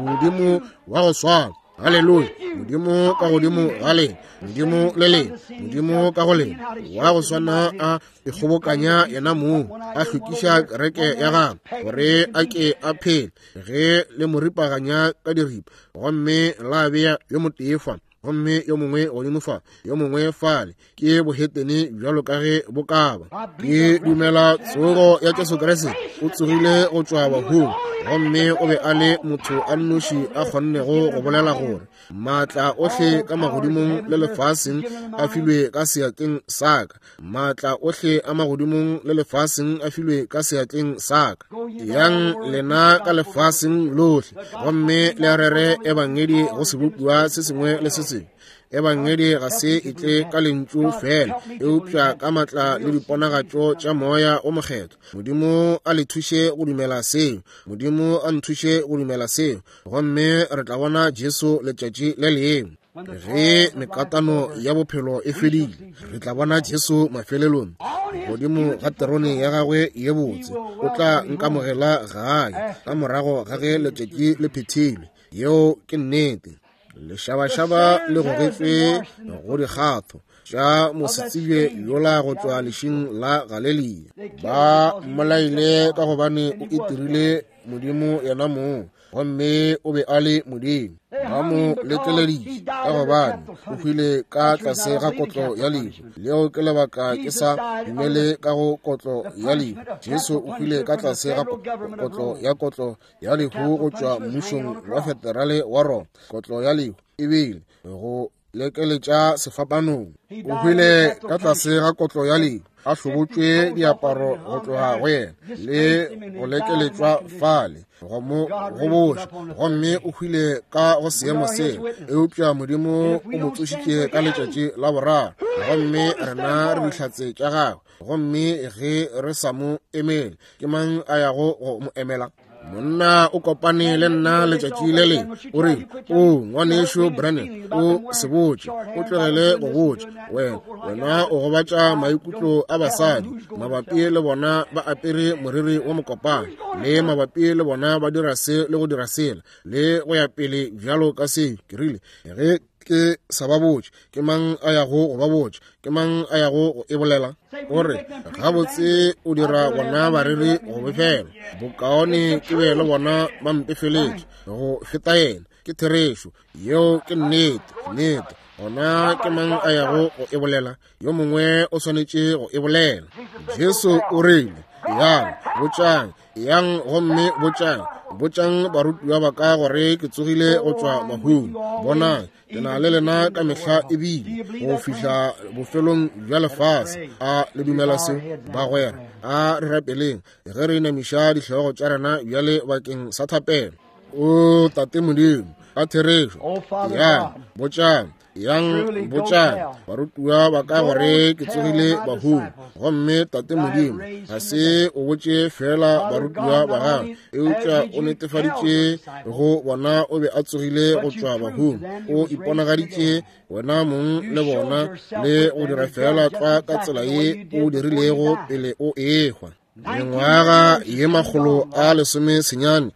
Speaker 1: Modimo wa go swana. Haleluya! Modimo ka godimo ga lena, Modimo le lena, Modimo ka go lena, wa go swana a ikgobokanya yena mong, a hlwekiša kereke ya gagwe gore a ke a phele, ge le mo ripaganya ka diripa, gomme la bea yo motee fa, gomme yo mongwe godimo fa, yo mongwe fale. Ke bohetene bjalo ka ge bo ka ba. Ke dumela tsogo ya Jesu Kriste. O tsogile go tšwa bahung, gomme o be a le motho a nnoši a kgonnego go bolela gore maatla ohle ka magodimong le lefaseng a filwe ka seatleng sa ka. Maatla ohle a magodimong le lefaseng a filwe ka seatleng sa ka. Yang lena ka lefaseng lohle, gomme le rere ebangedi go sebopiwa se sengwe le se sengwe. Ebangedi ga se e tle ka lentšu fela, eupša ka matla le diponagatšo tša Moya o Mokgethwa. Modimo a le thuše go dumela seo. Modimo a nthuše go dumela seo. Gomme re tla bona Jesu letšatši le lengwe. Ge mekatano ya bophelo e fedile, re tla bona Jesu mafelelong godimo ga terone ya gagwe ye botse. O tla nkamogela gae ka morago ga ge letšatši le phethilwe. Yeo ke nnete. Lešabašaba le gogetšwe go dikgatho. tša mosetsebje yola go tšwa lešing la Galelia. Ba mmolaile ka gobane o itirile Modimo yena mong, gomme o be a le Modimo. Ba mo lekeleditše ka gobane o hwile ka tlase ga kotlo ya lehu. Leo ke lebaka ke sa dumele ka go kotlo ya lehu. Jesu o hwile ka tlase ga kotlo ya kotlo ya lehu go tšwa mmušong wa federale wa Roma. Kotlo ya lehu e bile go lekeletša sefapanong. O hwile ka tlase ga kotlo ya lehu, a hlobotšwe diaparo go tloga go yena le go lekeletšwa fale go mo goboša, gomme o hwile ka go seemo seo. Eupša Modimo o mo tsošitše ka letšatši la boraro, gomme rena re dihlatse tša gagwe. Gomme ge re sa mo emele, ke mang a yago go mo emela? Monna o kopane le nna letšatši le lengwe, o re, o ngwanešu Branham, o se botše, o tlogele go botša. Wena, wena o gobatša maikutlo a basadi mabapi le bona ba apere moriri wa mokopana, le mabapi le bona ba dira se le go dira sela, le go ya pele bjalo ka seo. Ke rile, ge ke sa ba botše, ke mang a yago go ba botša? Ke mang a yago go e bolela? O re, gabotse o dira bona bareri go befela. Bokaone ke be le bona ba mpefeletše go feta yena. Ke therešo yeo, ke nnete, nnete. Gona ke mang a yago go e bolela? Yo mongwe o swanetše go e bolela. Jesu o rile, Yang, botšang, yang gomme botšang, botšang barutiwa ba ka gore ke tsogile go tšwa bahung. Bonang, ke na le lena ka mehla ebile go fihla bofelong bja lefase. A le dumela seo, bagwera? A re rapeleng ge re inamiša dihlogo tša rena bjale bakeng sa thapelo. O Tate Modimo, ka therešo, yang, botšang, yang botšang barutiwa ba ka gore ke tsogile bahung. Gomme Tate Modimo, ga se o botše fela barutiwa ba gago, eupša o netefaditše go bona o be a tsogile go tšwa bahung. O iponagaditše wena mong le bona, le go dira fela tlwa ka tsela ye o dirilego pele o ehwa. Mengwaga ye 119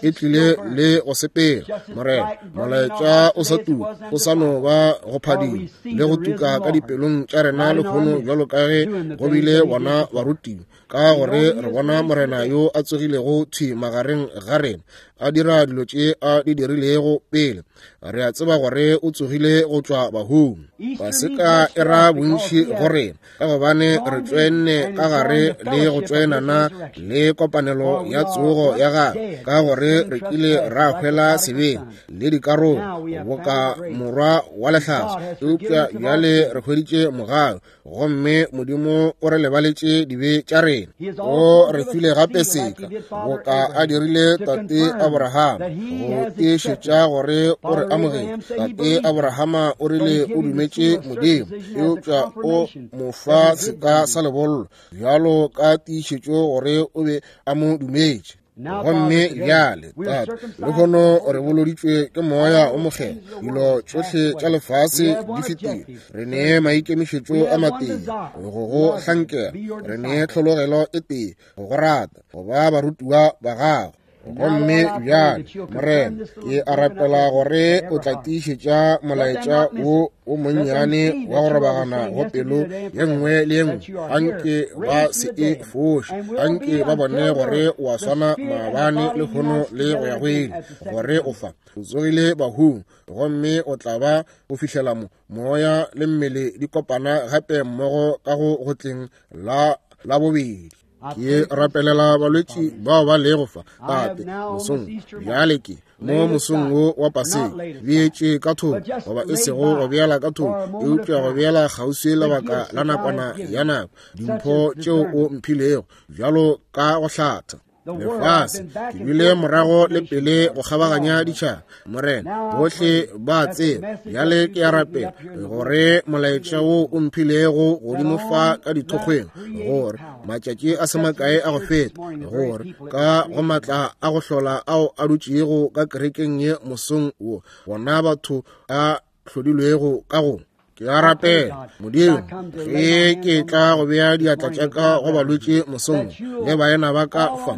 Speaker 1: e tlile le go sepela, Morena. Molaetša o sa tuka, o sa no ba go phadima le go tuka ka dipelong tša rena lehono, bjalo ka ge go bile bona barutiwa, ka gore re bona Morena yo a tsogilego thwi magareng ga rena, a dira dilo tše a di dirilego pele. Re a tseba gore o tsogile go tšwa bahung. Paseka e ra bontši go rena, ka gobane re tšoenne ka gare le go tšoenana le kopanelo ya tsogo ya gagwe, ka gore re kile ra hwela sebeng le dikarolo boka morwa wa lehlaso, eupša bjale re hweditše mogau, gomme Modimo o re lebaletše dibe tša rena. O re file gape seka, boka a dirile tate Abrahama, go tiišetša gore o re amogetše. Tate Abrahama o rile o dumetše Modimo, eupša o mo fa seka sa lebollo bjalo ka tiišetšo gore o be a mo dumetše. Gomme bjale, Tate, lehono re boloditšwe ke Moya o Mokgethwa. Dilo tšohle tša lefase di fetile. Re ne maikemišetšo a matee, go go hlankela. Re ne tlhologelo e tee, go go rata, go ba barutiwa ba gago. Gomme bjale, Morena, ke a rapela gore o tla tiišetša molaetša wo o monnyane wa go robagana go pelo ye nngwe le ye nngwe. Anke ba se e foše, anke ba bone gore o a swana maabane, lehono le go ya go ile, gore o fa, o tsogile bahung, gomme o tla ba go fihlela mo moya le mmele di kopana gape mmogo ka go go tleng la la bobedi. Ke rapelela balwetši bao ba lego fa, Tate, mosong bjale. Ke mo mosong wo wa Paseka, beetše ka thoko, goba e sego go beela ka thoko, eupša go beela kgauswi lebaka la nakwana ya nako, dimpho tšeo o mphilego bjalo ka go hlatha lefase. Ke bile morago le pele go kgabaganya ditšhaba, Morena, bohle ba tseba. Bjale ke a rapela gore molaetša wo o mphilego godimo fa ka dithokgweng, gore matšatši a se makae a go feta, gore ka go matla a go hlola ao a dutšego ka kerekeng ye mosong wo, bona batho a hlodilwego ka go Ke a rapela, Modimo, ge ke tla go bea diatla tša ka go balwetši mosong le baena ba ka fa,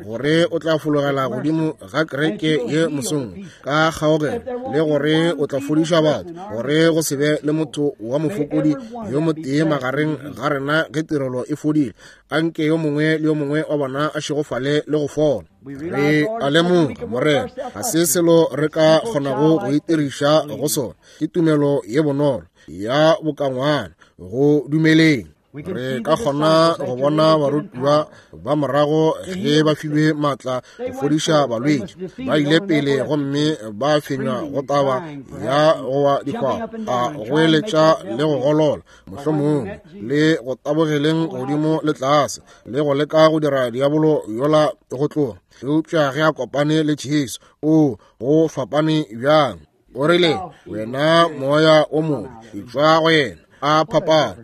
Speaker 1: gore o tla fologela godimo ga kereke ye mosong ka kgaogelo, le gore o tla fodiša batho, gore go se be le motho wa mofokodi yo motee magareng ga rena ge tirelo e fodile. Anke yo mongwe le yo mongwe wa bona a šegofale le go fola. Re a lemoga, Morena, ga se selo re ka kgonago go itiriša go sona. Ke tumelo ye bonolo ya bokangwana go dumeleng. Re ka kgona go bona barutiwa ba morago ge ba filwe maatla go fodiša balwetši, ba ile pele gomme ba fenywa go taba ya go wa dikgwabo, a goeletša le go golola, mohlomongwe le go tabogeleng godimo le tlase, le go leka go dira diabolo yola go tloga. Eupša ge a kopane le Jesu, o go fapane bjang. O rile, wena moya o mobe, etšwa go yena. A phapana.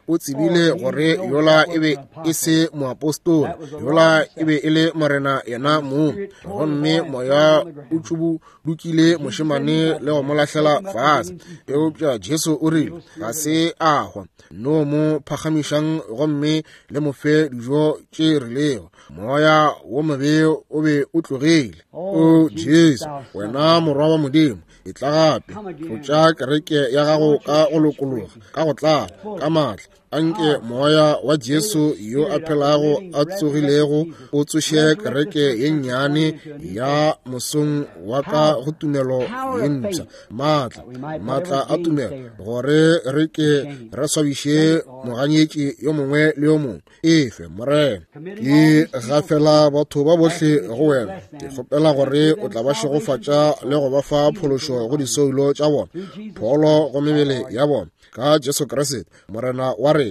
Speaker 1: O tsebile gore yola e be e se moapostola, yola e be e le Morena yena mong. Gomme moya o tšubudukile mošemane le go mo lahlela fase. Eupša Jesu o rile, ga se a hwa, no mo phagamišang gomme le mo fe dijo tše rilego. Moya wo mobe o be o tlogile. O Jesu, wena morwa wa Modimo, e tla gape, tlotša kereke ya gago ka go lokologa, ka go tlala, ka maatla. Anke moya wa Jesu yo a phelago a tsogilego o tsoše kereke ye nnyane ya mosong wa ka go tumelo ye mpsha, maatla, maatla a tumelo, gore re ke re swabiše moganyetši yo mongwe le yo mongwe. Efe, Morena, ke gafela batho ba bohle go wena. Ke kgopela gore o tla ba šegofatša le go ba fa phološo go disoulo tša bona, pholo go mebele ya bona, ka Jesu Kriste Morena wa rena.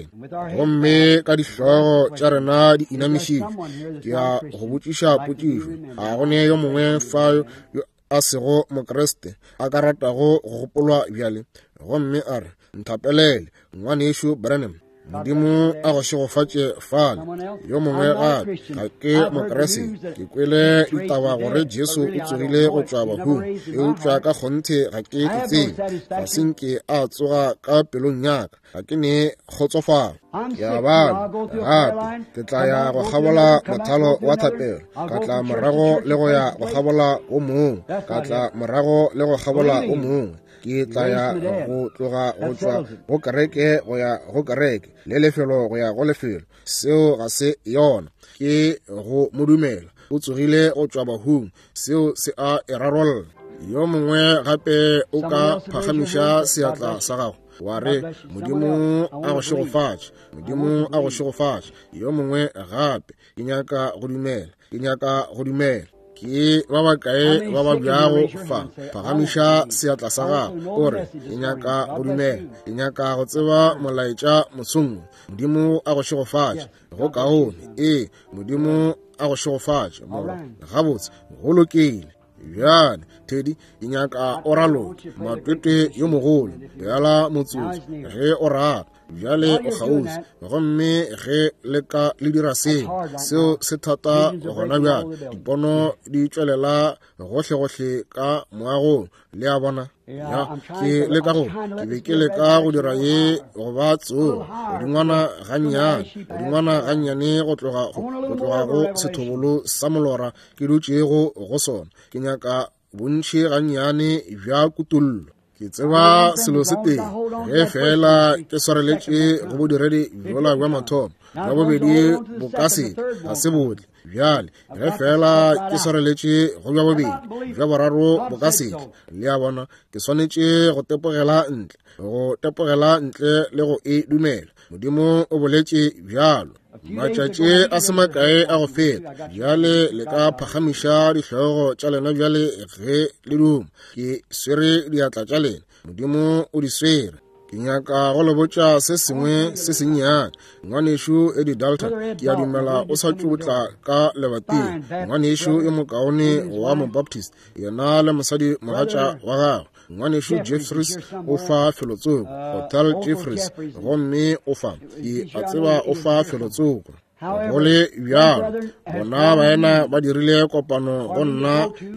Speaker 1: Gomme ka dihlogo tša rena di inamišitšwe, ke a go botšiša potšišo. A go ne yo mongwe fa yo a sego Mokriste a ka ratago go gopolwa bjale, gomme a re, nthapelele, ngwanešu Branham? Modimo a go šegofatše fale. Yo mongwe gape, ga ke Mokriste, ke kwele ditaba gore Jesu o tsogile go tšwa bahung, eupša ka kgonthe ga ke e tsebe, ga se nke a tsoga ka pelong ya ka, ga ke ne kgotsofalo. Ke a bala gape, ke tla ya go kgabola mothalo wa thapelo, ka tla morago le go ya go kgabola o mongwe, ka tla morago le go kgabola o mongwe. Ke tla ya go tloga go tšwa go kereke go ya go kereke, le lefelo go ya go lefelo. Seo ga se yona, ke go mo dumela. O tsogile go tšwa bahung, seo se a e rarolla. Yo mongwe gape o ka phagamiša seatla sa gago wa re, Modimo a go šegofatše, Modimo a go šegofatše. Yo mongwe gape, ke nyaka go dumela, ke nyaka go dumela. Ke ba bakae ba babjago fa? Phagamiša seatla sa gago o re, ke nyaka go dumela, ke nyaka go tseba molaetša mosong. Modimo a go šegofatše. Go kaone. Ee, Modimo a go šegofatše, morwa. Gabotse, go lokile. Bjale, Teddy, ke nyaka o raloke matwetwe yo mogolo, bjala motsotso ge o rata. Bjale o kgauswi, gomme ge le ka le dira seo, seo se thata gona bjale. Dipono di tšwelela gohlegohle ka moagong, le a bona. Ya, ke leka go, ke be ke leka go dira ye go ba tsogo godingwana gannyane, godingwana gannyane go tloga go sethobolo sa molora ke dutšego go sona. Ke nyaka bontši gannyane bja kutollo. Ke tseba selo se tee, ge fela ke swareletše go bodiredi bjola bja mathomo, bja bobedi bo ka se ga se botle. Bjale ge fela ke swareletše go bja bobedi, bja boraro bo ka se tle. Le a bona, ke swanetše go tepogela ntle, go tepogela ntle le go e dumela. Modimo o boletše bjalo. Matšatši a se makae a go feta. Bjale le ka phagamiša dihlogo tša lena bjale ge le duma. Ke swere diatla tša lena. Modimo o di swere. Ke nyaka go le botša se sengwe se sennyane. Ngwanešu Eddie Dalton, ke a dumela o sa tšo tla ka lebating. Ngwanešu yo mokaone wa Mobaptist, yena le mosadi mogatša wa gagwe. Ngwanešu Jeffries o fa felotsoko, Hotel Jeffries, gomme o fa, ke a tseba o fa felotsoko. Go le bjalo, bona baena ba dirile kopano go nna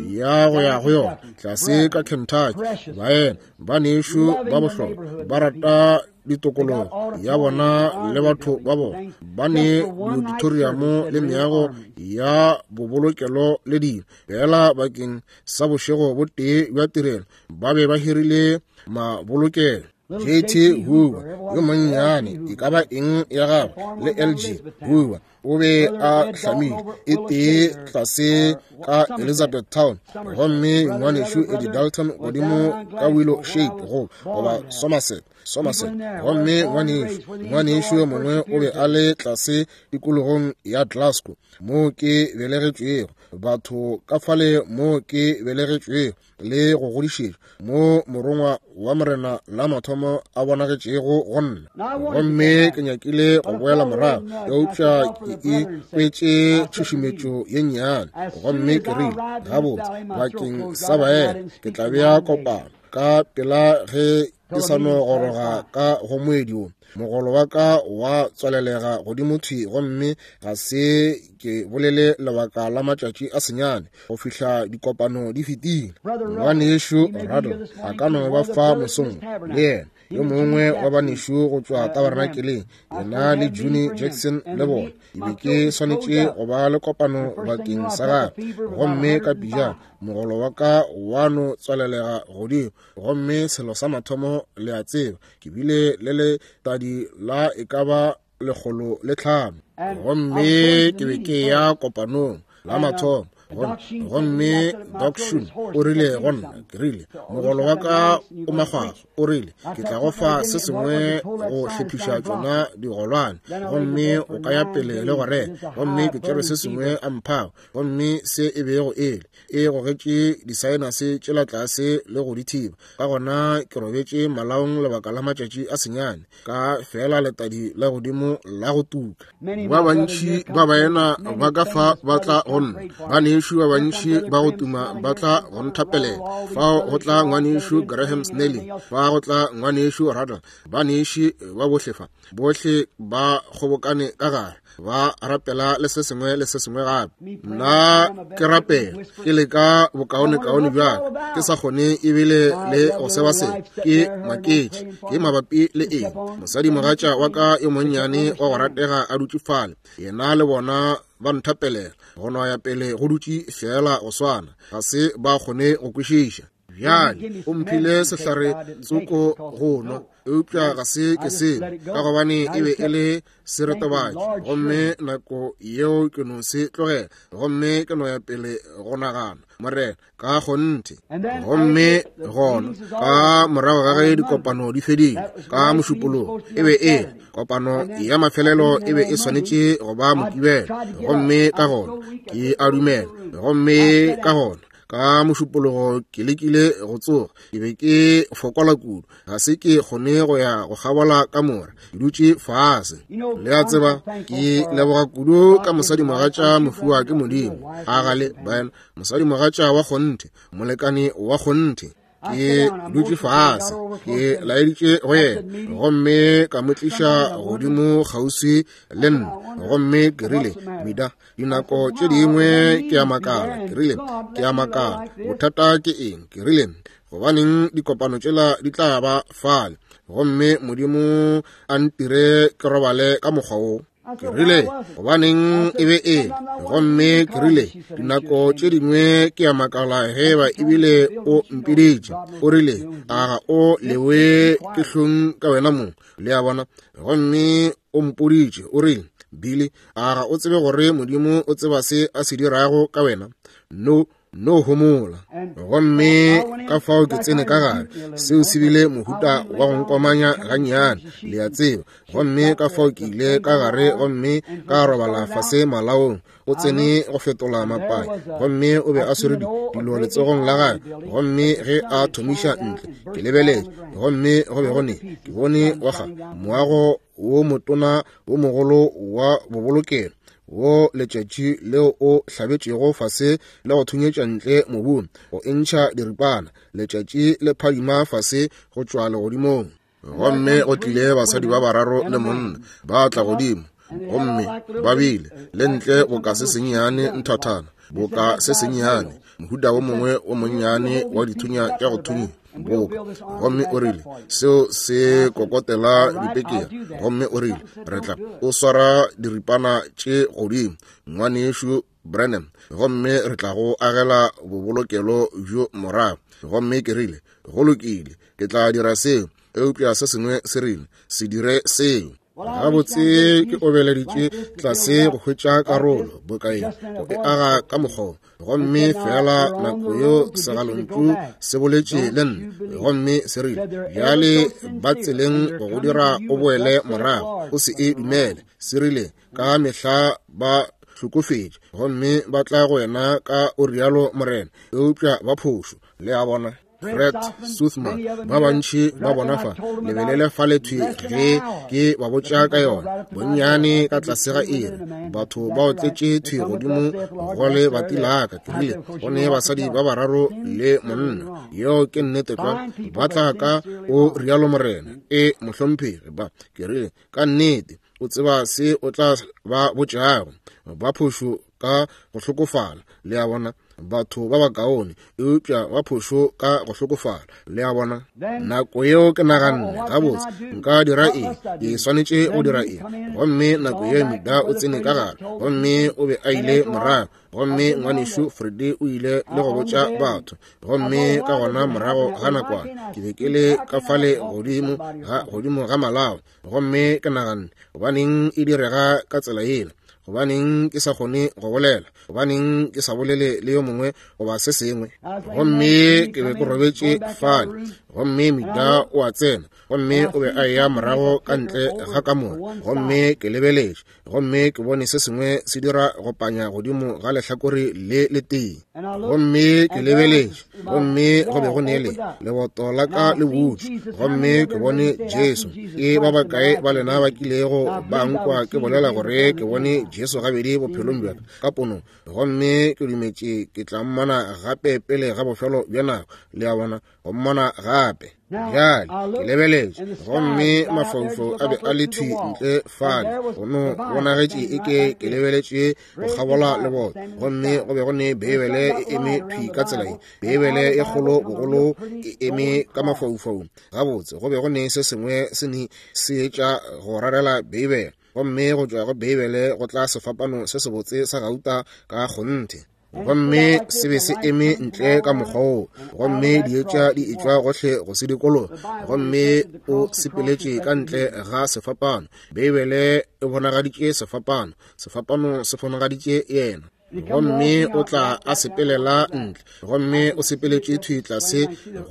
Speaker 1: ya go ya go yona tlase ka Kentucky. Baena ba nešu ba bohlokwa ba rata ditokologo ya bona le batho ba bona. Ba ne diauditoriamo le meago ya bobolokelo le dilo fela bakeng sa bošego bo tee bja tirelo. Ba be ba hirile mabolokelo. J.T. Hoover yo monnyane, e ka ba eng ya gagwe, le L.G. Hoover o be a hlamile e tee tlase ka Elizabethtown, gomme ngwanešu Eddie Dalton godimo ka Willow Shade goba Somerset. Gomme ngwanešu yo mongwe o be a le tlase tikologong ya Glasgow, moo ke belegetšwego, batho ka fale moo ke belegetšwego le go godišetšwa, mo morongwa wa Morena la mathomo a bonagetšego go nna. Gomme ke nyakile go boela morago, eupša ke ikwetše tšhušumetšo ye nnyane, gomme ke rile, gabotse, bakeng sa baena ke tla bea kopano ka pela ge ke sa no goroga ka go moedi wo. Mogolo wa ka wa tswalelega godimo thwi, gomme ga se ke bolele lebaka la matšatši a senyane go fihla dikopano di fetile. Ngwanešu Rado a ka no ba fa mosong le yena, yo mongwe wa banešu go tšwa tabernakeleng, yena le Juni Jackson le bona. Ke be ke swanetše go ba le kopano bakeng sa gagwe, gomme ka pejana mogolo wa ka wa no tswalelega godimo, gomme selo sa mathomo le a tseba, ke bile le letadi la e ka ba 105, gomme ke be ke ya kopanong la mathomo. Gomme Doc Shun o rile go nna, ke rile, mogolo wa ka o makgwakgwa, o rile, ke tla go fa se sengwe go hlephiša tšona digolwane, gomme o ka ya pele le go rera. Gomme ke tšere se sengwe a mphago, gomme se e bego ele e gogetše disaenase tšela tlase le go di thiba. Ka gona ke robetše malaong lebaka la matšatši a senyane, ka fela letadi la godimo la go tuka. Ba bantši ba baena ba ka fa ba tla go nna, banešu ba bantši ba go tuma ba tla go nthapelela. Fao go tla ngwanešu Graham Snelling, fa go tla ngwanešu Ruddell, baneši ba bohle fa, bohle ba kgobokane ka gare, ba rapela le se sengwe le se sengwe gape. Nna ke rapela ke leka bokaonekaone bjaka, ke sa kgone ebile le go seba selo. Ke maketše ke mabapi le eng. Mosadimogatša wa ka yo monnyane wa go ratega a dutše fale, yena le bona ba nthapelela go no ya pele go dutše fela go swana, ga se ba kgone go kwešiša. Bjale o mphile sehlare tsoko go nwa, eupša ga se ke sengwe, ka gobane e be e le seretobatši, gomme nako yeo ke no se tlogela, gomme ke no ya pele go nagana, Morena, ka kgonthe. Gomme gona ka morago ga ge dikopano di fedile ka Mošupologo, e be e kopano ya mafelelo e be e swanetše go ba Mokibelo, gomme ka gona ke a dumela, gomme ka gona ka Mošupologo ke lekile go tsoga, ke be ke fokola kudu, ga se ke kgone go ya go kgabola kamora, ke dutše fase. Le a tseba, ke leboga kudu ka mosadimogatša mofuwa ke Modimo, a gale baena, mosadimogatša wa kgonthe, molekane wa kgonthe. Ke dutše fase, ke laeditše go yena, gomme ka mo tliša godimo kgauswi le nna, gomme ke rile, Mida, dinako tše dingwe ke a makala, ke rile, ke a makala, bothata ke eng? Ke rile, gobaneng dikopano tšela di tla ba fale, gomme Modimo a ntire ke robale ka mokgwa wo? Ke rile, gobaneng e be e? Gomme ke rile, dinako tše dingwe ke a makala ge ba ebile o mpiditše. O rile, a ga o lewe ke hlong ka wena mong? Le a bona? Gomme o mpoditše, o rile, Billy, a ga o tsebe gore Modimo o tseba se a se dirago ka wena? No, no homola. Gomme ka fao ke tsene ka gare, seo se bile mohuta wa go nkomanya gannyane, le a tseba. Gomme ka fao ke ile ka gare gomme ka robala fase malaong. O tsene go fetola mapai, gomme o be a swere dilo letsogong la gagwe. Gomme ge a thomiša ntle, ke lebeletše, gomme go be go ne, ke bone wa ga moago wo motona wo mogolo wa bobolokelo, wo letšatši leo o hlabetšego fase le go thunyetša ntle mobung, go entšha diripana, letšatši le phadima fase go tšwa legodimong. Gomme go tlile basadi ba bararo le monna ba tla godimo, Gomme ba bile le ntle boka se sennyane nthathana, boka se sennyane, mohuta wo mongwe wo monnyane wa dithunya tša go thunya boka. Gomme o rile, seo se kokotela dipekere. Gomme o rile, re tla o swara diripana tše godimo, Ngwanešu Branham, gomme re tla go agela bobolokelo bjo morago. Gomme ke rile, go lokile, ke tla dira seo. Eupša se sengwe se rile, se dire seo. Gabotse ke obeleditše tlase go hwetša karolo bokaeng go e aga ka mokgwa. Gomme fela nako yeo segalontšu se boletše le nna, gomme se rile, bjale ba tseleng go go dira o boele morago, o se e dumele. Se rile, ka mehla ba hlokofetše, gomme ba tla go wena ka o rialo Morena, eupša ba phošo. Le a bona? Fred Suthman, ba bantši ba bona fa, lebelele fa le thwi ge ke ba botša ka yona, bonnyane ka tlase ga iri, batho ba otletše thwi godimo go le bati laka. Ke rile, go ne basadi ba bararo le monna. Yeo ke nnete tlwa. Ba tla ka o rialo Morena. E, mohlomphegi, ba. Ke rile, ka nnete, o tseba se o tla ba botšago. Ba phošo ka go hlokofala. Le a bona? Batho ba bakaone, eupša ba phošo ka go hlokofala. Le a bona? Nako yeo ke naganne, gabotse, nka dira eng? Ke swanetše go dira eng? Gomme nako yeo Mida o tsene ka gare, gomme o be a ile morago. Gomme ngwanešu Freddy o ile le go botša batho. Gomme ka gona morago ga nakwana, ke be ke le ka fale godimo ga, godimo ga malao. Gomme ke naganne, gobaneng e direga ka tsela yela? Gobaneng ke sa kgone go bolela? Gobaneng ke sa bolele le yo mongwe goba se sengwe? Gomme ke be ke robetše fale, gomme Mida o a tsena, gomme o be a eya morago ka ntle ga kamora. Gomme ke lebeletše, gomme ke bone se sengwe se dira go panya godimo ga lehlakore le letee. Gomme ke lebeletše, gomme go be go nele leboto la ka le butšwe, gomme ke bone Jesu. Ke ba bakae ba lena ba kilego ba nkwa ke bolela gore ke bone Jesu gabedi bophelong bja ka ka ponong? Gomme ke dumetše ke tla mmona gape pele ga bofelo bja nako. Le a bona, go mmona gape. Bjale ke lebeletše, gomme mafaufau a be a le thwi ntle fale, go no bonagetše eke ke lebeletše go kgabola leboto, gomme go be go ne Beibele e eme thwi ka tsela ye, Beibele e kgolo bogolo e eme ka mafaufaung. Gabotse, go be go ne se sengwe se ne se etša go rarela Beibele, gomme go tšwa go Beibele go tla sefapano se sebotse sa gauta ka kgonthe. Gomme se be se eme ntle ka mokgwa woo, gomme dietša di etšwa gohle go se dikologa, gomme o sepeletše ka ntle ga sefapano. Beibele e bonagaditše sefapano, sefapano se bonagaditše yena. Gomme o tla a sepelela ntle, gomme o sepeletše thwi tlase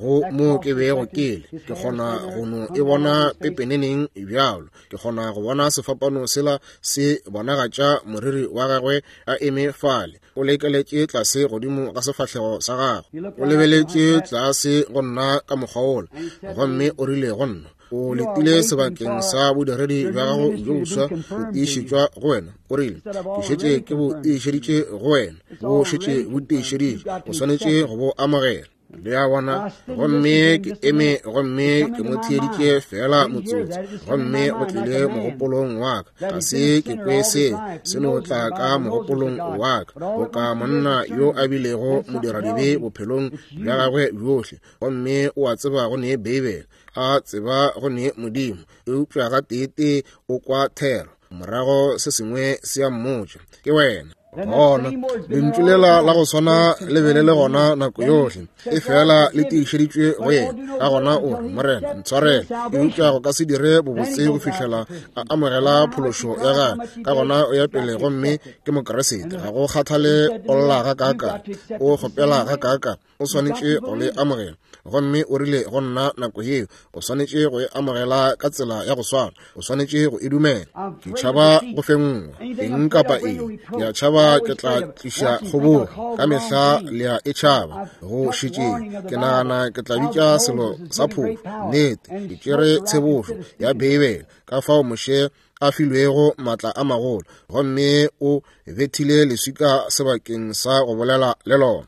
Speaker 1: go mo ke bego ke le. Ke kgona go no e bona pepeneneng bjalo. Ke kgona go bona sefapano sela se bonagatša moriri wa gagwe a eme fale, o lekeletše tlase godimo ga sefahlego sa gagwe, o lebeletše tlase go nna ka mokgwa wola, gomme o rile go nna, o letile sebakeng sa bodiredi bja gago bjo boswa go tiišetšwa go wena. O rile, ke šetše ke bo tiišeditše go wena, bo šetše bo tiišeditše, o swanetše go bo amogela. Le a bona? Gomme ke eme gomme ke mo theeditše feela motsotso, gomme go tlile mogopolong wa ka, ga se ke kwe seo, se no tla ka mogopolong wa ka, boka monna yo a bilego modiradibe bophelong bja gagwe bjohle, gomme o a tseba go ne Beibele, a tseba go ne Modimo, eupša gateetee o kwa thero, morago se sengwe se a mmotša, ke wena. Gona lentšu lela la go swana le be le le gona nako yohle, e fela le tiišeditšwe go yena. Ka gona o re, Morena, ntshwarele. Eupša go ka se dire bobotse go fihlela a amogela phološo ya gagwe. Ka gona o ya pele gomme ke Mokriste. Ga go kgathale o lla gakaakang, o kgopela gakaakang, o swanetše go le amogela. Gomme o rile go nna nako yeo, o swanetše go e amogela ka tsela ya go swana, o swanetše go e dumela. Ke tšhaba go fenngwa eng kapa eng, ke a tšhaba ke tla tliša kgobogo. Ka mehla le a e tšhaba go šetšeng. Ke nagana ke tla bitša selo sa phošo. Nnete, ke tšere tshebošo ya Beibele, ka fao Moshe a filwego maatla a magolo, gomme o bethile leswika sebakeng sa go bolela le lona.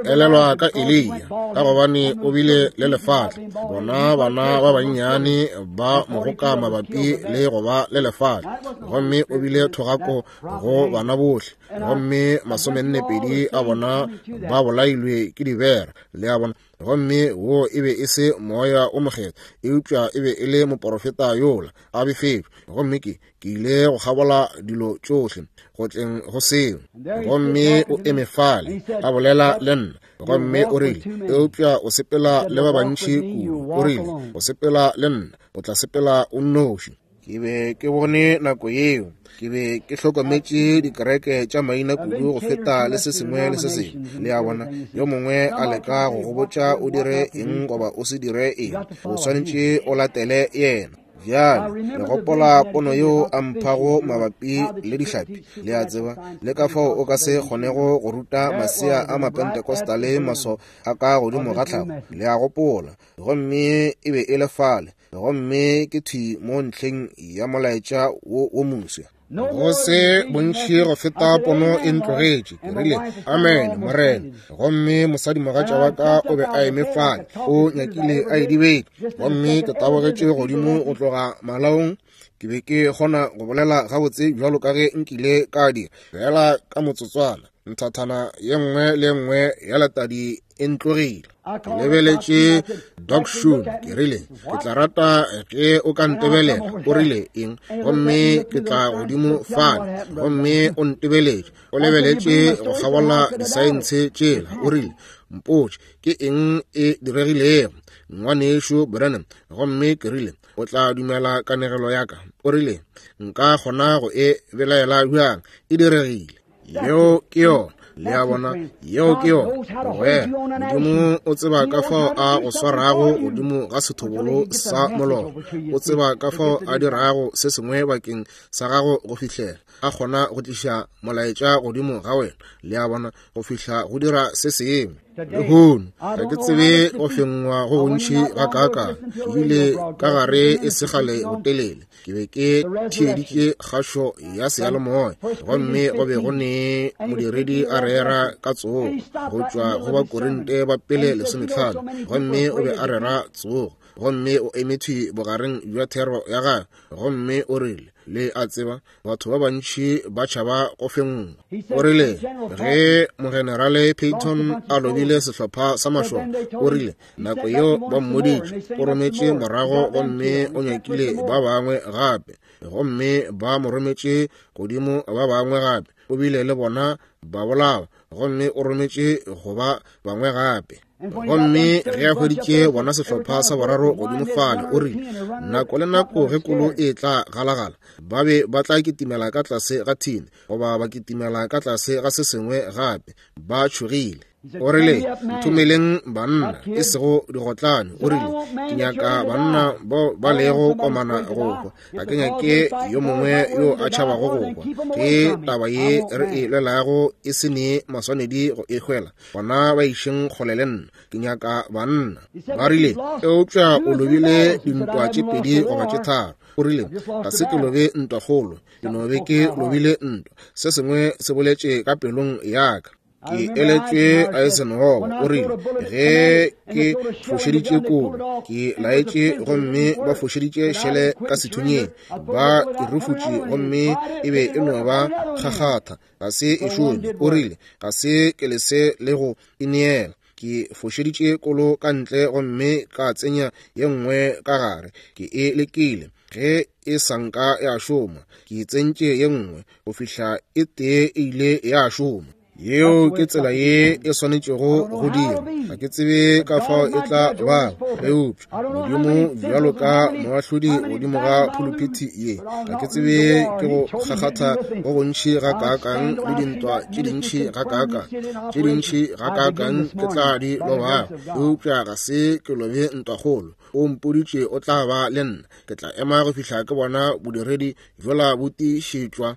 Speaker 1: Ke elelwa ka Eliya, ka gobane o bile le lefatla. Bona bana ba bannyane ba mogoka mabapi le go ba le lefatla, gomme o bile thogako go bana bohle, gomme 42 a bona ba bolailwe ke dibera. Le a bona? Gomme wo e be e se moya o mokgethwa, eupša e be e le moporofeta yola a befetšwe. Gomme ke ile go kgabola dilo tšohle go tleng go seo, gomme o eme fale a bolela le nna, gomme o rile, eupša o sepela le ba bantši kudu. O rile, o sepela le nna, o tla sepela o nnoši. Ke be ke bone nako yeo, ke be ke hlokometše dikereke tša maina kudu go feta le se sengwe le se sengwe. Le a bona, yo mongwe a leka go go botša o dire eng goba o se dire eng, o swanetše o latele yena. Bjale le gopola pono yeo a mphago mabapi le dihlapi, le a tseba, le ka fao o ka se kgonego go ruta masea a Mapentecostale maso a ka godimo ga tlhago. Le a gopola, gomme e be e le fale, gomme ke thwi mo ntlheng ya molaetša wo wo moswa. Go se bontši go feta pono e ntlogetše. Ke rile, amen, Morena. Gomme mosadimogatša wa ka o be a eme fale, o nyakile a edibetše. Gomme ke tabogetše godimo go tloga malaong. Ke be ke kgona go bolela gabotse bjalo ka ge nkile ka dira, fela ka motsotswana nthathana ye nngwe le nngwe ya letadi e ntlogile. Ke lebeletše Doc Shun, ke rile, ke tla rata ge o ka ntebelela. O rile eng? Gomme ke tla godimo fale, gomme o ntebeletše, o lebeletše go kgabola disaense tšela. O rile, mpotše ke eng e diregilego, ngwanešu Branham. Gomme ke rile, o tla dumela kanegelo ya ka? O rile, nka kgona go e belaela bjang? E diregile. Yeo ke yona. Le a bona, yeo ke yona. Wena, Modimo o tseba ka fao a go swarago godimo ga sethobolo sa molora. O tseba ka fao a dirago se sengwe bakeng sa gago go fihlela a kgona go tliša molaetša godimo ga wena. Le a bona, go fihla go dira se sengwe. Lehono ga ke tsebe go fengwa go gontši ga kaakang. Ke bile ka gare e segale botelele. Ke be ke theeditše kgašo ya seyalemoya, gomme go be go ne modiredi a rera ka tsogo go tšwa go Bakorinte ba pele 15, gomme o be a rera tsogo, gomme o eme thwi bogareng bja thero ya gagwe, gomme o rile, le a tseba, batho ba bantši ba tšhaba go fenngwa. O rile ge mogenerale Peyton a lobile sehlopha sa mašole, o rile nako yeo ba mmoditše, o rometše morago gomme o nyakile ba bangwe gape, gomme ba mo rometše godimo ba bangwe gape, o bile le bona ba bolawa, gomme o rometše go ba bangwe gape. Gomme ge a hweditše bona sehlopha sa boraro godimo fale, o rile nako le nako ge kolo e tla galagala, ba be ba tla kitimela ka tlase ga thini goba ba kitimela ka tlase ga se sengwe gape, ba tšhogile. O rile, nthomeleng banna, e sego digotlane. O rile, ke nyaka banna bao ba lego komana go hwa. Ga ke nyake yo mongwe yo a tšhabago go hwa. Ge taba ye re e lwelago e se ne maswanedi go e hwela, gona ba išeng kgole le nna. Ke nyaka banna. Ba rile, eupša o lobile dintwa tše pedi goba tše tharo. O rile, ga se ke lobe ntwa kgolo, ke no be ke lobile ntwa. Se sengwe se boletše ka pelong ya ka. Ke eletšwe Eisenhower. O rile ge ke fošeditše kolo, ke laetše gomme ba fošeditše šele ka sethunyeng, ba e rufutše gomme e be e no ba kgakgatha, ga se e šome. O rile ga se ke lese le go ineela. Ke fošeditše kolo ka ntle gomme ka tsenya ye nngwe ka gare. Ke e lekile, ge e sa nka ya šoma, ke tsentše ye nngwe go fihla e tee e ile ya šoma. Yeo ke tsela ye e swanetšego go dira. Ga ke tsebe ka fao e tla ba, eupša Modimo bjalo ka moahlodi godimo ga phuluphithi ye, ga ke tsebe ke go kgakgatha go gontši ga kaakang le dintwa tše dintši ga kaakang, tše dintši ga kaakang ke tla di lobago, eupša ga se ke lobe ntwakgolo. O mpoditše o tla ba le nna. Ke tla ema go fihla ke bona bodiredi bjola bo tiišetšwa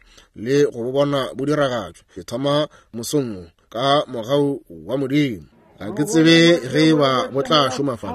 Speaker 1: le go bo bona bo diragatšwa. Ke thoma mosong wo ka mogau wa Modimo. Ga ke tsebe ge e ba bo tla šoma fa,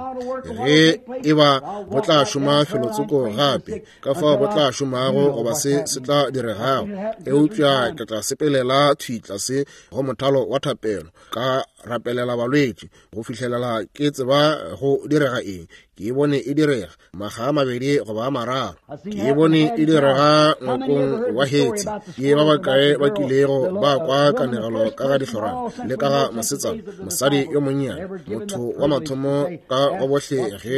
Speaker 1: ge e ba bo tla šoma felotsoko gape, ka fao bo tla šomago goba se se tla diregago. Eupša ke tla sepelela thwi tlase go mothalo wa thapelo, ka rapelela balwetši go fihlelela ke tseba go direga eng. Ke e bone e direga makga a mabedi goba a mararo. Ke e bone e direga ngwakong wa Hetsi. Ke ba bakae ba kilego ba kwa kanegelo ka ga dihlorana le ka ga mosetsana, mosadi yo monnyane, motho wa mathomo ka go bohle ge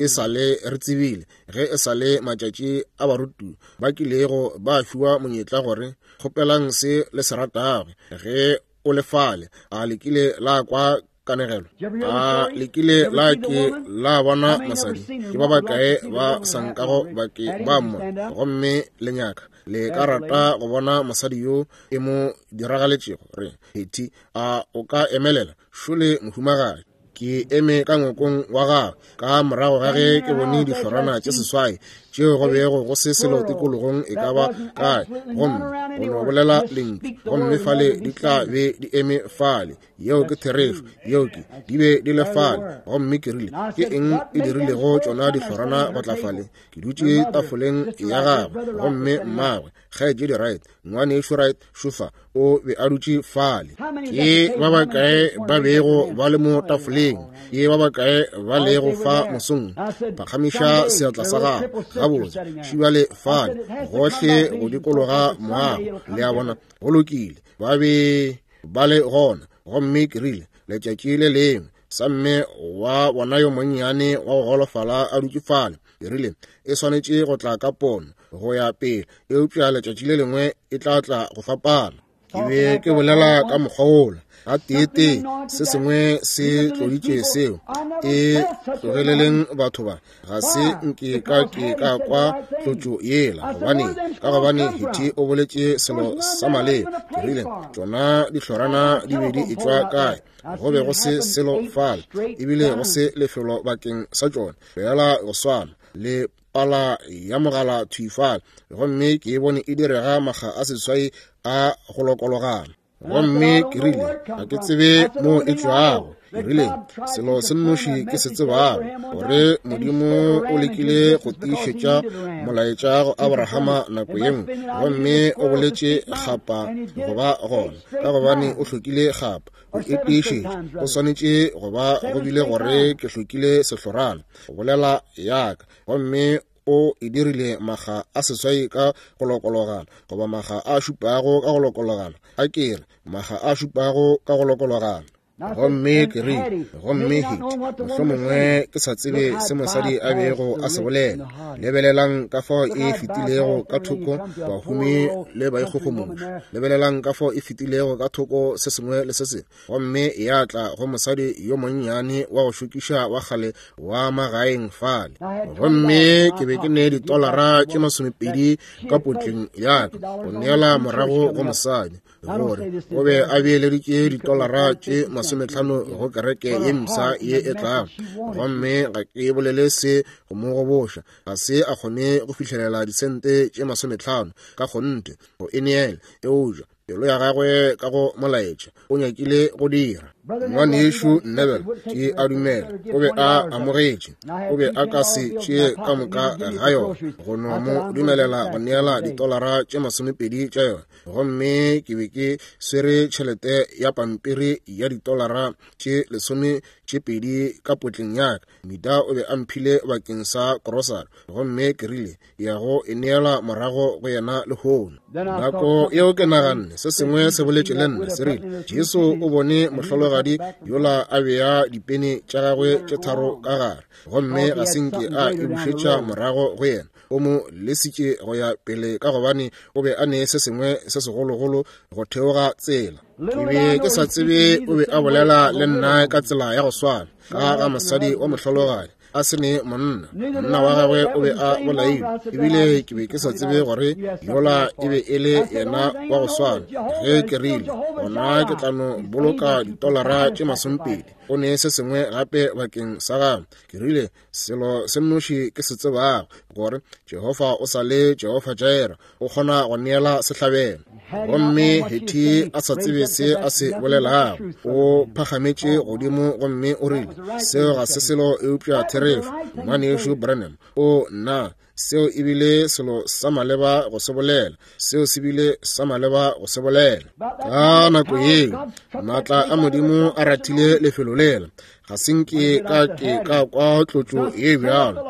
Speaker 1: e sa le re tsebile, ge e sa le matšatši a barutu ba kilego ba fiwa monyetla gore kgopelang se le se ratago ge o le fale. A le kile la kwa kanegelo? A le kile la ke la bona mosadi? Ke ba bakae ba sa nkago ba ke ba mmona? Gomme le nyaka, le ka rata go bona mosadi yo e mo diragaletšego? Re, Hetty, a o ka emelela? Šole mohumagadi. Ke eme ka ngwakong wa gagwe ka morago ga ge ke bone dihlorana tše seswai tšeo go bego go se selo tikologong e ka ba kae, gomme go no bolela lentšu, gomme fale di tla be di eme fale. Yeo ke therešo, yeo ke, di be di le fale. Gomme ke rile, ke eng e dirilego tšona dihlorana go tla fale? Ke dutše tafoleng ya gagwe, gomme mmagwe, kgaetšedi Wright, ngwanešu Wright šofa, o be a dutše fale. Ke ba bakae ba bego ba le mo tafoleng? Ke ba bakae ba lego fa mosong? Phagamiša seatla sa gago. Gabotse, šibale fale, gohle go dikologa moago. Le a bona? Go lokile, ba be ba le gona. Gomme ke rile, letšatši le lengwe, sa mme wa bona yo monnyane wa go golofala a dutše fale, ke rile, e swanetše go tla ka pono go ya pele, eupša letšatši le lengwe e tla tla go fapana. Ke be ke bolela ka mokgwa wola ga teetee, se sengwe se tloditše seo. E tlogeleleng batho ba, ga se nke ka ke ka kwa tlotšo yela. Gobane, ka gobane Hetty o boletše selo sa maleba. Ke rile, tšona dihlorana di be di etšwa kae? Go be go se selo fale, ebile go se lefelo bakeng sa tšona, fela go swana le pala ya mogala thwi fale. Gomme ke e bone e direga makga a seswai a go lokologana. Gomme ke rile, ga ke tsebe mo e tšwago. Ke rile, selo se nnoši ke se tsebago, gore Modimo o lekile go tiišetša molaetša go Abrahama nako ye nngwe, gomme o boletše kgapa go ba gona, ka gobane o hlokile kgapa go e tiišetša. Go swanetše go ba go bile gore ke hlokile sehlorana go bolela yaka, gomme o e dirile makga a seswai ka go lokologana, goba makga a šupago ka go lokologana, a ke re makga a šupago ka go lokologana. Gomme ke rile, gomme Hetty, mohlomongwe ke sa tsebe se mosadi a bego a se bolela. Lebelelang ka fao e fetilego ka thoko bahumi le baikgogomoši. Lebelelang ka fao e fetilego ka thoko se sengwe le se sengwe, gomme ya tla go mosadi yo monnyane wa go šokiša wa kgale wa magaeng fale. Gomme ke be ke ne ditolara tše 20 ka potleng ya ka go neela morago go mosadi, gore o be a beeleditše ditolara tše 50 go kereke ye mpsha ye e tlago. Gomme ga ke bolele se go mo goboša, ga se a kgone go fihlelela disente tše 50 ka kgonthe go e neela, eupša pelo ya gagwe ka go molaetša o nyakile go dira. Ngwanešu Neville, ke a dumela o be a amogetše, o be a ka se tšee ka moka ga yona, go no mo dumelela go neela ditolara tše 20 tša yona. Gomme ke be ke swere tšhelete ya pampiri ya ditolara tše 12 ka potleng ya ka. Mita o be a mphile bakeng sa krosari, gomme ke rile, ya go e neela morago go yena lehono. Nako yeo ke naganne se sengwe se boletše le nna, se rile, Jesu o bone mohlologadi yola a bea dipene tša gagwe tše tharo ka gare, gomme ga se nke a e bušetša morago go yena. O mo lesitše go ya pele ka gobane o be a ne se sengwe se segologolo go theoga tsela. Ke be ke sa tsebe o be a bolela le nna ka tsela ya go swana ka ga mosadi wa mohlologadi a se ne monna, monna wa gagwe o be a bolailwe, ebile ke be ke sa tsebe gore yola e be e le yena wa go swana. Ge ke rile, gona ke tla no boloka ditolara tše 20, o ne se sengwe gape bakeng sa gagwe. Ke rile, selo se nnoši ke se tsebago, gore Jehofa o sa le Jehofa Jireh, o kgona go neela sehlabelo. Gomme Hetty a sa tsebe se a se bolelago, o phagametše godimo gomme o rile, Seo ga se selo eupša therešo, Ngwanešu Branham. O, nna, seo e bile selo sa maleba go se bolela. Seo se bile sa maleba go se bolela. Ka nako yeo, maatla a Modimo a rathile lefelo lela. Ga se nke ka ke ka kwa tlotšo ye bjalo.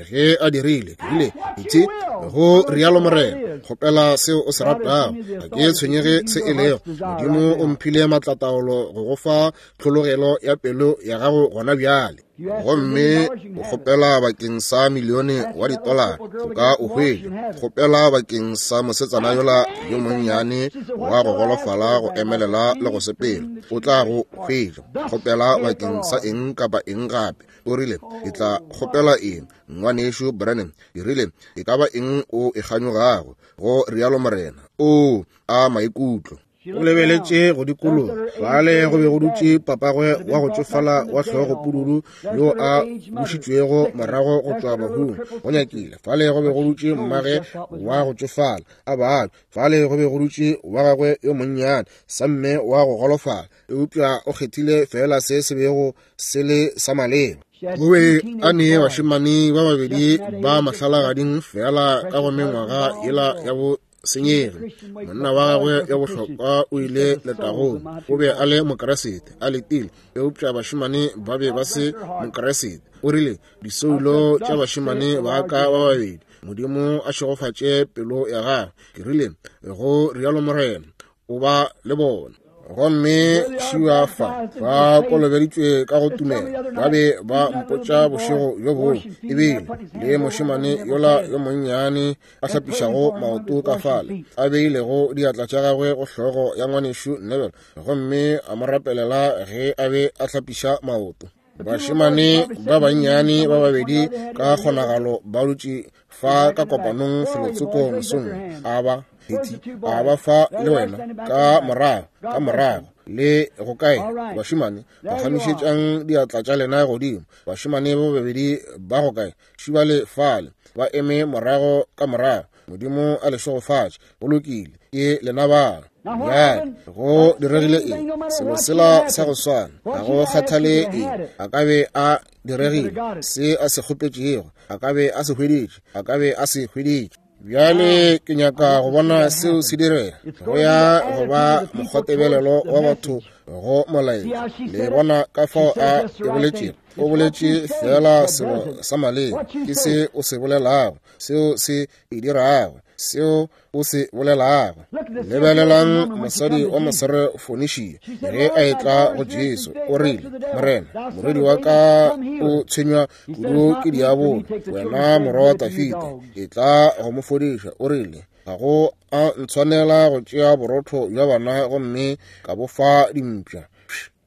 Speaker 1: Ge a dirile, ke rile, Itse, go rialo Morena, kgopela seo o se ratago. Ga ke tshwenyege se e lego. Modimo o mphile maatlataolo go go fa tlhologelo ya pelo ya gago gona bjale. Gomme o kgopela bakeng sa milione wa ditolara, o ka o hwetša. Kgopela bakeng sa mosetsana yola yo monnyane wa go golofala go emelela le go sepela, o tla go hwetša. Kgopela bakeng sa eng kapa eng gape. O rile, Ke tla kgopela eng, Ngwanešu Branham? Ke rile, E ka ba eng o e kganyogago, go rialo Morena. Oo, a maikutlo! O lebeletše go dikologa. Fale go be go dutše papagwe wa go tšofala wa hlogopududu yo a bušitšwego morago go tšwa bahung, go nyakile. Fale go be go dutše mmage wa go tšofala a babja. Fale go be go dutše wa gagwe yo monnyane, samme wa go golofala. Eupša o kgethile feela se se bego se le sa maleba. O be a ne bašemane ba babedi ba mahlalagading feela ka go mengwaga yela ya bo senyege. Monna wa gagwe ya bohlokwa o ile letagong. O be a le Mokeresete, a letile, eupša bašemane ba be ba se Mokeresete. O rile, Disoulo tša bašemane ba ka ba babedi, Modimo a šegofatše pelo ya gagwe. Ke rile, Go rialo Morena, o ba le bona. Gomme šiwa fa ba kolobeditšwe ka go tumelo. Ba be ba mpotša bošego bjo bongwe, ebile le mošemane yola yo monnyane a hlapišago maoto ka fale, a beilego diatla tša gagwe go hlogo ya Ngwanešu Neville, gomme a mo rapelela ge a be a hlapiša maoto. Bašemane ba bannyane ba babedi ka kgonagalo ba dutše fa ka kopanong felotsoko mosong. A ba Hetty, a ba fa le wena ka morago, ka morago le go kae? Bašemane, phagamišetšang diatla tša lena godimo. Bašemane ba babedi ba go kae? Šibale fale, ba eme morago ka morago. Modimo a le šegofatše. Go lokile, ke lena ba. Bjale go diregile eng? Selo sela sa go swana, ga go kgathale eng a ka be a diregile, se a se kgopetšego a ka be a se hweditše, a ka be a se hweditše. Bjale ke nyaka go bona seo se direga. Go ya go ba mokgwatebelelo wa batho go molaetša. Le bona ka fao a e boletšego? O boletše feela selo sa maleba. Ke se o se bolelago, seo se e dirago, seo o se bolelago. Lebelelang mosadi wa Moserefonishia ge a etla go Jesu, o rile, Morena, morwedi wa ka o tshwenywa kudu ke diabolo, wena morwa wa Dafida, etla go mo fodiša. O rile, Ga go a ntshwanela go tšea borotho bja bana gomme ka bo fa dimpša.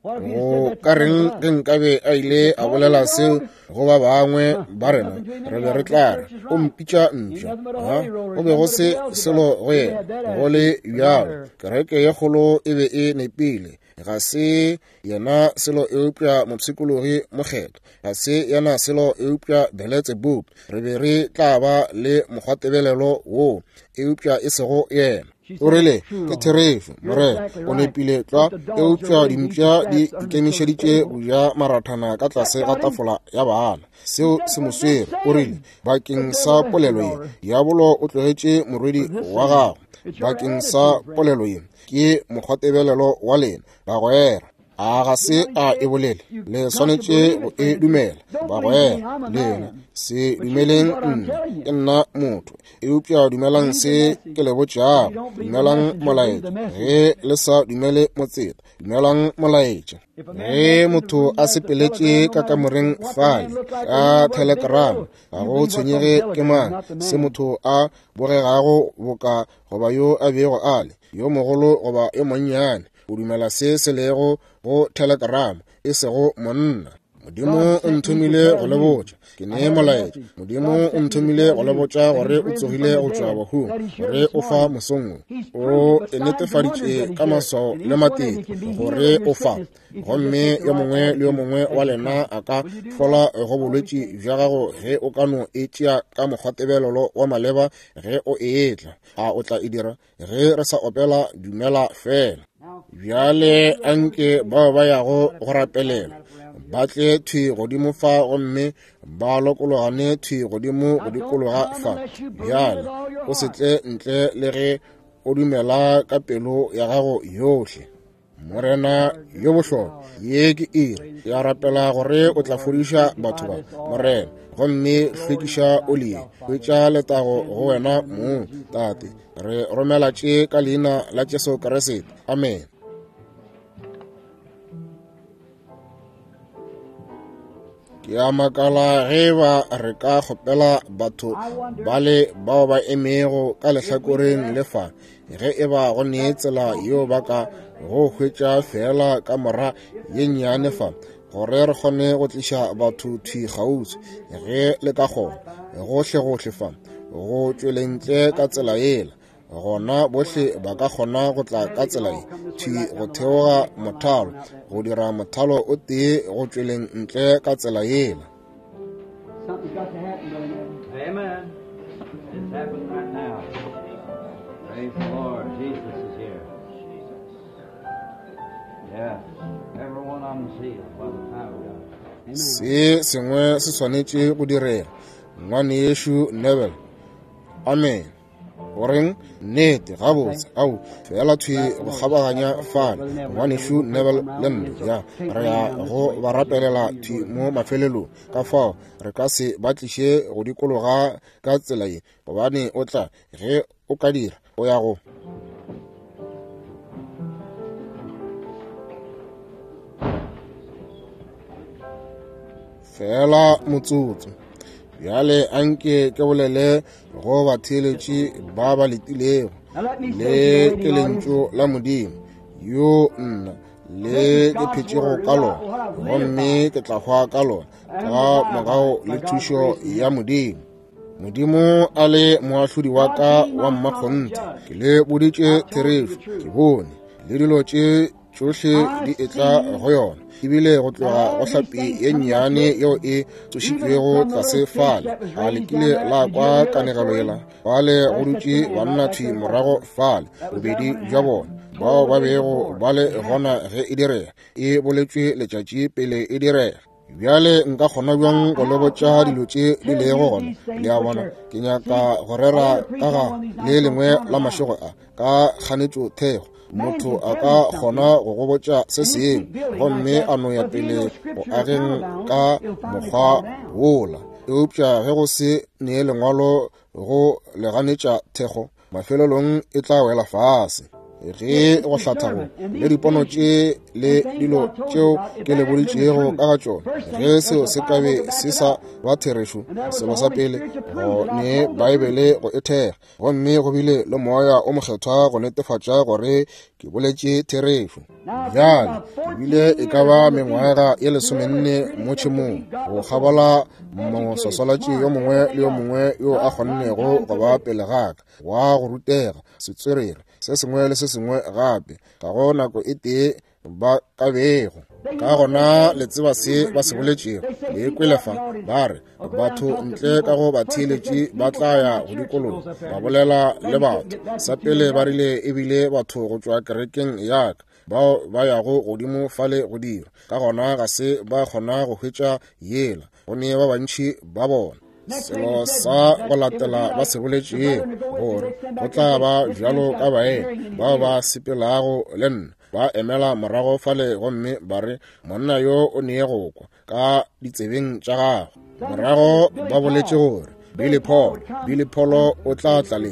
Speaker 1: Go ka reng ge nkabe a ile a bolela seo go ba bangwe ba rena? Re be re tla re o mpitša mpša. Ha, go be go se selo go yena. Go le bjalo, kereke ye kgolo e be e nepile. Ga se yena selo eupša mopshikologi mokgethwa. Ga se yena selo eupša Beletsebubu. Re be re tla ba le mokgwatebelelo woo, eupša e sego yena. O rile, Ke therešo, Morena, o nepile tlwa, eupša dimpša di ikemišeditše go ja marathana ka tlase ga tafola ya bana. Seo se mo swere. O rile, Bakeng sa polelo ye, diabolo o tlogetše morwedi wa gago. Bakeng sa polelo ye, ke mokgwatebelelo wa lena, bagwera. A ga se a e bolele? Le swanetše go e dumela, bagwera. Lena se dumeleng nna, ke nna motho, eupša dumelang se ke le botšago. Dumelang molaetša. Ge le sa dumele motseta, dumelang molaetša. Ge motho a sepeletše ka kamoreng fale ka telegram, ga go tshwenyege ke mang, se motho a bogegago boka goba yo a bego a le, yo mogolo goba yo monnyane, o dumela se se lego go telegram, e sego monna. Modimo o nthomile go le botša. Ke ne molaetša. Modimo o nthomile go le botša gore o tsogile go tšwa bahung, gore o fa mosong wo. O e netefaditše ka maswao le matete gore o fa. Gomme yo mongwe le yo mongwe wa lena a ka fola go bolwetši bja gago ge o ka no e tšea ka mokgwatebelelo wa maleba ge o etla. A o tla e dira? Ge re sa opela Dumela Fela. Bjale anke bao ba yago go rapelela ba tle thwi godimo fa gomme ba lokologane thwi godimo go dikologa fa. Bjale o se tle ntle le ge o dumela ka pelo ya gago yohle. Morena yo bohlokwa, ye ke iri ya rapela gore o tla fodiša batho ba, Morena, gomme hlwekiša oli ye, hwetša letago go wena mong, Tate. Re romela tše ka leina la Jesu Kriste. Amen. Ke a makala ge ba re ka kgopela batho bale bao ba emego ka lehlakoreng le fa, ge e ba go ne tsela yeo ba ka go hwetša feela ka mora ye nnyane fa, gore re kgone go tliša batho thwi kgauswi, ge le ka kgona, gohlegohle fa, go tšweleng ntle ka tsela yela. Gona bohle ba ka kgona go tla ka tsela ye thwi go theoga mothalo, go dira mothalo o tee go tšweleng ntle ka tsela yela.
Speaker 2: Something's got to happen, Brother Neville.
Speaker 3: Amen. It's happening right now. Praise the Lord. Jesus is here. Yes. Every one of them's healed by the power of God.
Speaker 2: Amen.
Speaker 1: Se sengwe se swanetše go direga, ngwanešu Neville. Amen. Goreng? Nnete, gabotse, ao, fela thwi go kgabaganya fale, ngwanešu Neville le nna, ya, re ya go ba rapelela thwi mo mafelelong. Ka fao re ka se ba tliše go dikologa ka tsela ye, gobane o tla, ge o ka dira, o ya go. Fela motsotso. Bjale anke ke bolele go batheeletši ba ba letilego. Le ke lentšu la Modimo, yo nna le ke phetšego ka lona, gomme ke tla hwa ka lona, ka morago le thušo ya Modimo. Modimo a le moahlodi wa ka wa mmakgonthe, ke le boditše therešo, ke bone le dilo tše tšohle di etla go yona, ebile go tloga go hlapi ye nnyane yeo e tsošitšwego tlase fale. A le kile la kwa kanegelo yela? Fale go dutše banna thwi morago fale, bobedi bja bona, bao ba bego ba le gona ge e direga, e boletšwe letšatši pele e direga. Bjale nka kgona bjang go le botša dilo tše di lego gona? Le a bona, ke nyaka go rera ka ga le lengwe la mašego a, ka kganetšo thekgo. Motho a ka kgona go go botša se sengwe gomme a no ya pele go ageng ka mokgwa wola, eupša ge go se nee lengwalo go le ganetša thekgo, mafelelong e tla wela fase. Ge go hlatha go le dipono tše le dilo tšeo ke le boditšego ka ga tšona, ge seo se ka be se sa ba therešo, selo sa pele go ne Baebele go e thekga, gomme go bile le Moya o Mokgethwa go netefatša gore ke boletše therešo. Bjale ke bile e ka ba mengwaga ye 14 mo tšhemong, go kgabola moswaswalatši yo mongwe le yo mongwe yo a kgonnego go ba pele ga ka, wa go rutega, setswerere, se sengwe le se sengwe gape, ga go nako e tee ba ka bego. Ka gona le tseba se ba se boletšego, le kwele fa, ba re batho ntle ka go batheeletši ba tla ya go dikologa, ba bolela le batho. Sa pele ba rile ebile batho go tšwa kerekeng ya ka bao ba yago godimo fale go dira. Ka gona ga se ba kgona go hwetša yela, go ne ba bantši ba bona. Selo sa go latela ba se boletšego, gore go tla ba bjalo ka baena bao ba sepelago le nna, ba emela morago fale gomme ba re monna yo o nee go kwa ka ditsebeng tša gagwe. Morago ba boletše gore Billy Paul, Billy Paul o tla tla le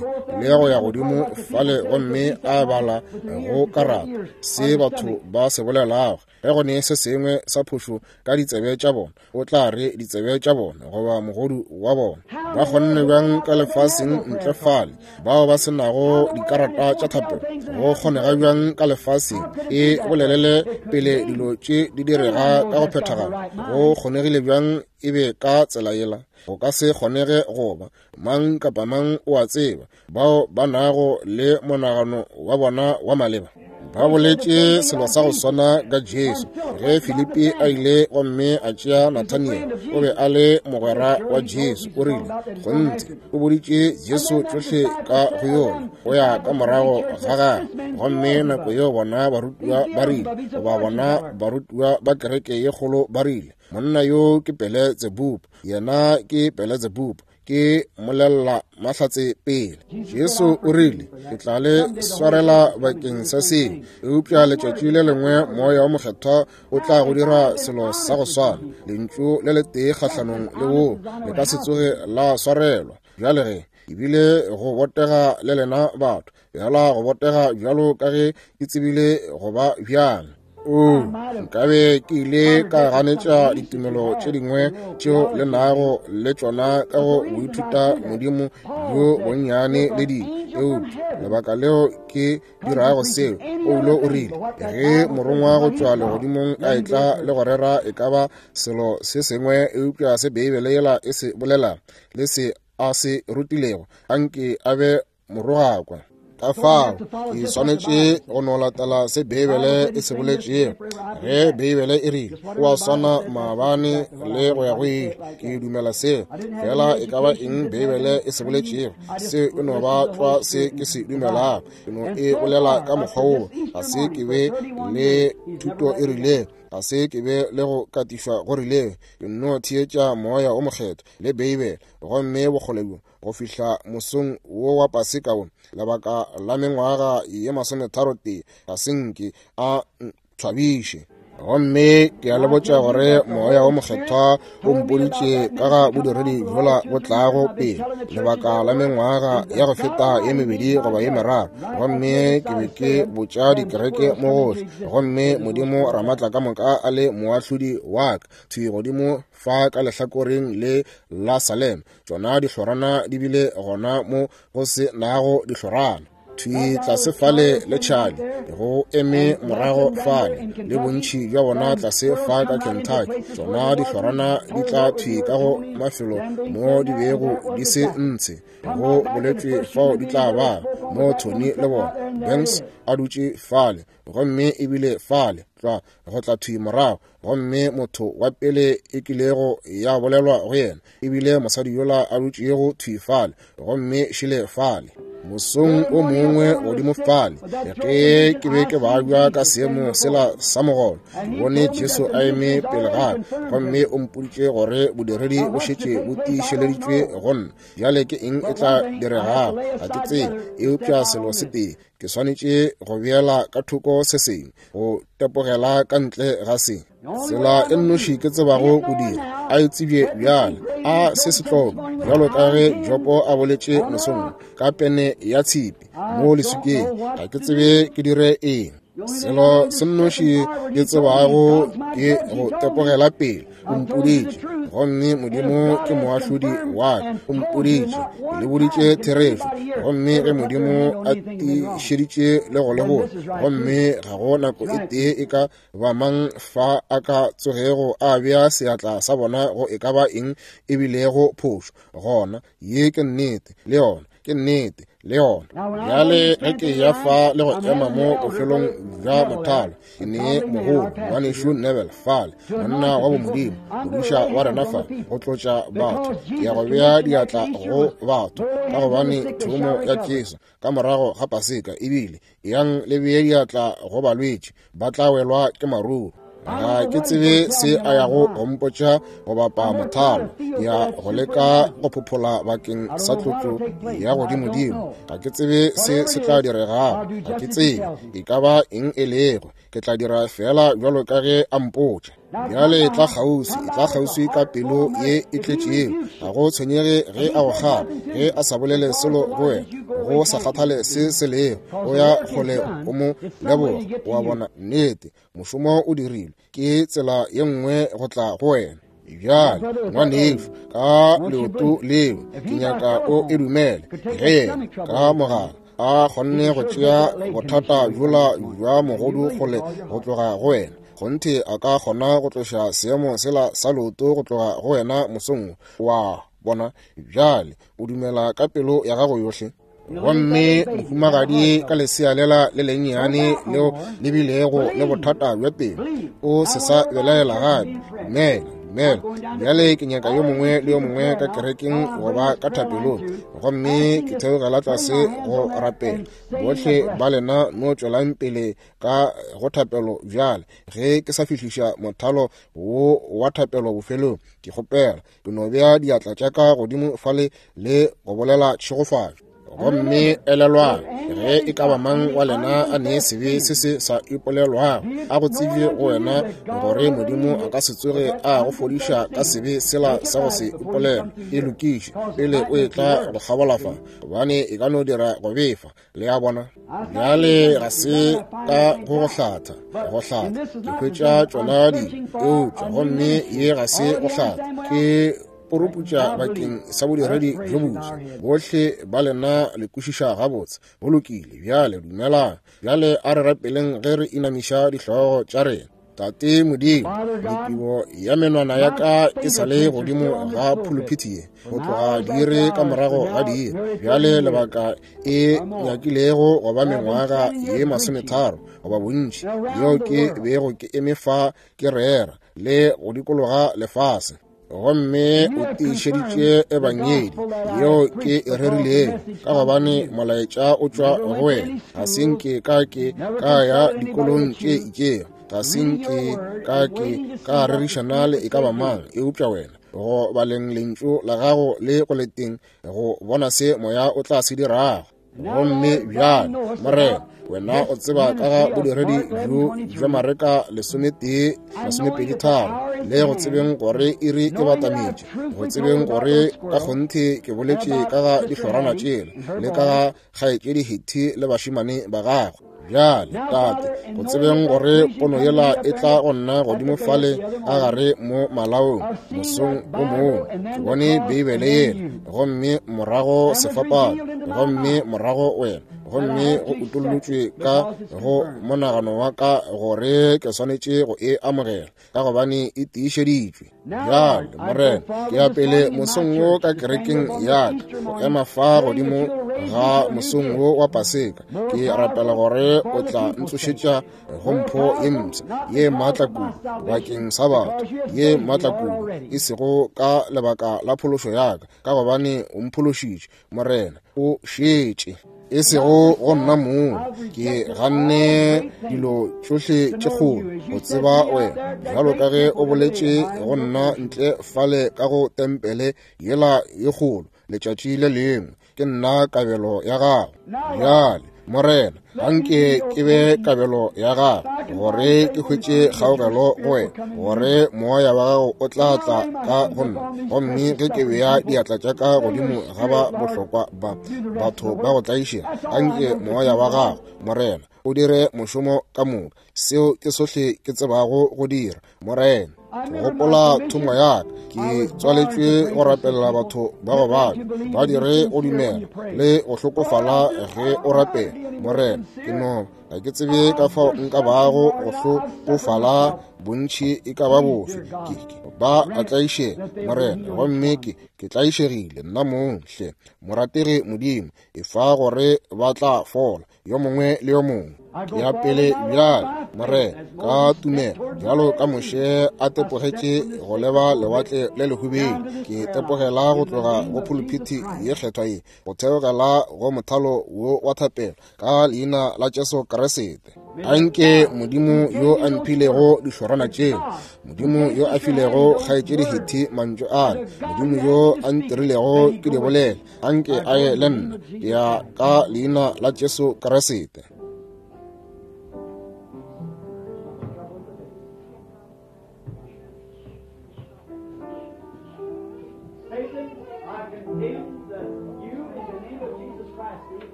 Speaker 1: go ya godimo fale gomme a bala go karata se batho ba se bolelago. Ge go ne se sengwe sa phošo ka ditsebe tša bona, o tla re ditsebe tša bona goba mogodu wa bona. Ba kgonne bjang ka lefaseng ntle fale, bao ba se nago dikarata tša thapelo? Go kgonega bjang ka lefaseng e bolelele pele dilo tše di direga ka go phethagala? Go kgonegile bjang e be ka tsela yela? Go ka se kgonege go ba. Mang kapa mang o a tseba, bao ba nago le monagano wa bona wa maleba ba boletše selo sa go swana ka Jesu. Ge Filipi a ile gomme a tšea Nathaniel, o be a le mogwera wa Jesu, o rile, kgonthe, o boditše Jesu tšohle ka go yona, go ya ka morago ga gagwe. Gomme nako yeo bona barutiwa ba rile, goba bona barutiwa ba kereke ye kgolo ba rile, monna yo ke Beelzebub, yena ke Beelzebub, ke molella mahlatse pele. Jesu o rile, ke tla le swarela bakeng sa seo, eupša letšatši le lengwe Moya wa Mokgethwa o tla go dira selo sa go swana. Lentšu le letee kgahlanong le woo le ka se tsoge la swarelwa. Bjale ge ebile go botega le lena batho, bjala go botega bjalo ka ge ke tsebile go ba bjang. O, nkabe ke ile ka ganetša ditumelo tše dingwe tšeo le nago le tšona ka go boithuta modimo bjo bonnyane le dilo, eupša lebaka leo ke dirago seo, Paulo o rile, ge morongwa go tšwa legodimong a etla le go rera e ka ba selo se sengwe eupša se Beibele yela e se bolela le se a se rutilego, anke a be morogakwa. Ka fao ke swanetše go no latela se Beibele e se boletšego. Ge Beibele e rile o a swana maabane le go ya go ile, ke dumela seo. Fela e ka ba eng Beibele e se boletšego, seo e no ba tlwa se ke se dumelago. Ke no e bolela ka mokgwa woo. Ga se ke be le thuto e rilego, ga se ke be le go katišwa go rilego. Ke no theetša Moya o Mokgethwa le Beibele, gomme bokgole bjo go fihla mosong wo wa Paseka wo, lebaka la mengwaga ye 31, ga se nke a ntshwabiše. Gomme ke a le botša gore Moya wo Mokgethwa o mpoditše ka ga bodiredi bjola bo tlago pele, lebaka la mengwaga ya go feta ye 2 goba ye 3. Gomme ke be ke botša dikereke mo gohle, gomme Modimo Ramatla ka moka a le moahlodi wa ka, thwi godimo fa ka lehlakoreng le la Salem. Tšona dihlorana di bile gona mo go se nago dihlorana. Thwi tlase fale le Charlie go eme morago fale le bontši bja bona tlase fa ka Kentucky. Tšona dihlorana di tla thwi ka go mafelo mo di bego di se ntshe, go boletšwe fao di tla ba mo Tony le bona Banks a dutše fale, gomme ebile fale tlwa go tla thwi morago. Gomme motho wa pele e kilego ya bolelwa go yena ebile mosadi yola a dutšego thwi fale, gomme šile fale mosong o mongwe godimo fale, ge ke be ke babja ka seemo sela sa mogolo, ke bone Jesu a eme pele ga ka, gomme o mpoditše gore bodiredi bo šetše bo tiišeleditšwe go nna. Bjale ke eng e tla diregago? Ga ke tsebe, eupša selo se tee, ke swanetše go beela ka thoko se sengwe, go tepogela ka ntle ga se. Tsela e nnoši ke tsebago go dira, a e tsebje bjale, a se se tlogo, bjalo ka ge Jopo a boletše mosong ka pene ya tshipi mo leswikeng, ga ke tsebe ke dire eng. Selo se nnoši ke tsebago ke go tepogela pele. O mpoditše, gomme Modimo ke moahlodi wa ka. O mpoditše, ke le boditše therešo, gomme ge Modimo a tiišeditše le go le botša, gomme ga go nako e tee e ka ba mang fa a ka tsogego a bea seatla sa bona go e ka ba eng e bilego phošo, gona ye ke nnete, le yona ke nnete, le yona. Bjale ge ke ya fa le go ema mo bofelong bja mothalo, ke ne mogolo ngwanešu Neville fale, monna wa bomodimo, modiša wa rena fa, go tlotša batho. Ke ya go bea diatla go batho, ka gobane thomo ya Jesu ka morago ga Paseka ebile, yang le bee diatla go balwetši, ba tla welwa ke maruru. Ga ke tsebe se a yago go mpotša go bapa mothalo, ya go leka go phophola bakeng sa tlotlo ya godimodimo. Ga ke tsebe se se tla diregago, ga ke tsebe e ka ba eng e lego. Ke tla dira fela bjalo ka ge a mpotša. Bjale tla kgauswi, tla kgauswi ka pelo ye e tletšego. Ga go tshwenyege ge a go kgala, ge a sa bolele selo go wena, go sa kgathale se se lego, o ya kgole o mo leboga. Wa bona, nnete, mošomo o dirilwe. Ke tsela ye nngwe go tla go wena. Bjale, ngwanešu, ka leoto leo, ke nyaka o e dumele. Ge yena ka mogala a kgonne go tšea bothata bjola bja mogodu kgole go tloga go wena, kgonthe a ka kgona go tloša seemo sela sa leoto go tloga go wena mosong wa bona. Bjale o dumela ka pelo ya gago yohle. Gomme mohumagadi ka lesea lela le lennyane leo le bilego le bothata bja pelo, o se sa belaela gape. Dumela, dumela. Bjale ke nyaka yo mongwe le yo mongwe ka kerekeng goba ka thapelong, gomme ke theogela tlase go rapela. Bohle ba lena no tšwelang pele ka go thapelo bjale. Ge ke sa fihliša mothalo wo wa thapelo bofelong, ke kgopela ke no bea diatla tša ka godimo fale le go bolela tšhegofatšo. Gomme elelwang, ge e ka ba mang wa lena a ne sebe se se sa ipolelwago, a go tsebje go wena gore Modimo a ka se tsoge a go fodiša ka sebe sela sa go se ipolelwa. E lokiše pele o etla go kgabola fa, gobane e ka no dira go befa. Le a bona? Bjale ga se ka go go hlatha, go hlatha ke hwetša tšona di eupša, gomme ye ga se go hlatha, ke poroputša bakeng sa bodiredi bjo boswa. Bohle ba lena le kwešiša gabotse. Go lokile. Bjale dumelang. Bjale a re rapeleng ge re inamiša dihlogo tša rena. Tate Modimo, mekibo ya menwana ya ka e sa le godimo ga phuluphithi ye go tloga diiri ka morago ga diiri. Bjale lebaka e nyakilego go ba mengwaga ye 30 goba bontši yeo ke bego ke eme fa ke rera le go dikologa lefase. Gomme o tiišeditše ebangedi yeo ke e rerilego, ka gobane molaetša o tšwa go wena. Ga se nke ka ke ka ya dikolong tše itšego, ga se nke ka ke ka rerišana le e ka ba mang eupša wena, go baleng lentšu la gago le go leteng go bona se moya o tla se dirago. Gomme bjale, Morena, wena o tseba ka ga bodiredi bjo bja Mareka 11 23, le go tsebeng gore iri e batametše, go tsebeng gore ka kgonthe ke boletše ka ga dihlorana tšela le ka ga kgaetšedi Hetty le bašemane ba gagwe. Bjale, Tate, go tsebeng gore pono yela e tla go nna godimo fale a gare mo malaong mosong o mongwe, ke bone Beibele yela, gomme morago sefapano, gomme morago wena, gomme go utollotšwe ka go monagano wa ka gore ke swanetše go e amogela, ka gobane e tiišeditšwe. Bjale, Morena, ke ya pele mosong wo ka kerekeng ya ka, go ema fa godimo ga mosong wo wa Paseka. Ke rapela gore o tla ntsošetša go mpho ye mpsha ye maatla kudu bakeng sa batho, ye maatla kudu, e sego ka lebaka la phološo ya ka, ka gobane o mphološitše, Morena, o šetše, e sego go nna mong. Ke ganne dilo tšohle tše kgolo go tseba wena, bjalo ka ge o boletše go nna ntle fale ka go tempele yela ye kgolo letšatši le lengwe, ke nna kabelo ya gago. Bjale, Morena, anke ke be kabelo ya gago, gore ke hwetše kgaogelo go wena, gore moya wa gago o tla tla ka go nna. Gomme ge ke bea diatla tša ka godimo ga ba bohlokwa ba batho ba go tlaišega, anke moya wa gago, Morena, o dire mošomo ka moka. Seo ke sohle ke tsebago go dira, Morena. Ke gopola thomo ya ka, ke tswaletšwe go rapelela batho ba go babja, ba dire go dumela le go hlokofala ge o rapela, Morena. Ke no ga ke tsebe ka fao nka bago go hlokofala bontši e ka ba bofe. Ke ba a tlaišega, Morena, gomme ke tlaišegile nna mong. Hle, morategi Modimo, e fa gore ba tla fola, yo mongwe le yo mongwe. Ke ya pele bjale, Morena, ka tumelo, bjalo ka Moshe a tepogetše go leba lewatle le lehubedu, ke tepogela go tloga go phuluphithi ye kgethwa ye, go theogela go mothalo wo wa thapelo, ka leina la Jesu Kriste. Anke Modimo yo a mphilego dihlorana tšeo, Modimo yo a filego kgaetšedi Hetty mantšu ale, Modimo yo a ntirilego ke di bolele, anke a ye le nna, ke ya ka leina la Jesu Kriste.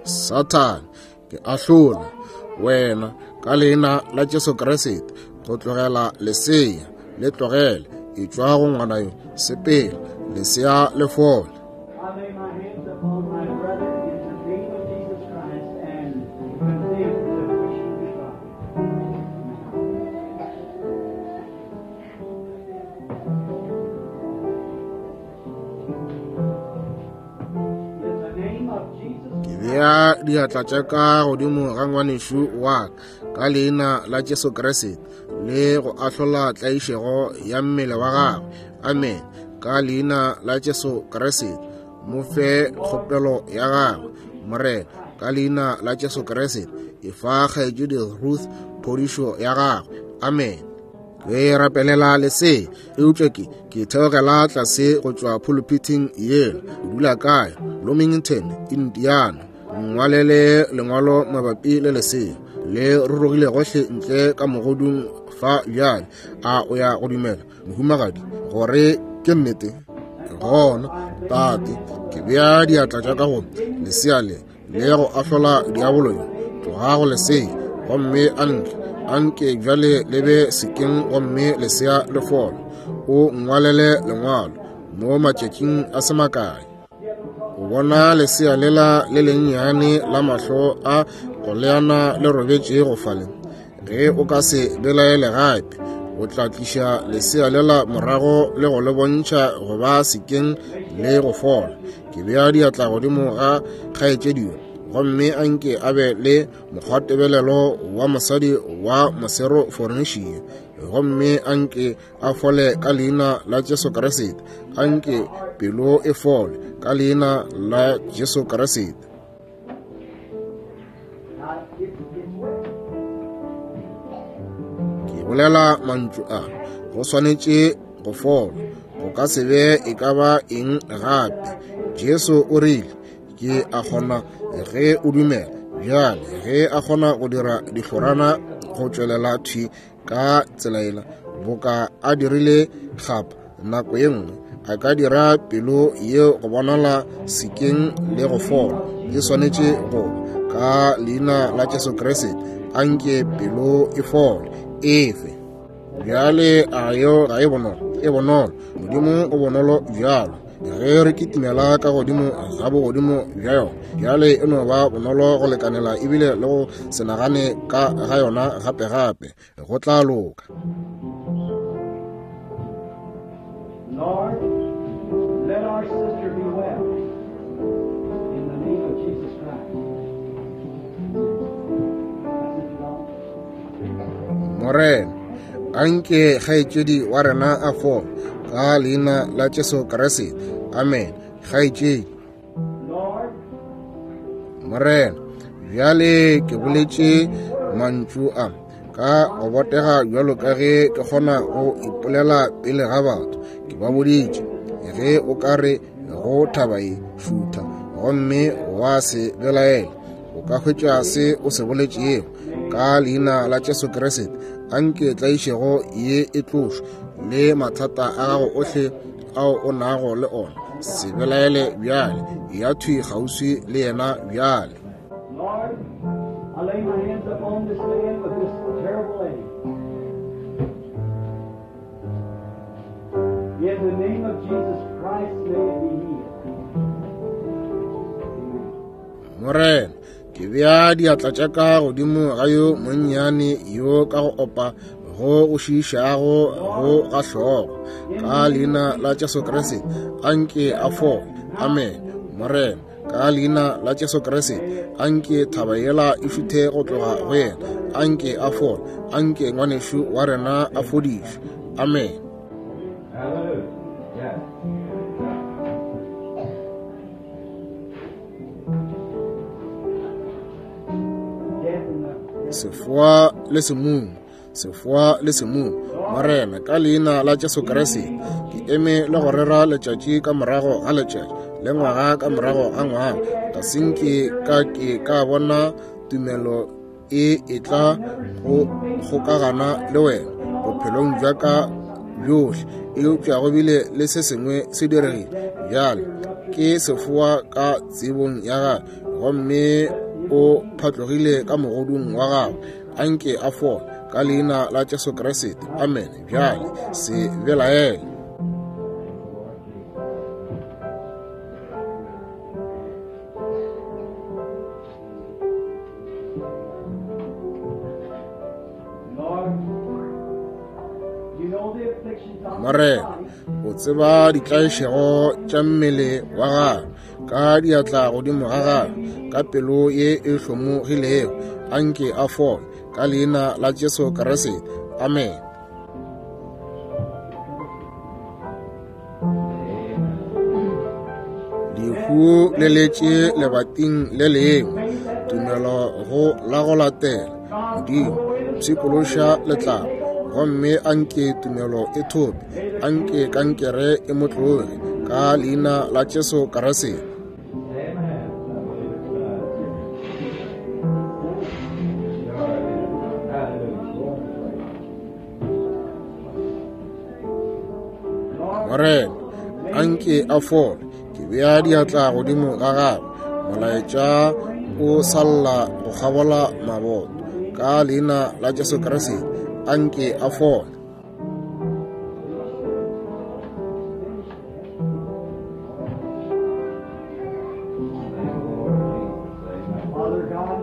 Speaker 1: Sathane, ke ahlola wena ka leina la Jesu Kriste go tlogela lesea, le tlogele, etšwa go ngwana yo, sepela, lesea le fole.
Speaker 2: I lay my hands upon my brother in the name of Jesus Christ and condemn the pushing to God. In the name of Jesus
Speaker 1: Ke bea diatla tša ka godimo ga ngwanešu wa ka ka leina la Jesu Kriste le go ahlola tlaišego ya mmele wa gagwe. Amen. Ka leina la Jesu Kriste, mo fe kgopelo ya gagwe. Morena, ka leina la Jesu Kriste, efa kgaetšedi Ruth phodišo ya gagwe. Amen. Ke rapelela lesea, eupša ke theogela tlase go tšwa pulpiting yela. O dula kae? Bloomington, Indiana. Ngwalele lengwalo mabapi le lesea le rurugile gohle ntle ka mogodung fa bjale. A o ya go dumela, mohumagadi, gore ke nnete? Gona, tate, ke bea diatla tša ka go lesea le le go ahlola diabolo yo. Tloga go lesea gomme a ntle, anke bjale le be sekeng gomme lesea le fole. O ngwalele lengwalo mo matšatšing a se makae. O bona lesea lela le lennyane la mahlo a go leana le robetše go fale. Ge o ka se belaele gape, o tla tliša lesea lela morago le go le bontšha go ba sekeng le go fola. Ke bea diatla godimo ga kgaetšedi yo, gomme anke a be le mokgwatebelelo wa mosadi wa mosero Fornišia, gomme anke a fole ka leina la Jesu Kriste. Anke pelo e fole ka leina la Jesu Kriste. Ke bolela mantšu a, go swanetše go fola, go ka se be e ka ba eng gape. Jesu o rile, ke a kgona ge o dumela. Bjale ge a kgona go dira dihlorana go tšwelela thwi ka tsela ela boka a dirile gape nako ye nngwe, a ka dira pelo yeo go bonala sekeng le go fola. E swanetše go ka leina la Jesu Kriste, anke pelo e fole efe. Bjale a yo ga e bonolo, e bonolo. Modimo o bonolo bjalo. Ge re kitimela ka godimo ga bogodimo bja yona, bjale e no ba bonolo go lekanela ebile le go se nagane ka ga yona gape-gape. Go tla loka.
Speaker 2: Lord, let our sister be well in the name of Jesus Christ.
Speaker 1: Morena, anke kgaetšedi wa rena a fole ka leina la Jesu Kriste. Amen. Kgaetšedi.
Speaker 2: Lord,
Speaker 1: Morena, bjale ke boletše mantšu a ka go botega bjalo ka ge ke kgona go ipolela pele ga batho. Ke ba boditše, ge o ka re go thaba e šutha gomme wa se belaela, o ka hwetša se o se boletšego. Ka leina la Jesu Kriste, anke tlaišego ye e tlošwe le mathata a gago ohle ao o nago le ona. Se belaele bjale, ya thwi kgauswi le yena bjale.
Speaker 2: Lord, I lay my hands upon this man with this terrible ache. In the name of Jesus Christ, may it be healed. Amen.
Speaker 1: Morena, ke bea diatla tša ka godimo ga yo monnyane yo ka go opa go go šiišago go ga hlogo. Ka leina la Jesu Kriste, anke a fole. Amen. Morena, ka leina la Jesu Kriste, anke thaba yela e šuthe go tloga go yena. Anke a fole. Anke ngwanešu wa rena a fodišwe. Amen.
Speaker 3: Hallelujah. Yeah.
Speaker 2: Death in the
Speaker 1: Sefoa le semumu, sefoa le semumu. Morena, ka leina la Jesu Kriste, ke eme le go rera letšatši ka morago ga letšatši le ngwaga ka morago ga ngwaga. Ga se nke ka ke ka bona tumelo e etla go kgokagana le wena bophelong bja ka bjohle, eupša go bile le se sengwe se diregile. Bjale ke sefoa ka tsebong ya gagwe, Gomme o phatlogile ka mogodung wa gagwe. Anke a fole ka leina la Jesu Kriste. Amen. Bjale se belaele. Morena, o tseba ditlaišego tša mmele wa gagwe, ka diatla godimo ga gagwe, ka pelo ye e hlomogilego. Anke a fole ka leina la Jesu Kriste. Amen. Lehu le letše lebating le lengwe, tumelo go la go latela. Modimo, pshikološa letlapa, gomme anke tumelo e thope, anke kankere e mo tloge, ka leina la Jesu Kriste. Morena, anke a fole. Ke bea diatla godimo ga gagwe. Molaetša o salla go kgabola maboto. Ka leina la Jesu Kriste, anke a fole.
Speaker 2: Father God,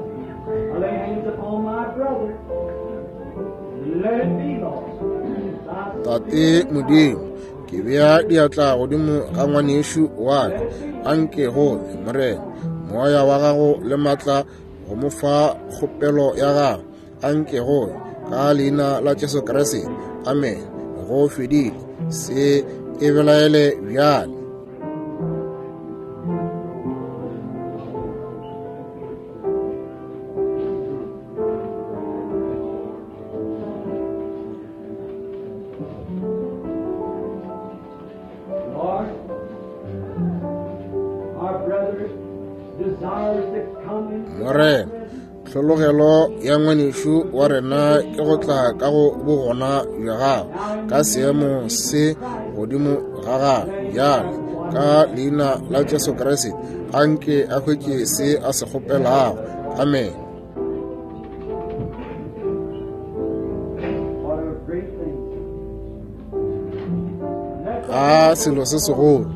Speaker 2: I lay hands upon my brother. Let it be, Lord.
Speaker 1: Tate Modimo, ke bea diatla godimo ga ngwanešu wa ka. Anke go be, Morena, moya wa gago le matla go mo fa kgopelo ya gago. Anke go be, ka leina la Jesu Kriste. Amen. Go fedile. Se e belaele bjale.
Speaker 2: Lord, our brother desires to come into
Speaker 1: Morena, tlhologelo ya ngwanešu wa rena ke go tla ka go bogona bja gago ka seemo se godimo ga gago. Bjale, ka leina la Jesu Kriste, anke a hwetše se a se kgopelago. Amen.
Speaker 2: What a great thing.
Speaker 1: A selo se segolo.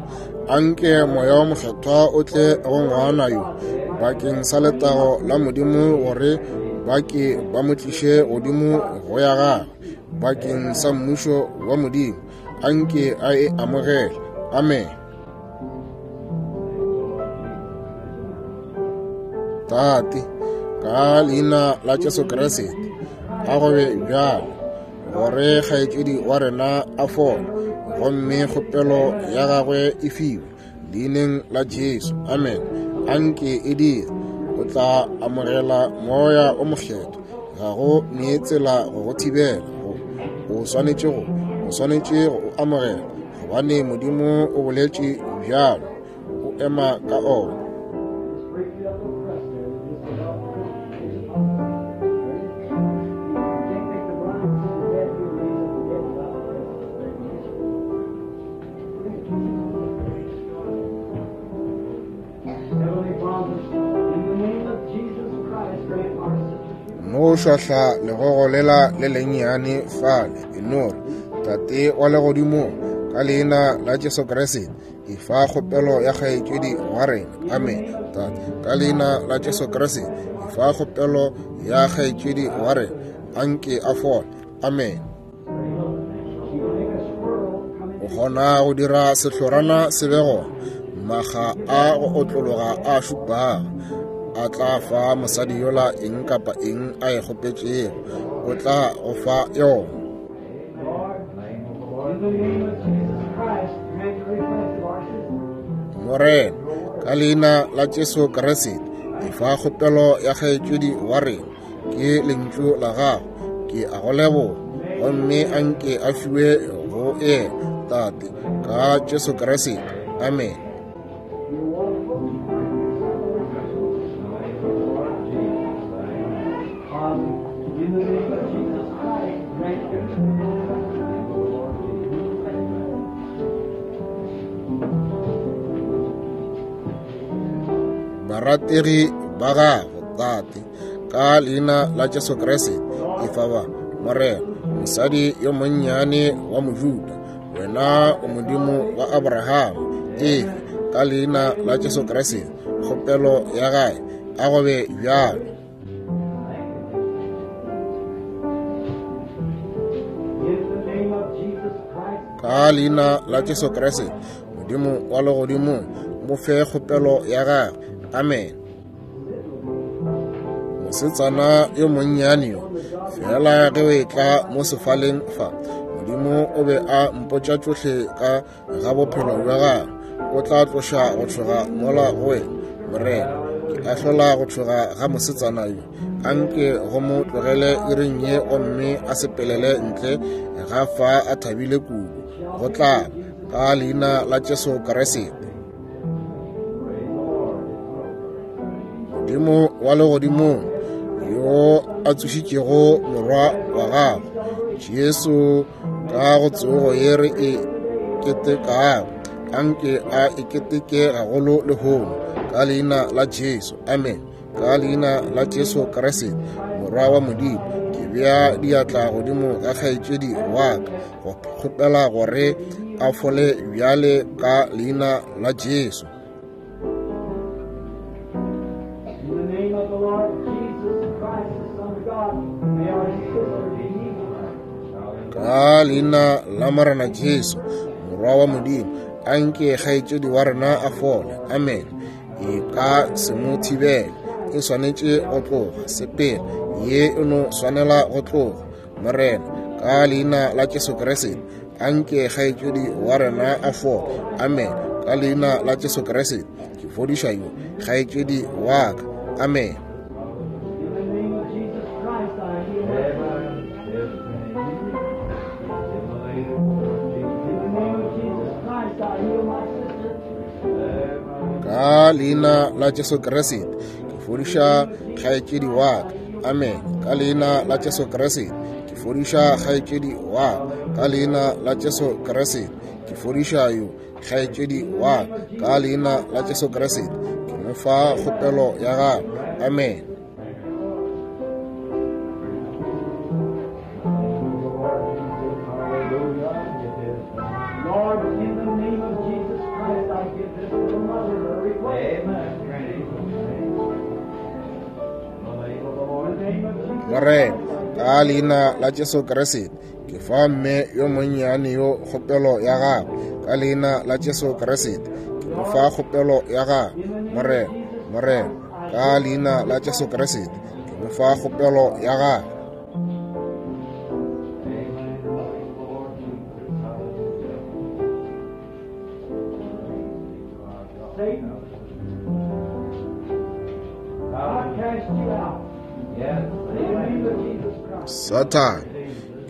Speaker 1: Anke moya wa mokgethwa o tle go ngwana yo bakeng sa letago la Modimo, gore ba ke ba mo tliše godimo go ya gagwe bakeng sa mmušo wa Modimo. Anke a e amogele. Amen. Tate, ka leina la Jesu Kriste, a go be bjalo, gore kgaetšedi wa rena a fole, gomme kgopelo ya gagwe e fiwe leineng la Jesu. Amen. Anke e dire. O tla amogela moya o mokgethwa. Ga go ne tsela go go thibela. O swanetše go, o swanetše go o amogela, gobane Modimo o boletše bjalo. O ema ka ona.
Speaker 2: Break it up a crust there. Just about You can't make the blind see the dead, you raise up the dead without the Heavenly Father, in the name of Jesus Christ, grant our sister
Speaker 1: No šwahla legogo lela le lennyane fale, e no re, Tate wa legodimong, ka leina la Jesu Kriste, e fa kgopelo ya kgaetšedi wa rena. Amen. Tate, ka leina la Jesu Kriste, e fa kgopelo ya kgaetšedi wa rena. Anke a fole. Amen.
Speaker 2: She will make a squirrel come
Speaker 1: O kgona go dira sehlorana se be gona, maga a go otlologa a šupago, a tla fa mosadi yola eng kapa eng a e kgopetšego, o tla go fa yona.
Speaker 2: Lord, in the name of Jesus Christ, grant the request of our sister.
Speaker 1: Morena, ka leina la Jesu Kriste, e fa kgopelo ya kgaetšedi wa rena. Ke lentšu la gago, ke a go leboga, gomme anke a fiwe go yena, Tate, ka Jesu Kriste. Amen.
Speaker 2: Father, in the name of Jesus Christ, grant your
Speaker 1: Barategi ba gago, Tate, ka leina la Jesu Kriste, efa ba, Morena, mosadi yo monnyane wa Mojuda, wena o Modimo wa Abraham, efe, ka leina la Jesu Kriste, kgopelo ya gae, a go be bjalo. Ka leina la Jesu Kriste, Modimo wa legodimong, mo fe kgopelo ya gagwe. Amen. Mosetsana yo monnyane yo, fela ge o etla mo sefaleng fa, Modimo o be a mpotša tšohle ka ga bophelo bja gagwe. O tla tloša go tšhoga mola go wena, Morena. Ke ahlola go tšhoga ga mosetsana yo. Anke go mo tlogele iring ye gomme a sepelele ntle ga fa a thabile kudu. Go tla ka leina la Jesu Kriste. Modimo wa legodimong yo a tsošitšego morwa wa gago Jesu ka go tsogo ye re e ketekago, anke a e keteke gagolo lehono ka leina la Jesu. Amen. Ka leina la Jesu Kriste morwa wa Modimo, ke bea diatla godimo ga kgaetšedi wa ka go kgopela gore a fole bjale ka leina la Jesu.
Speaker 2: In the name of the Lord Jesus Christ, the Son of God, may our sister be healed.
Speaker 1: Ka leina la Morena Jesu, morwa wa Modimo, anke kgaetšedi wa rena a fole. Amen. E ka se mo thibele, e swanetše go tloga. Sepela, ye e no swanela go tloga. Morena, ka leina la Jesu Kriste, anke kgaetšedi wa rena a fole. Amen. Ka leina la Jesu Kriste, ke fodiša yo kgaetšedi wa ka. Amen.
Speaker 2: In the name of Jesus Christ, I heal my In the name of Jesus Christ, I heal my sister.
Speaker 1: Ka leina la Jesu Kriste, ke fodiša kgaetšedi wa ka. Amen. Ka leina la Jesu Kriste, ke fodiša kgaetšedi wa ka. Ka leina la Jesu Kriste, ke fodiša yo kgaetšedi wa ka. Ka leina la Jesu Kriste, ke mo fa kgopelo ya gagwe. Amen.
Speaker 2: Lord, in the name of Jesus Christ, I give this little mother her request. In the name of Jesus
Speaker 1: Morena, ka leina la Jesu Kriste, ke fa mme yo monnyane yo kgopelo ya gagwe. Ka leina la Jesu Kriste, ke mo fa kgopelo ya gagwe. Morena, Morena, ka leina la Jesu Kriste, ke mo fa kgopelo ya gagwe.
Speaker 2: Satan, I cast you out. In the name of Jesus Christ.
Speaker 1: Satan,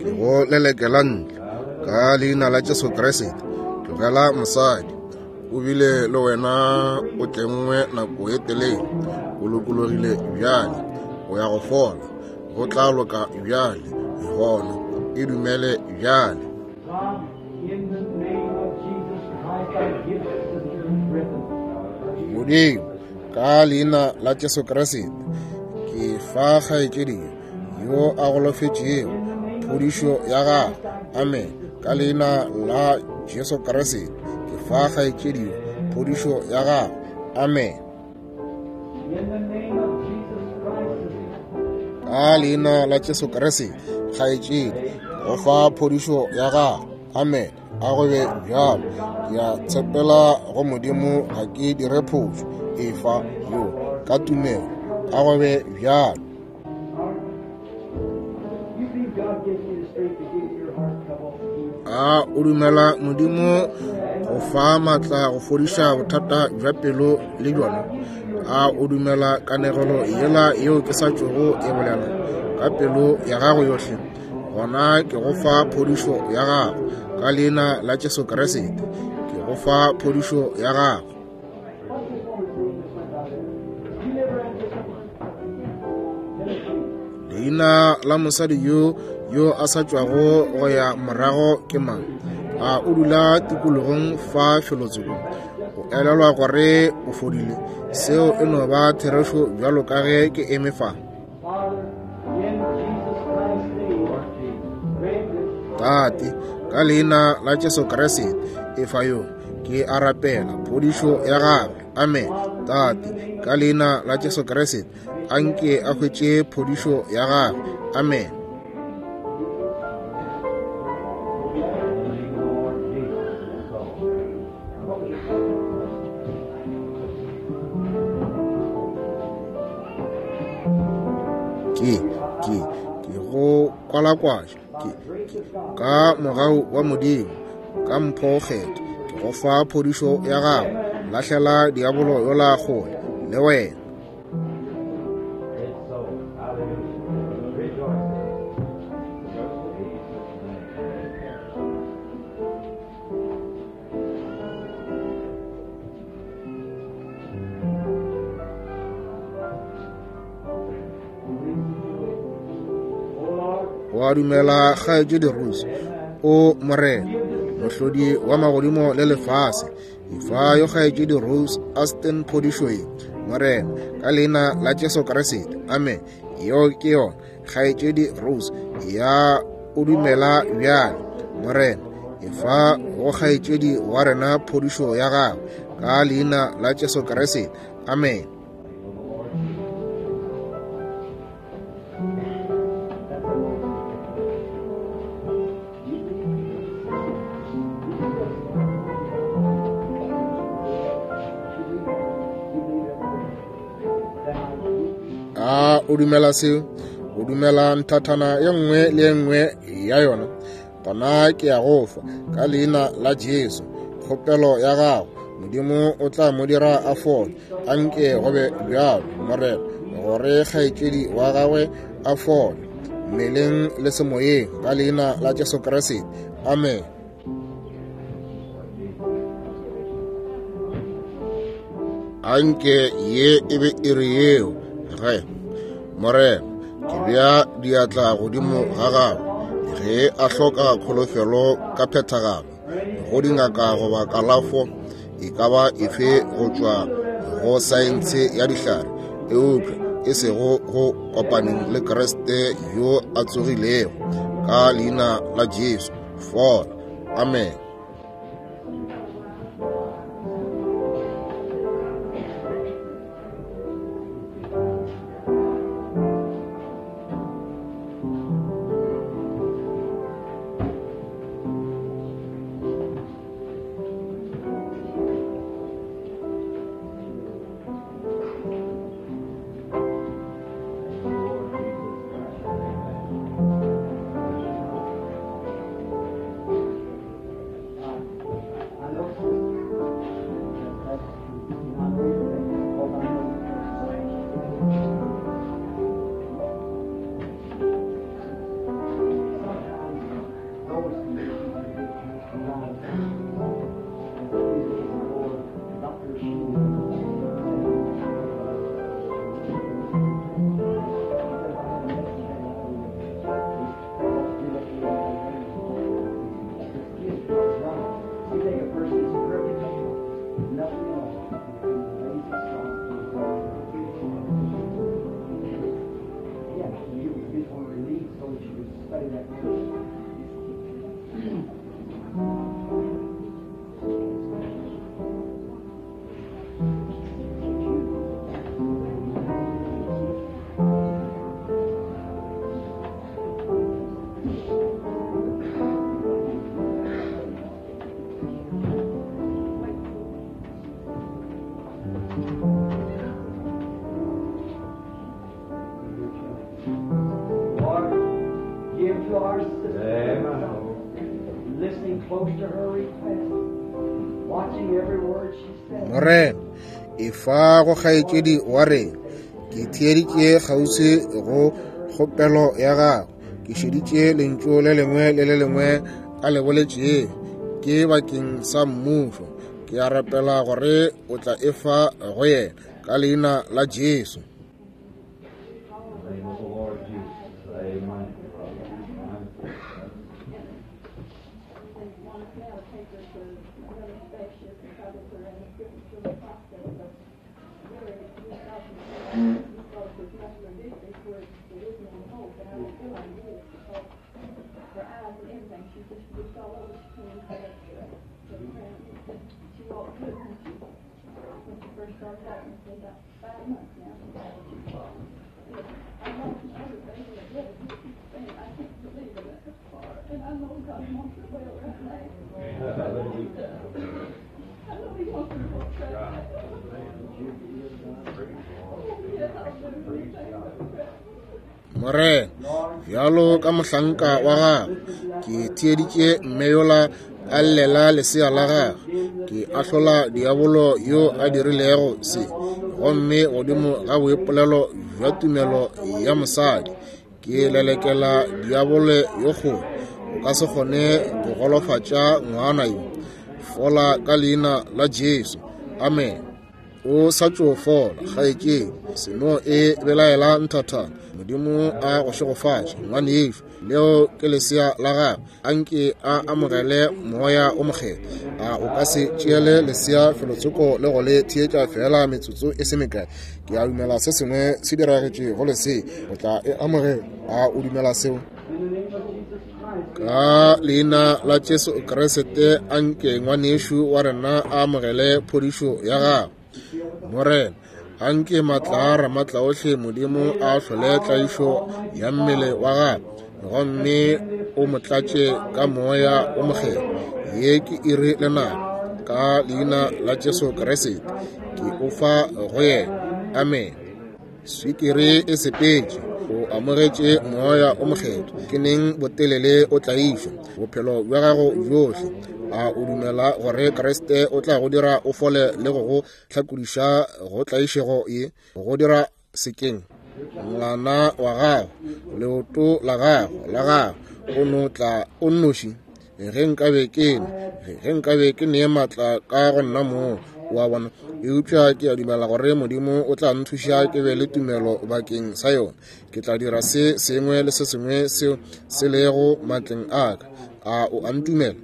Speaker 1: ke go lelekela ntle ka leina la Jesu Kriste. Tlogela mosadi, o bile le wena o tlengwe nako e telele, o lokologile bjale, o ya go fola, go tla loka bjale, gona e dumele bjale.
Speaker 2: God, in the name of Jesus Christ, I give Sister Griffin.
Speaker 1: Modimo, ka leina la Jesu Kriste, ke fa kgaetšedi yo a golofetšego phodišo ya gagwe. Amen. Ka leina la Jesu Kriste, ke fa kgaetšedi yo phodišo ya gagwe. Amen.
Speaker 2: In the name of Jesus Christ, sister.
Speaker 1: Ka leina la Jesu Kriste, kgaetšedi, go fa phodišo ya gagwe. Amen. A go be bjalo. Ke a tshepela go Modimo, ga ke dire phošo. Efa yo ka tumelo. A go be bjalo.
Speaker 2: You believe God gives you the strength to give your heart trouble?
Speaker 1: A o dumela Modimo go fa maatla go fodiša bothata bja pelo le bjona? A o dumela kanegelo yela yeo ke sa tšogo e bolela ka pelo ya gago yohle? Gona ke go fa phodišo ya gago ka leina la Jesu Kriste. Ke go fa phodišo ya gago.
Speaker 2: What's this woman's name that went out there? You never had this woman? Tennessee.
Speaker 1: Leina la mosadi yo yo a sa tšwago go ya morago ke mang? A o dula tikologong fa felotsoko? elelwa gore o fodile? Seo e no ba therešo bjalo ka ge ke eme fa. Tate, ka leina la Jesu Kriste, efa yo, ke a rapela phodišo ya gagwe. Amen. Tate, ka leina la Jesu Kriste, a nke a hwetše phodišo ya gagwe. Amen. Ke, ke, ke go kwalakwatša, ke, ke, ka mogau wa Modimo, ka mpho kgetho, ke go fa phodišo ya gago. Lahlela diabolo yola kgole le wena.
Speaker 3: It's so. Hallelujah. Rejoice. In Jesus' name.
Speaker 1: O a dumela, kgaetšedi Rose? O Morena, mohlodi wa magodimo le lefase, efa yo kgaetšedi Rose Aston phodišo ye, Morena, ka leina la Jesu Kriste. Amen. Yeo ke yona, kgaetšedi Rose, ya o dumela bjale. Morena, efa go kgaetšedi wa rena phodišo ya gagwe, ka leina la Jesu Kriste. Amen. A o dumela seo? O dumela nthathana ye nngwe le ye nngwe ya yona? Gona ke ya go fa ka leina la Jesu kgopelo ya gago. Modimo o tla mo dira a fole. A nke go be bjalo, Morena, gore kgaetšedi wa gagwe a fole mmeleng le semoyeng, ka leina la Jesu Kriste. Amen. A nke ye e be iri yeo ge, Morena, ke bea diatla godimo ga gagwe ge a hloka kholofelo ka phethagalo go dingaka goba kalafo e ka ba efe go tšwa go saense ya dihlare, eupša e sego go kopaneng le Kriste yo a tsogilego, ka leina la Jesu. Fola. Amen.
Speaker 2: I know, sister, that's true. And I know you're right, because I know sometimes those conditions are get wrong. And a few days ago, Dr. Schumann You take a person that's perfect, nothing at all, and lazy sloth. Yeah, you get one relief so that you can study that verse. Lord, give to our sister,
Speaker 3: Amen.
Speaker 2: listening close to her request, watching every word she says.
Speaker 1: Morena, efa go kgaetšedi wa rena. Ke theeditše kgauswi go kgopelo ya gagwe. Ke šeditše lentšu le lengwe le le lengwe a le boletšego. Ke bakeng sa mmušo. Ke a rapela gore o tla efa go yena ka leina la Jesu.
Speaker 3: In the name of the Lord Jesus. Amen. Amen.
Speaker 4: with muscular dystrophy where there is no hope, and I don't feel like it is because her eyes and everything, she's just all over. She can't even hold up to the ground. She walked good when she first started walking. It's been about 5 months now. She's walking. I lost my other baby at death, and I can't believe it that far. And I know God wants her well right now. I know He wants her well right now. Oh, yes, I'll do anything but pray.
Speaker 1: Morena, bjalo ka mohlanka wa gago, ke theeditše mme yola a llela lesea la gagwe. Ke ahlola diabolo yo a dirilego se, gomme godimo ga boipolelo bja tumelo ya mosadi, ke lelekela diabolo yo kgolo. O ka se kgone go golofatša ngwana yo. Fola ka leina la Jesu. Amen. O sa tšo fola, kgaetšedi. Seno e belaela nthathana. Modimo a go šegofatše, ngwanešu. Leo ke lesea la gagwe. Anke a amogele moya o mokgethwa. A o ka se tšeele lesea felotsoko le go le theetša fela metsotso e se mekae? Ke a dumela se sengwe se diragetše go lesea. O tla e amogela. A o dumela seo? Ka leina la Jesu Kriste, anke ngwanešu wa rena a amogele phodišo ya gagwe. Morena, anke matla a Ramatlaohle Modimo a hlole tlaišo ya mmele wa gagwe, gomme o mo tlatše ka moya o mokgethwa. Ye ke iri le nako, ka leina la Jesu Kriste, ke o fa go yena. Amen. Swikiri e sepetše, o amogetše moya o mokgethwa. Ke neng botelele o tlaišwa bophelo bja gago bjohle? A o dumela gore Kriste o tla go dira o fole le go go hlakodiša go tlaišego ye? Go dira sekeng ngwana wa gago, leoto la gago la gago, o no tla o nnoši. Ge nkabe ke ne matla ka go nna moo, wa bona. Eupša ke a dumela gore Modimo o tla nthuša ke be le tumelo bakeng sa yona. Ke tla dira se sengwe le se sengwe seo se lego matleng a ka. A o a ntumela?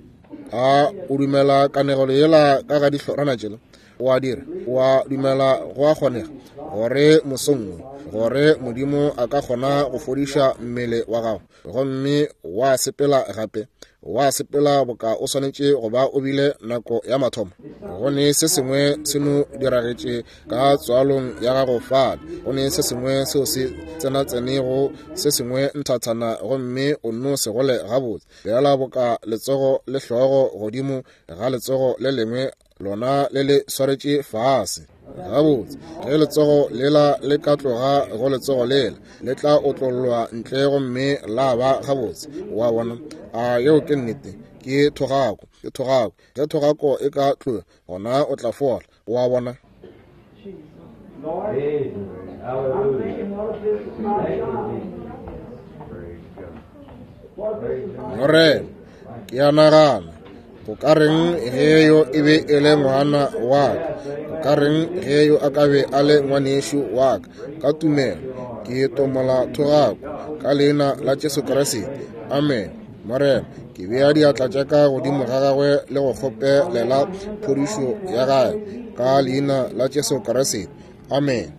Speaker 1: A o dumela kanegelo yela ka ga dihlorana tšela? O a dira? O a dumela go a kgonega gore mosong wo, gore Modimo a ka kgona go fodiša mmele wa gago, gomme wa sepela gape, wa sepela boka o swanetše go ba o bile nako ya mathomo? Go ne se sengwe se no diragetše ka tswalong ya gago fale. Go ne se sengwe seo se tsenatsenego se sengwe nthathana, gomme o no se gole gabotse. Bjala boka letsogo le hlogo godimo ga letsogo le lengwe, lona le le swaretše fase. Gabotse, ge letsogo lela le ka tloga go letsogo lela, le tla otlollwa ntle gomme la ba gabotse. Wa bona? A yeo ke nnete. Ke thogako, ke thogako. Ge thogako e ka tloga, gona o tla fola. Wa bona? Morena, ke a nagana, go ka reng ge yo e be e le ngwana wa ka? Go ka reng ge yo a ka be a le ngwanešu wa ka? Ka tumelo ke tomola thogako ka leina la Jesu Kriste. Amen. Morena, ke bea diatla tša ka godimo ga gagwe le go kgopelela phodišo ya gagwe ka leina la Jesu Kriste. Amen.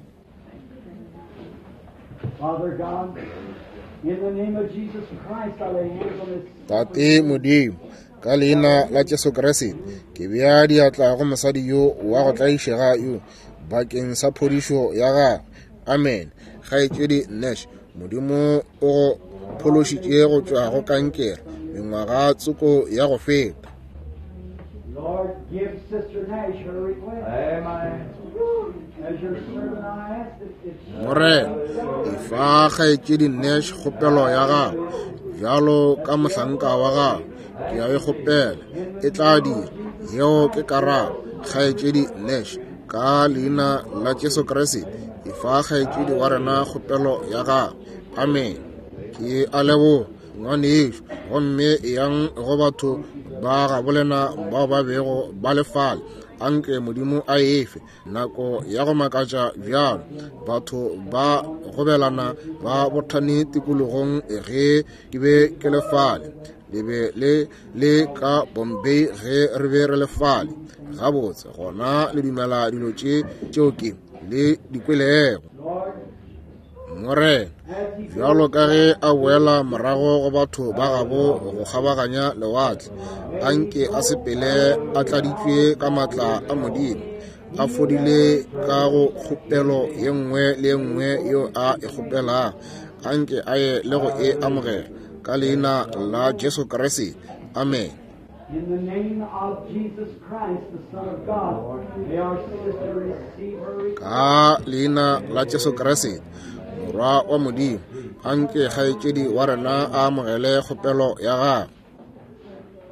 Speaker 2: Father God, in the name of Jesus Christ, I lay hands on this.
Speaker 1: Tate Modimo, ka leina la Jesu Kriste, ke bea diatla go mosadi yo wa go tlaišega yo bakeng sa phodišo ya gagwe. Amen. Kgaetšedi Nash, Modimo o go phološitše go tšwa go kankere mengwaga tsoko ya go feta.
Speaker 2: Lord, give Sister Nash her request.
Speaker 3: Amen.
Speaker 2: As your servant, I ask that if
Speaker 1: Morena, efa kgaetšedi Nash kgopelo ya gagwe bjalo ka mohlanka wa gagwe. Ke a e kgopela, e tla dira. Yeo ke karabo, kgaetšedi Nash. Ka leina la Jesu Kriste, efa kgaetšedi wa rena kgopelo ya gagwe. Amen. Ke a leboga, ngwanešu. Gomme eyang go batho ba gabolena bao ba bego ba le fale. Anke Modimo a efe nako ya go makatša bjalo. Batho ba gobelana ba bothane tikologong ge ke be ke le fale. Le be le le ka Bombay ge re be re le fale. Gabotse, gona le dumela dilo tše tšeo ke le di kwelego.
Speaker 2: Lord,
Speaker 1: Morena, bjalo ka ge a boela morago go batho ba gabo go kgabaganya lewatle, a nke a sepele a tladitšwe ka maatla a Modimo, a fodile ka go kgopelo ye nngwe le ye nngwe yeo a e kgopelago. A nke a ye le go e amogela ka leina la Jesu Kriste. Amen.
Speaker 2: In the name of Jesus Christ, the Son of God, may our sister receive her request.
Speaker 1: Ka leina la Jesu Kriste, Morwa wa Modimo, a nke kgaetšedi wa rena a amogele kgopelo ya gagwe.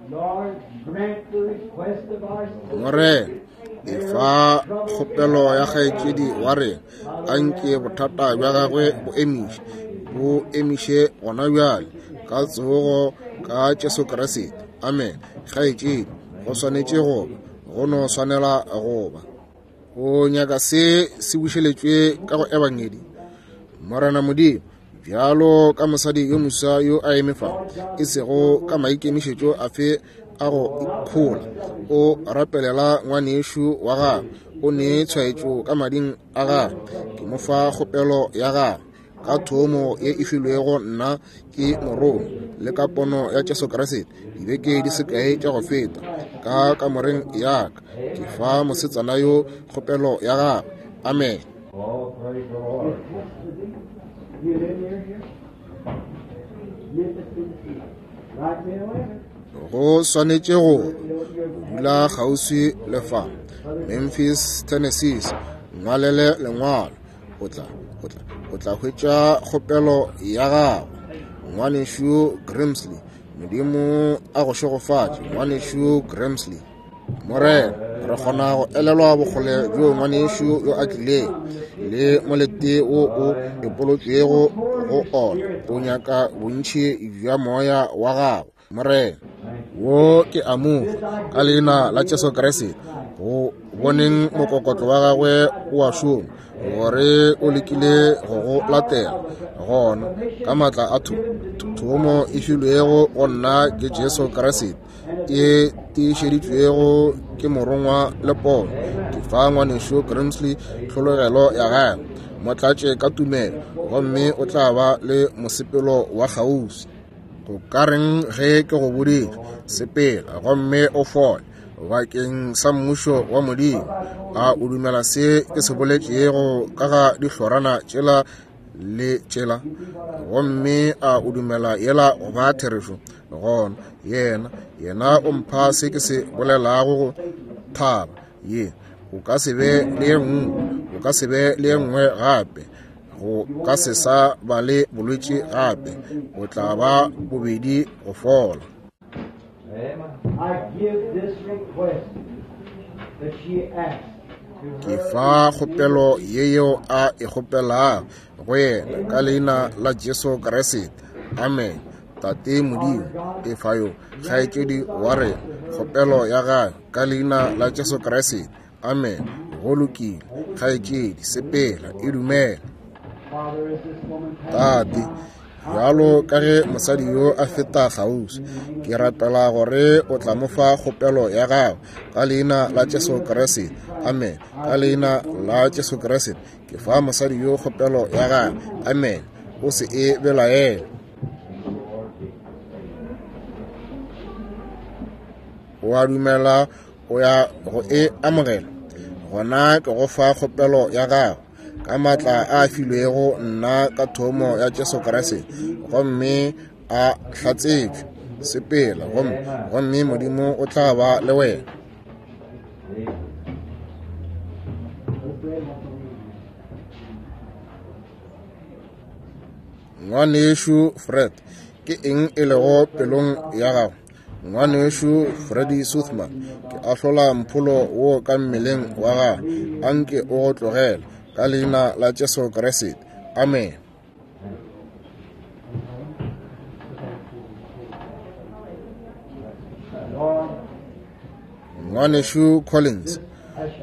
Speaker 2: Lord, grant the request of our sister.
Speaker 1: Morena, efa kgopelo ya kgaetšedi wa rena, a nke bothata bja gagwe bo emiše, bo emiše gona bjale, ka tsogo ka Jesu Kriste. Amen. Kgaetšedi, go swanetše go ba, go no swanela go ba. O nyaka se se bušeletšwe ka go Ebangedi. Morena Modimo, bjalo ka mosadi yo moswa yo a eme fa, e sego ka maikemišetšo afe a go ikhola, o rapelela ngwanešu wa gagwe, o ne tshwaetšo ka mading a gagwe. Ke mo fa kgopelo ya gagwe ka thomo ye e filwego nna ke morongwa le ka pono ya Jesu Kriste dibeke di se kae tša go feta ka kamoreng ya ka. Ke fa mosetsana yo kgopelo ya gagwe. Amen.
Speaker 3: Oh, praise the Lord.
Speaker 2: You live near here? Memphis, Tennessee. Write me a letter.
Speaker 1: Go swanetše go ba, o dula kgauswi le fa, Memphis, Tennessee. Nngwalele lengwalo, o tla, o tla, o tla hwetša kgopelo ya gago. Ngwanešu Grimsley, Modimo a go šegofatše, Ngwanešu Grimsley. Morena, re kgona go elelwa bokgole bjo ngwanešu yo a tlileng le molete wo o epolotšwego go ona. O nyaka bontši bja moya wa gago, Morena. Wo ke a mo fa ka leina la Jesu Kriste, go boneng mokokotlo wa gagwe o a šoma, gore o lekile go go latela. Gona ka maatla a thomo e filwego go nna ke Jesu Kriste, e tiišeditšwego ke morongwa le pono, ke fa ngwanešu Grimsley tlhologelo ya gagwe. Mo tlatše ka tumelo, gomme o tla ba le mosepelo wa kgauswi. Go ka reng ge ke go boditše, sepela gomme o fole bakeng sa mmušo wa Modimo? A o dumela se ke se boletšego ka ga dihlorana tšela le tšela? Gomme a o dumela yela go ba therešo? Gona yena, yena o mpha se ke se bolelago go thaba ye. O ka se be le ye nngwe, o ka se be le ye nngwe gape. Go ka se sa ba le bolwetši gape. O tla ba bobedi go fola.
Speaker 3: Amen.
Speaker 2: I give this request that she asked to
Speaker 1: Ke
Speaker 2: her
Speaker 1: fa kgopelo ye yeo a e kgopelago go yena ka leina la Jesu Kriste. Amen. Tate Modimo, e fa yo kgaetšedi wa rena kgopelo ya gagwe ka leina la Jesu Kriste. Amen. Go lokile, kgaetšedi, sepela, e dumela.
Speaker 2: Father, as this woman passes
Speaker 1: Tate,
Speaker 2: by,
Speaker 1: bjalo ka ge mosadi yo a feta kgauswi, ke rapela gore o tla mo fa kgopelo ya gagwe ka leina la Jesu Kriste. Amen. Ka leina la Jesu Kriste, ke fa mosadi yo kgopelo ya gagwe. Amen. O se e belaele. O a dumela o ya go e amogela? Gona ke go fa kgopelo ya gago ka maatla a filwego nna ka thomo ya Jesu Kriste, gomme a hlatsetšwe. Sepela, gomme, gomme Modimo o tla ba le wena. Ngwanešu Fred, ke eng e lego pelong ya gago? Ngwanešu Freddy Suthman, ke ahlola mpholo wo ka mmeleng wa gago. A nke o go tlogele ka leina la Jesu Kriste. Amen. Ngwanešu Collins,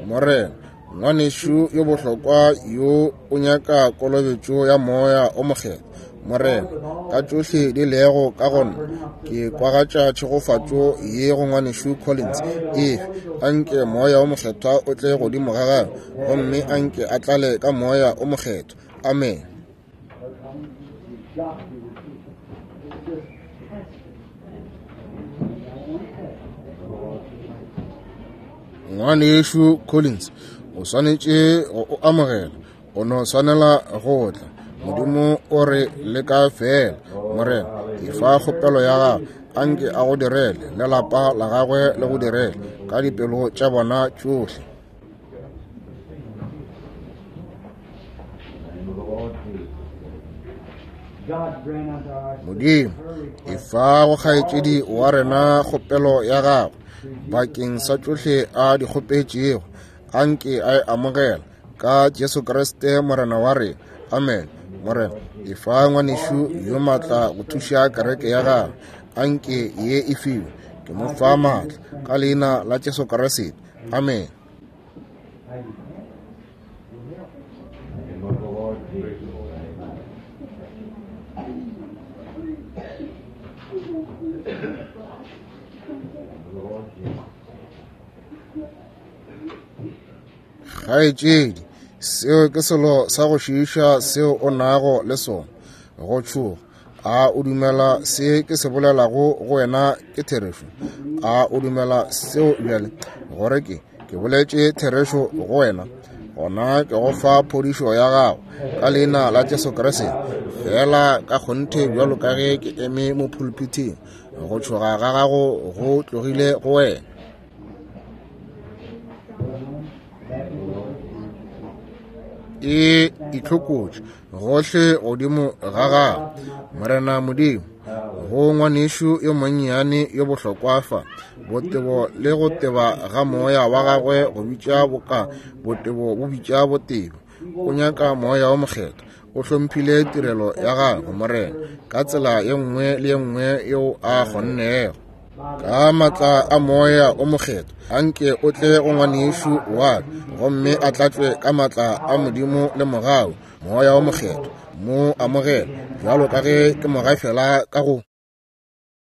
Speaker 1: Morena, ngwanešu yo bohlokwa yo o nyaka kolobetšo ya moya o mokgethwa. Morena, ka tšohle di lego ka go nna, ke kwagatša tšhegofatšo ye go ngwanešu Collins. Efe, a nke moya o mokgethwa o tle godimo ga gagwe, gomme a nke a tlale ka moya o mokgethwa. Amen.
Speaker 2: The doctor it's just testing. I want to test.
Speaker 1: Ngwanešu Collins, o swanetše go o amogela. O no swanela go tla. Modimo o re leka feela. Morena, efa kgopelo ya gago. Anke a go direle, le lapa la gagwe le go direle, ka dipelo tša bona tšohle. Modimo, efa go kgaetšedi wa rena kgopelo ya gagwe bakeng sa tšohle a di kgopetšego. Anke a e amogela ka Jesu Kriste Morena wa rena. Amen. Morena, efa ngwanešu yo maatla go thuša kereke ya gagwe. Anke ye e fiwe. Ke mo fa maatla ka leina la Jesu Kriste. Amen. Kgaetšedi, seo ke selo sa go šiiša seo o nago le sona, go tšhoga. A o dumela se ke se bolelago go wena ke therešo? A o dumela seo bjale, gore ke ke boletše therešo go wena? Gona ke go fa phodišo ya gago ka leina la Jesu Kriste. Feela ka kgonthe bjalo ka ge ke eme mo pulpithing, go tšhoga ga gago go tlogile go wena. E itlhokotše gohle godimo ga gago, Morena Modimo, go ngwanešu yo monnyane yo bohlokwa fa, botebo le go teba ga moya wa gagwe go bitša boka botebo bo bitša botebo. O nyaka Moya wo Mokgethwa. O hlomphile tirelo ya gagwe, Morena, ka tsela ye nngwe le ye nngwe yeo a kgonnego. Ka maatla a Moya o Mokgethwa, anke o tle go ngwanešu wa ka, gomme a tlatšwe ka maatla a Modimo le mogau, Moya o Mokgethwa. Mo amogela bjalo ka ge ke mo gafela ka go.